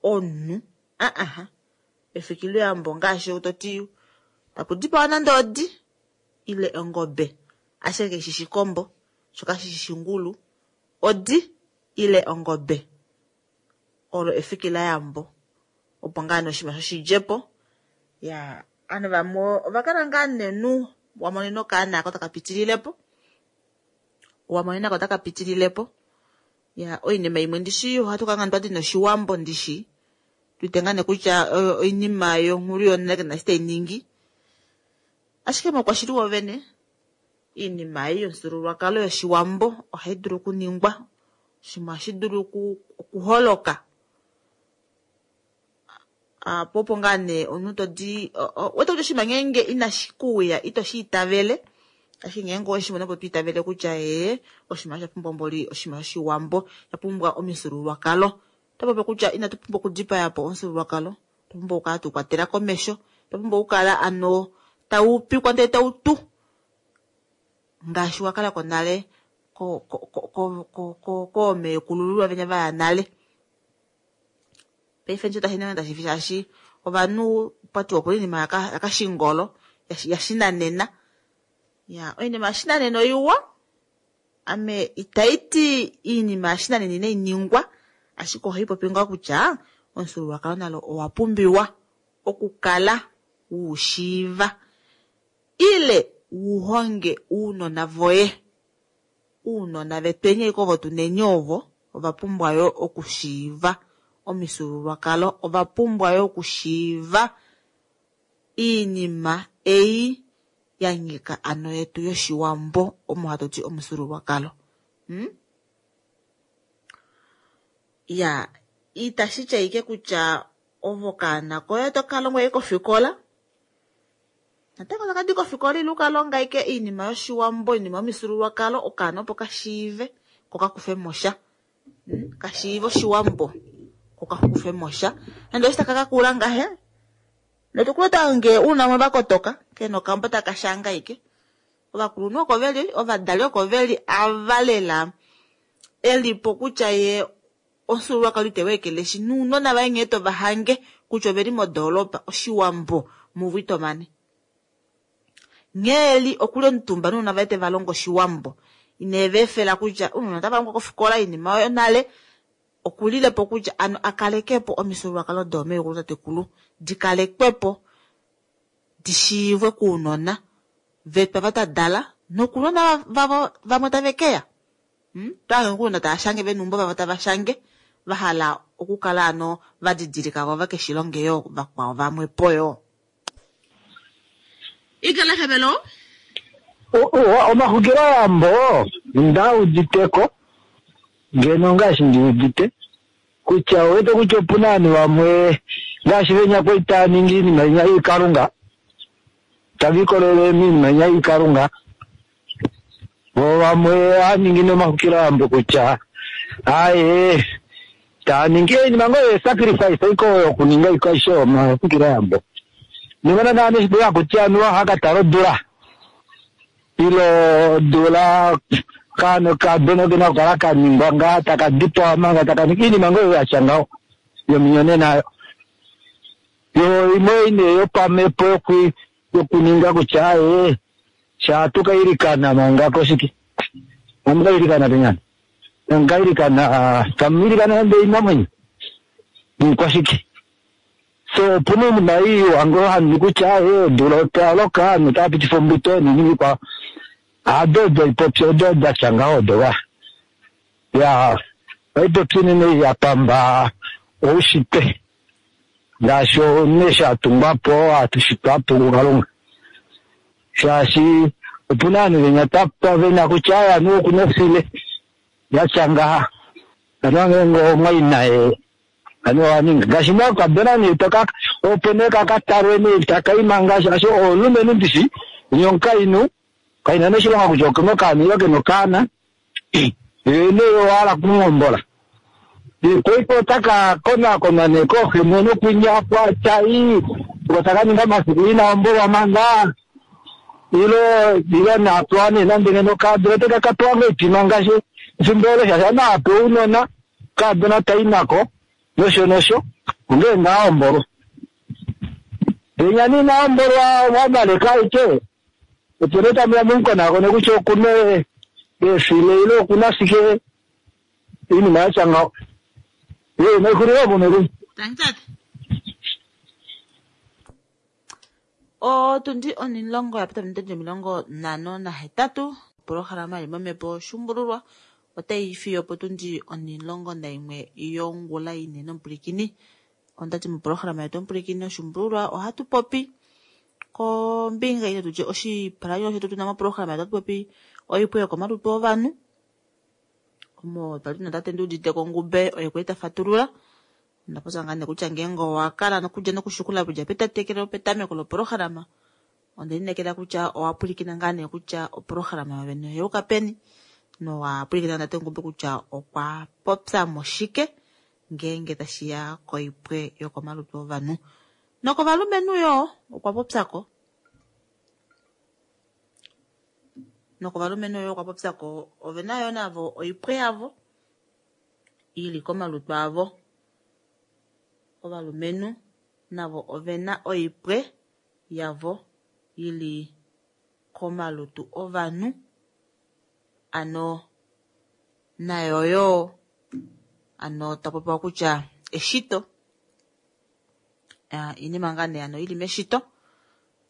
omunhu aa efikiloyambo ngaashi toti taku dipawa nande odi ile ongobe ashike kaishi shikombo sho kashishi shingulu odi ile ongobe olo efikiloyambo opo ngaa nee oshinima shoshidjepo ya ovanhu vamwe ovakala ngaa nenu wamonena okaana ako taka pitililepo wamonena ko taka pitililepo ya oinima imwe ndishi ohatu kala ngaa twati noshiwambo ndishi tuite ngaa nee kutya oinima yonghulu yonale kaina eshi tainingi ashike moukwashili wovene oinima ei yomufyuululwakalo yoshiwambo ohai dulu okuningwa oshinima ohashi dulu okuholoka po opo ngaa nee omunhu todi wete kutya oshinima ngeenge inashi kuuya ito shi itavele ashike ngeenge oweshi mono opo to itavele kutya ee oshinima osha pumbwa mboli oshinima shoshiwambo sha pumbwa omifyuululwakalo. Oto popi kutya inatu pumbwa okudipaya po omufyuululwakalo otwa pumbwa okukala tu kwatela komesho otwa pumbwa okukala ano tau pikwa ndele tau tu ngaashi wa kala ko nale koomeekulululwa venya vaya nale. Paife ndishi tashi ningi tashi fi shaashi ovanhu pwatiwa opuna oinima yakashingolo yashinanena ya oinima yashinanena oiwa ame itaiti oinima yashinanena inai ningwa ashike ohai popi ngaa kutya omufyuululwakalo nalo owa pumbiwa okukala wuushiiva ile wuhonge uunona voye uunona vetweni ashike ovo tuneni ovo ova pumbwa yo okushiiva omifyuululwakalo ova pumbwa yo okushiiva iinima ei ya nyika ano yetu yoshiwambo omo hatu ti omufyuululwakalo. Ya itashi ti ashike kutya ovo kaana koye oto ka longwa ashike kofikola natango tokadi kofikola ile ukalonga ashike oinima yoshiwambo oinima yomifyuululwakalo okaana opo kashiive ko kakufemo sha kashiive oshiwambo ko kakufemo sha nande oshi taka kakula ngahe notukulota nge uuna mwe vakotoka kena okambo taka shanga ashike ovakulunhu oko veli ovadali oko veli ava lela elipo kutya ye omufyuululwakalo iteweekeleshi nounona vaye nghee tovahange kutya oveli modoolopa oshiwambo muvo itomane nghee eli okuli omutumba nounona vaye tevalongo oshiwambo ineva efela kutya ounona otava longwa kofikola oinima oyo nale okulilepo kutya ano akalekepo omifyuululwakalo doomeekulu tatekulu dikalekwepo dishiivwe kuunona vetu ava tadala nokunona vavo vamwe tave keya twaange kuunona tava shange veneumbo vavo tava shange vahala okukala ano vadidilika vo vakeshilonge yoo vakwao vamwe po yoo. Ikala hebelo Omaxwikiloyambo nda uditeko ngeno ngaashi ndi udite kutya owete kutya opuna ovanhu vamwe ngaashi venya kwali tava ningi oinima inya yoikalunga tava ikolele moinima inya yoikalunga vo vamwe ohava ningi nomaxwikiloyambo kutya aaye tava ningi oinima ngoo yesacrifice iko yokuninga iko aishe omaxwikiloyambo nimona naa neshi hakuti anuwa ohaka tala odula. Ilo odula kaana okadona kena okukala ka ningwa ngaa taka dipawa manga taka ningi iinima ngoo yatya ngaho yominyonena ayo. Yo imwe ine yopamhepo yokuninga kutya aye sha tuka ilikana manga koshike. Amuka ilikana penyana. Amuka ilikana tamu ilikana nande oinamwenyo. Niikwashike. So opuna oinima iiwa ngoo handi kutya aye odula otaloka ovanhu otava pitifa ombuto noinima ikwao. Ado odo oipopi odo datya ngaho odo va. Ya oipopi unene ya pamba oushitwe. Ngaashi omunhu eshi atungwapo atushitwapo kuKalunga. Shaashi opuna ovanhu venya tapa vena kutya aye aniwa okuna ofile yatya ngaha. Aniwa ngeenge omwaina aniwa owaninga. Ngaashi nee okadona nee toka opo nee kakatalwe nee takaima ngaashi shaashi omulumenhu ndishi nye omukainhu kaina nee oshilonga kutya okena okaana ile kena okaana. Ye nee owahala okumuhombola. Paife otaka konakonwa nee kooxemweno kwinya tai oko taka ninga omafiku ina hombolwa manga ilo napewa nee nande ngeno okaadona otaka ka pewa ngoo oipima ngaashi efimbo olo shaashi anape ounona okaadona tai nako nosho nosho ongee ngaa hombolwa. Penya nee ina hombolwa wavaleka aike opo nee tamuya mumukonakone kutya okuna eefile ile okuna shike iinima yatya ngaho. Ye naixulile opo mekulu. Tangi tate. Otundi onilongo ya pita ominute 58. Opolohalama ili momhepo Shumbululwa otai fiyo potundi 11 yongula inene omupulikini. Ondati mopolohalama yetu omupulikini Oshumbululwa ohatu popi kombinga ile tutye oshipalanyolo shetu tuna mopolohalama yetu ohatu popi oipwe yokomalutu ovanhu. Omo twali tuna tate Nduudite Kongube oye kwali ta fatulula. Onda popya ngaa nee kutya ngeenge owa kala nokudja nokushukula kudja petatekelo petameko lopolohalama, onda inekela kutya owa pwilikina ngaa nee kutya opolohalama yovene oyeuka peni, nowa pwilikina tate Ngube kutya okwa popya mo shike ngeenge tashiya koipwe yokomalutu ovanhu. Nokovalumenhu yoo okwa popyako. Nokovalumenhu yoo okwa popyako ovena yoo navo oipwe yavo ili komalutu avo. Ovalumenhu navo ovena oipwe yavo ili komalutu ovanhu. Ano nayo yoo ano tapopiwa kutya eshito iinima ngaa nee ano ili meshito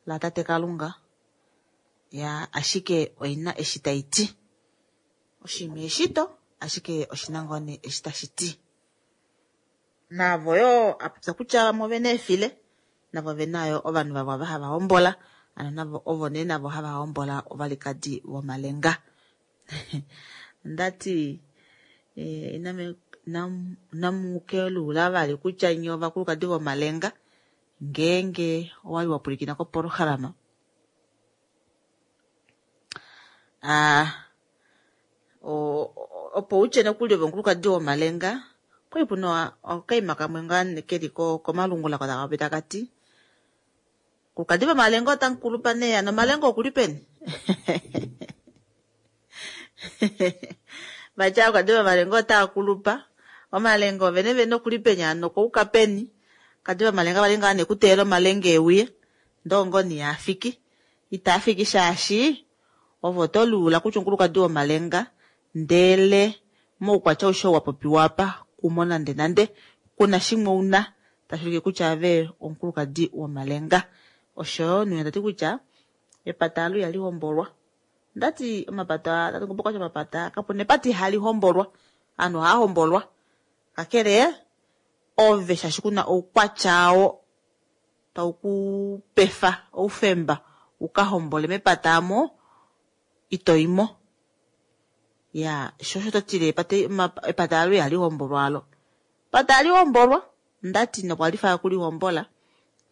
la tate Kalunga ya ashike oina eshi tayi ti. Oshinima eshito ashike oshina ngoo nee eshi tashi ti. Navo yoo apopya kutya vamwe ovena eefile navo ovena yo ovanhu vavo ava hava hombola ano navo ovo nee navo hava hombola ovalikadi vomalenga. Ondati inamukelula vali kutya nye ovakulukadi vomalenga ngeenge owali wa pwilikina kopolohalama. Opo utye nokuli ove omukulukadi womalenga okwali puna okaima kamwe ngaa keli komalungula taka popi taka ti omukulukadi vomalenga otamukulupa nee ano omalenga okuli peni. Vatya omukulukadi vomalenga otaakulupa omalenga ovene vene okuli peni ano okouka peni. Kadi vomalenga vali ngaa nekuteela omalenga euye ndoo ngoo yaafiki itaafiki shaashi ovo toluula kutya omukulukadi womalenga ndele moukwatya aushe wa popiwa apa kumo nande nande kuna shimwe una tashi ulike kutya ave omukulukadi womalenga. Osho nuya tati kutya epata alu ihali hombolwa. Ndati omapata tati ngombo kwatya omapata kapuna epata ihali hombolwa. Ovanhu ohava hombolwa kakele ove shaashi kuna oukwatya oo tau kupefa oufemba uka hombole mepata amo ito imo. Ya sho osho totile epata alo ihali hombolwa alo. Epata hali hombolwa ndati nokwalifa kulihombola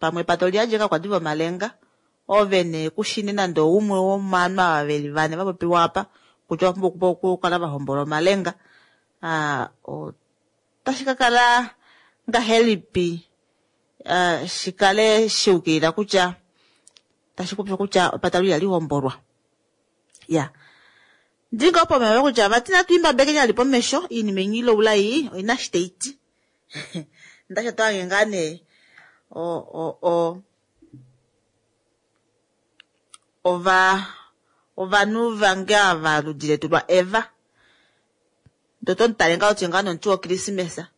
pamwe epata oliyandje kakwadi vomalenga ove nee kushine nande oumwe womovanhu ava veli vane vapopiwa apa kutya ovapumbwa okukala vahombola omalenga. Otashi ka kala ngahelipi shikale shiukilila kutya tashi popiwa kutya epata alo ihali hombolwa. Ya. Ndinga opo mewe kutya vati natu imbabeke nyali pomesho iinima inyi iloula iyi oina shi tayi ti. Ndasha twange ngaa nee o o o ova ovanhu vange ava ludi letu lwa Eva. Ndo to mutale ngaa otye ngaa nomuti wokrismesa.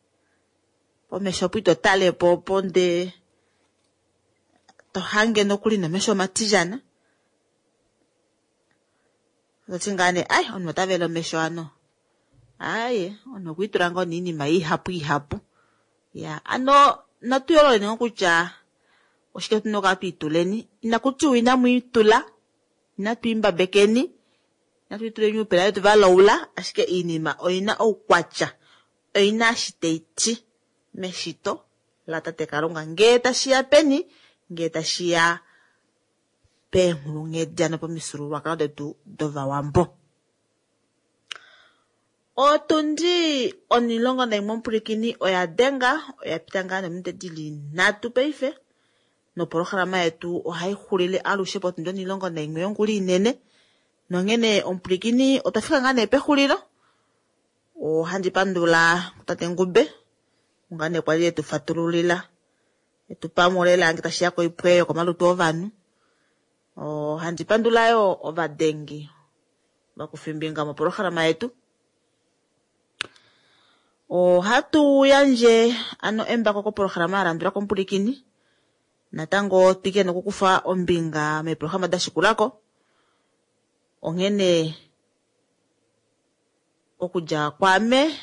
Pomesho opo ito tale po opo nde to hange nokuli nomesho omatijana. Toti ngaa nee ai omunhu ota vele omesho ano. Aye omunhu okwiitula ngoo niinima ihapu ihapu. Ya ano natu yoololeni ngoo kutya oshike tuna okukala twiituleni. Inaku tiwa inamu itula, inatu imbabekeni, inatu ituleni uupela wetu valoula, ashike iinima oyina oukwatya, oyina eshi tayi ti meshito latate Kalunga. Ngee tashiya peni, ngee tashiya peenghulunghedi ano pomifyuululwakalo detu dovawambo. Otundi 11 omupwilikini oya denga, oya pita ngaa nominute dili 3 paife. Nopolohalama yetu ohai xulile alushe potundi 11 yongula inene. Nonghene omupwilikini otwa fika ngaa nee pexulilo. Ohandi pandula tate Ngube ngaa nee kwali etu fatululila etu pamulela nge tashiya koipwe yokomalutu ovanhu. Ohandi pandula yo ovadengi vakufimbinga mopolohalama yetu. Ohatu yandje ano embako kopolohalama ya landula komupwilikini. Natango twike nokukufa ombinga meepolohalama da shikulako. Onghene okudja kwaame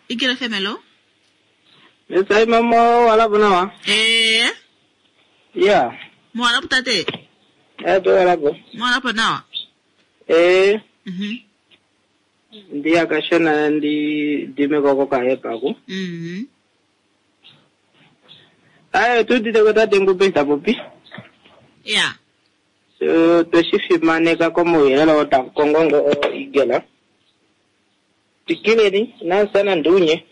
Igele FM, hello. Mesai mama walapo nawa. Eh. Yeah. Mwalapo tate. Eh to walapo. Mwalapo nawa. Eh. Ndiya kashona ndi dime koko kahepa ku. Ayo tudite ko tate Ngube tapopi. Yeah. So tweshifimaneka komauyelele oo takongo ngo igela. Tikileni nansana ndunye.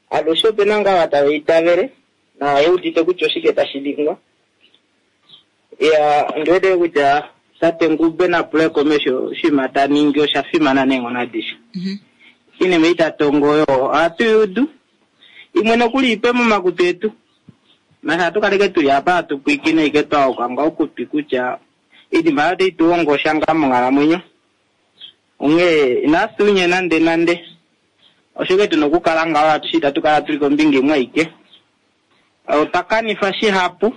Alushe opena ngaa tava itavele na yeudite kutya oshike tashi ningwa. Ya ndiwete kutya tate Ngube na pule komesho oshinima ta ningi osha fimana neenghono adishe. Iinima itatongo yo ohatu yudu imwe nokuli ipe momakutu etu. Nasha hatu kaleke tuli apa hatu pwiikine ike twaoka nga okutwi kutya iinima oyo otayi tu hongo sha ngaa monghalamwenyo. Onghee inasunye nande nande. Oshoke tuna okukala ngaho atushe itatu kala tuli kombinga imwe aike. Otwa kanifa shihapu.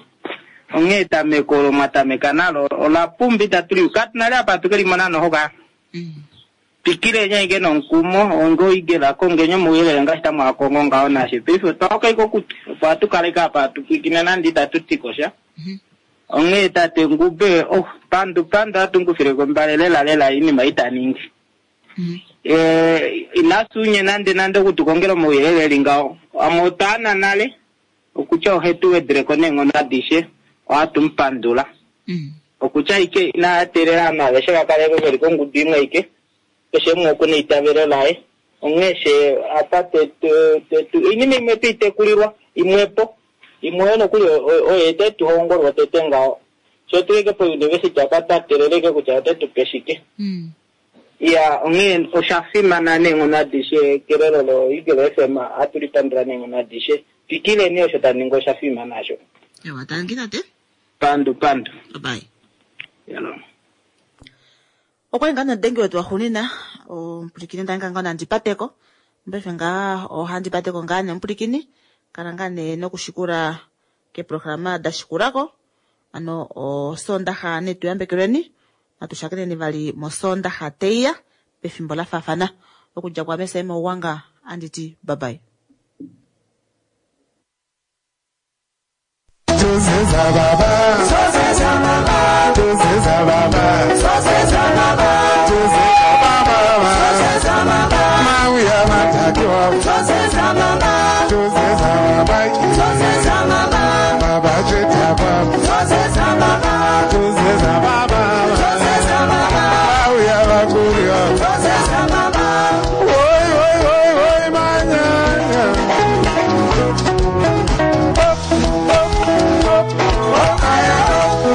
Onghee etameko olo mwatameka nalo ola pumba itatu li katu nale apa hatu ke limona noho ka. Twikileni aike nomukumo onge oigela kongenyi omauyelele ngaashi tamwaakongo ngaho nashe. Paife otwa oka ike okutwi opo hatu kaleke apa hatu pwiikine nande itatu ti ko sha. Onghee tate Ngube oh pandu pandu ohatu mukufile kombale lela lela iinima ita ningi. Inasunye nande nande okutukongela omauyelele eli ngaho. Amwe otwa ana nale okutya ohetu wedeleko neenghono adishe ohatu mupandula. Okutya ike ina teelela ovanhu aveshe va kale veli kongudu imwe aike. Keshe umwe okuna eitavelo laye. Onghee she apa tetu oinima imwe twiitekulilwa imwepo. Imwe oyo nokuli oyo tetu hongolwa tete ngaho. Sho tuleke po university apa twa teeleleke kutya otetu pe shike. Ya onghee osha fimana neenghono adishe kelelo lo Eagle FM ohatu lipandula neenghono adishe. Twikileni osho taningi osha fimana asho. Ewa tangi tate. Pandu pandu. Bye. Hello. Okwali ngaa nodengi wetu waxuunina omupwilikini ndange ngaa nandi pateko. Paife ngaa ohandi pateko ngaa nemupwilikini. Kala ngaa nee nokushikula keeprograma da shikulako. Ano osondaxa netu yambekelweni. Natu shakeneni vali mosondaxa teiya pefimbo la faafana. Okudja kwaame Saima Ugwanga anditi bye bye. Oh, oh, oh, oh, oh, oh, oh.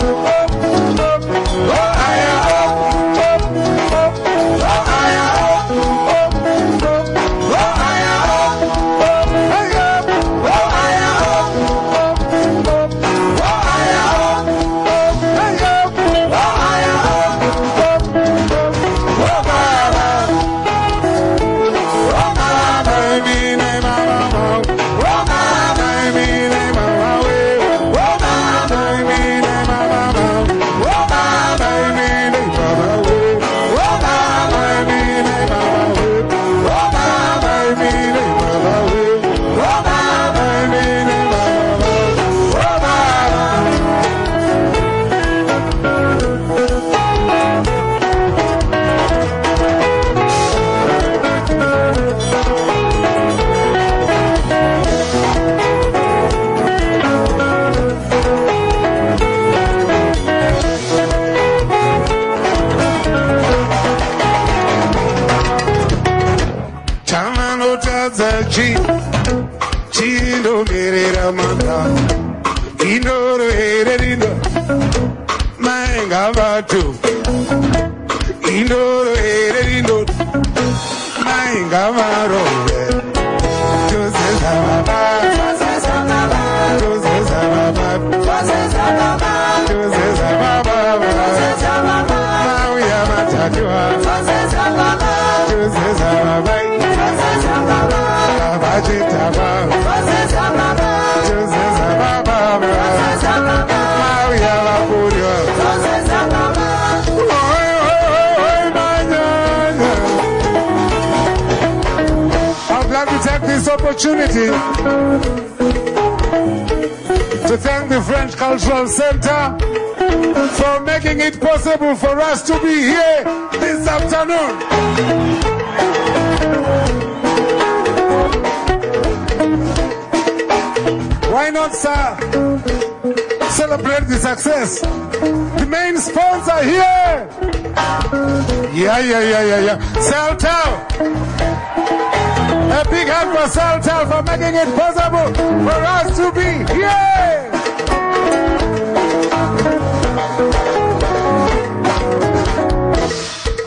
Ndakatadza chi chindomerera manga indoro here rino mainga vatu indoro here rino mainga varove tozeza baba tozeza baba tozeza baba mauya matatuwa tozeza baba baba chitaba tozeza baba mauya vakurya. Oi, oi, oi, oi, manyanya. I'd like to take this opportunity to thank the French Cultural Center for making it possible for us to be here this afternoon. Why not, sir, celebrate the success? The main sponsor here. Yeah, yeah, yeah, yeah, yeah. Celtel. A big hand for Celtel for making it possible for us to be here.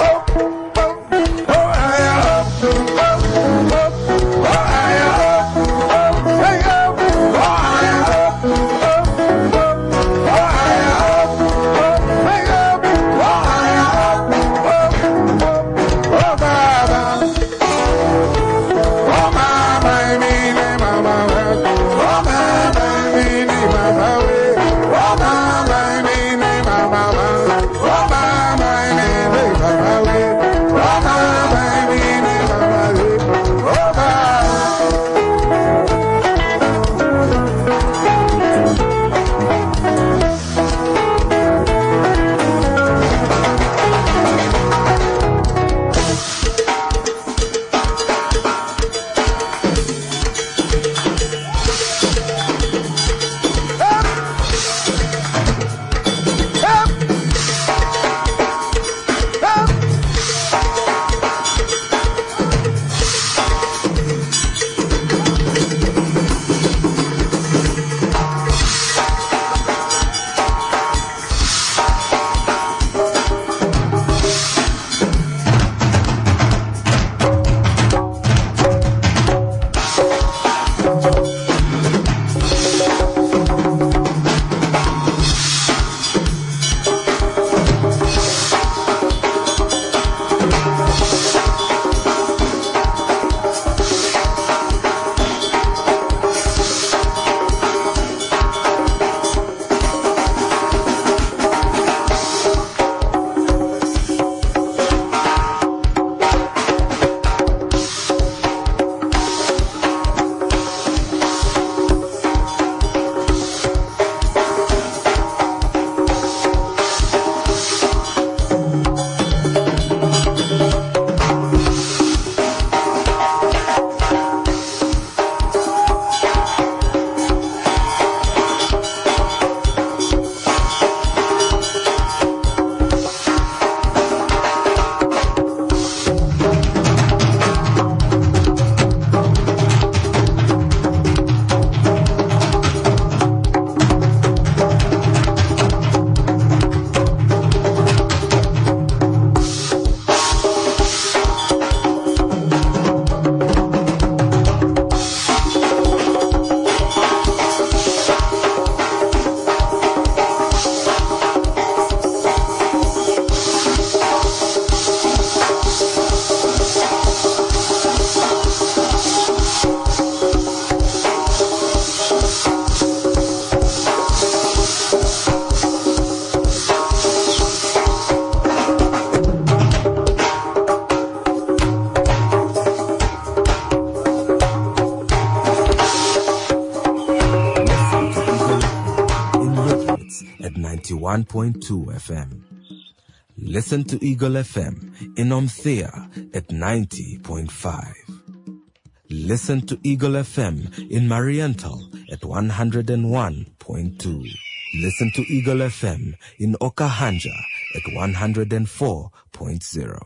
Oh, oh, oh, I, oh, oh, oh, oh, I, oh, oh, hey, oh, oh, I, oh, oh, oh, oh, I, oh, oh, hey, oh, oh, I, oh, oh, oh, oh, Baba. Oh, mama, mine, mama, oh, mama, mine, mama, oh, mama, mine, mama, oh, mama, mine, mama, oh, mama, mine, mama, oh, mama. Up! Up! Listen to Eagle FM in Lüderitz at 91.2 FM. Listen to Eagle FM in Omthea at 90.5. Listen to Eagle FM in Mariental at 101.2. Listen to Eagle FM in Okahandja at 104.0.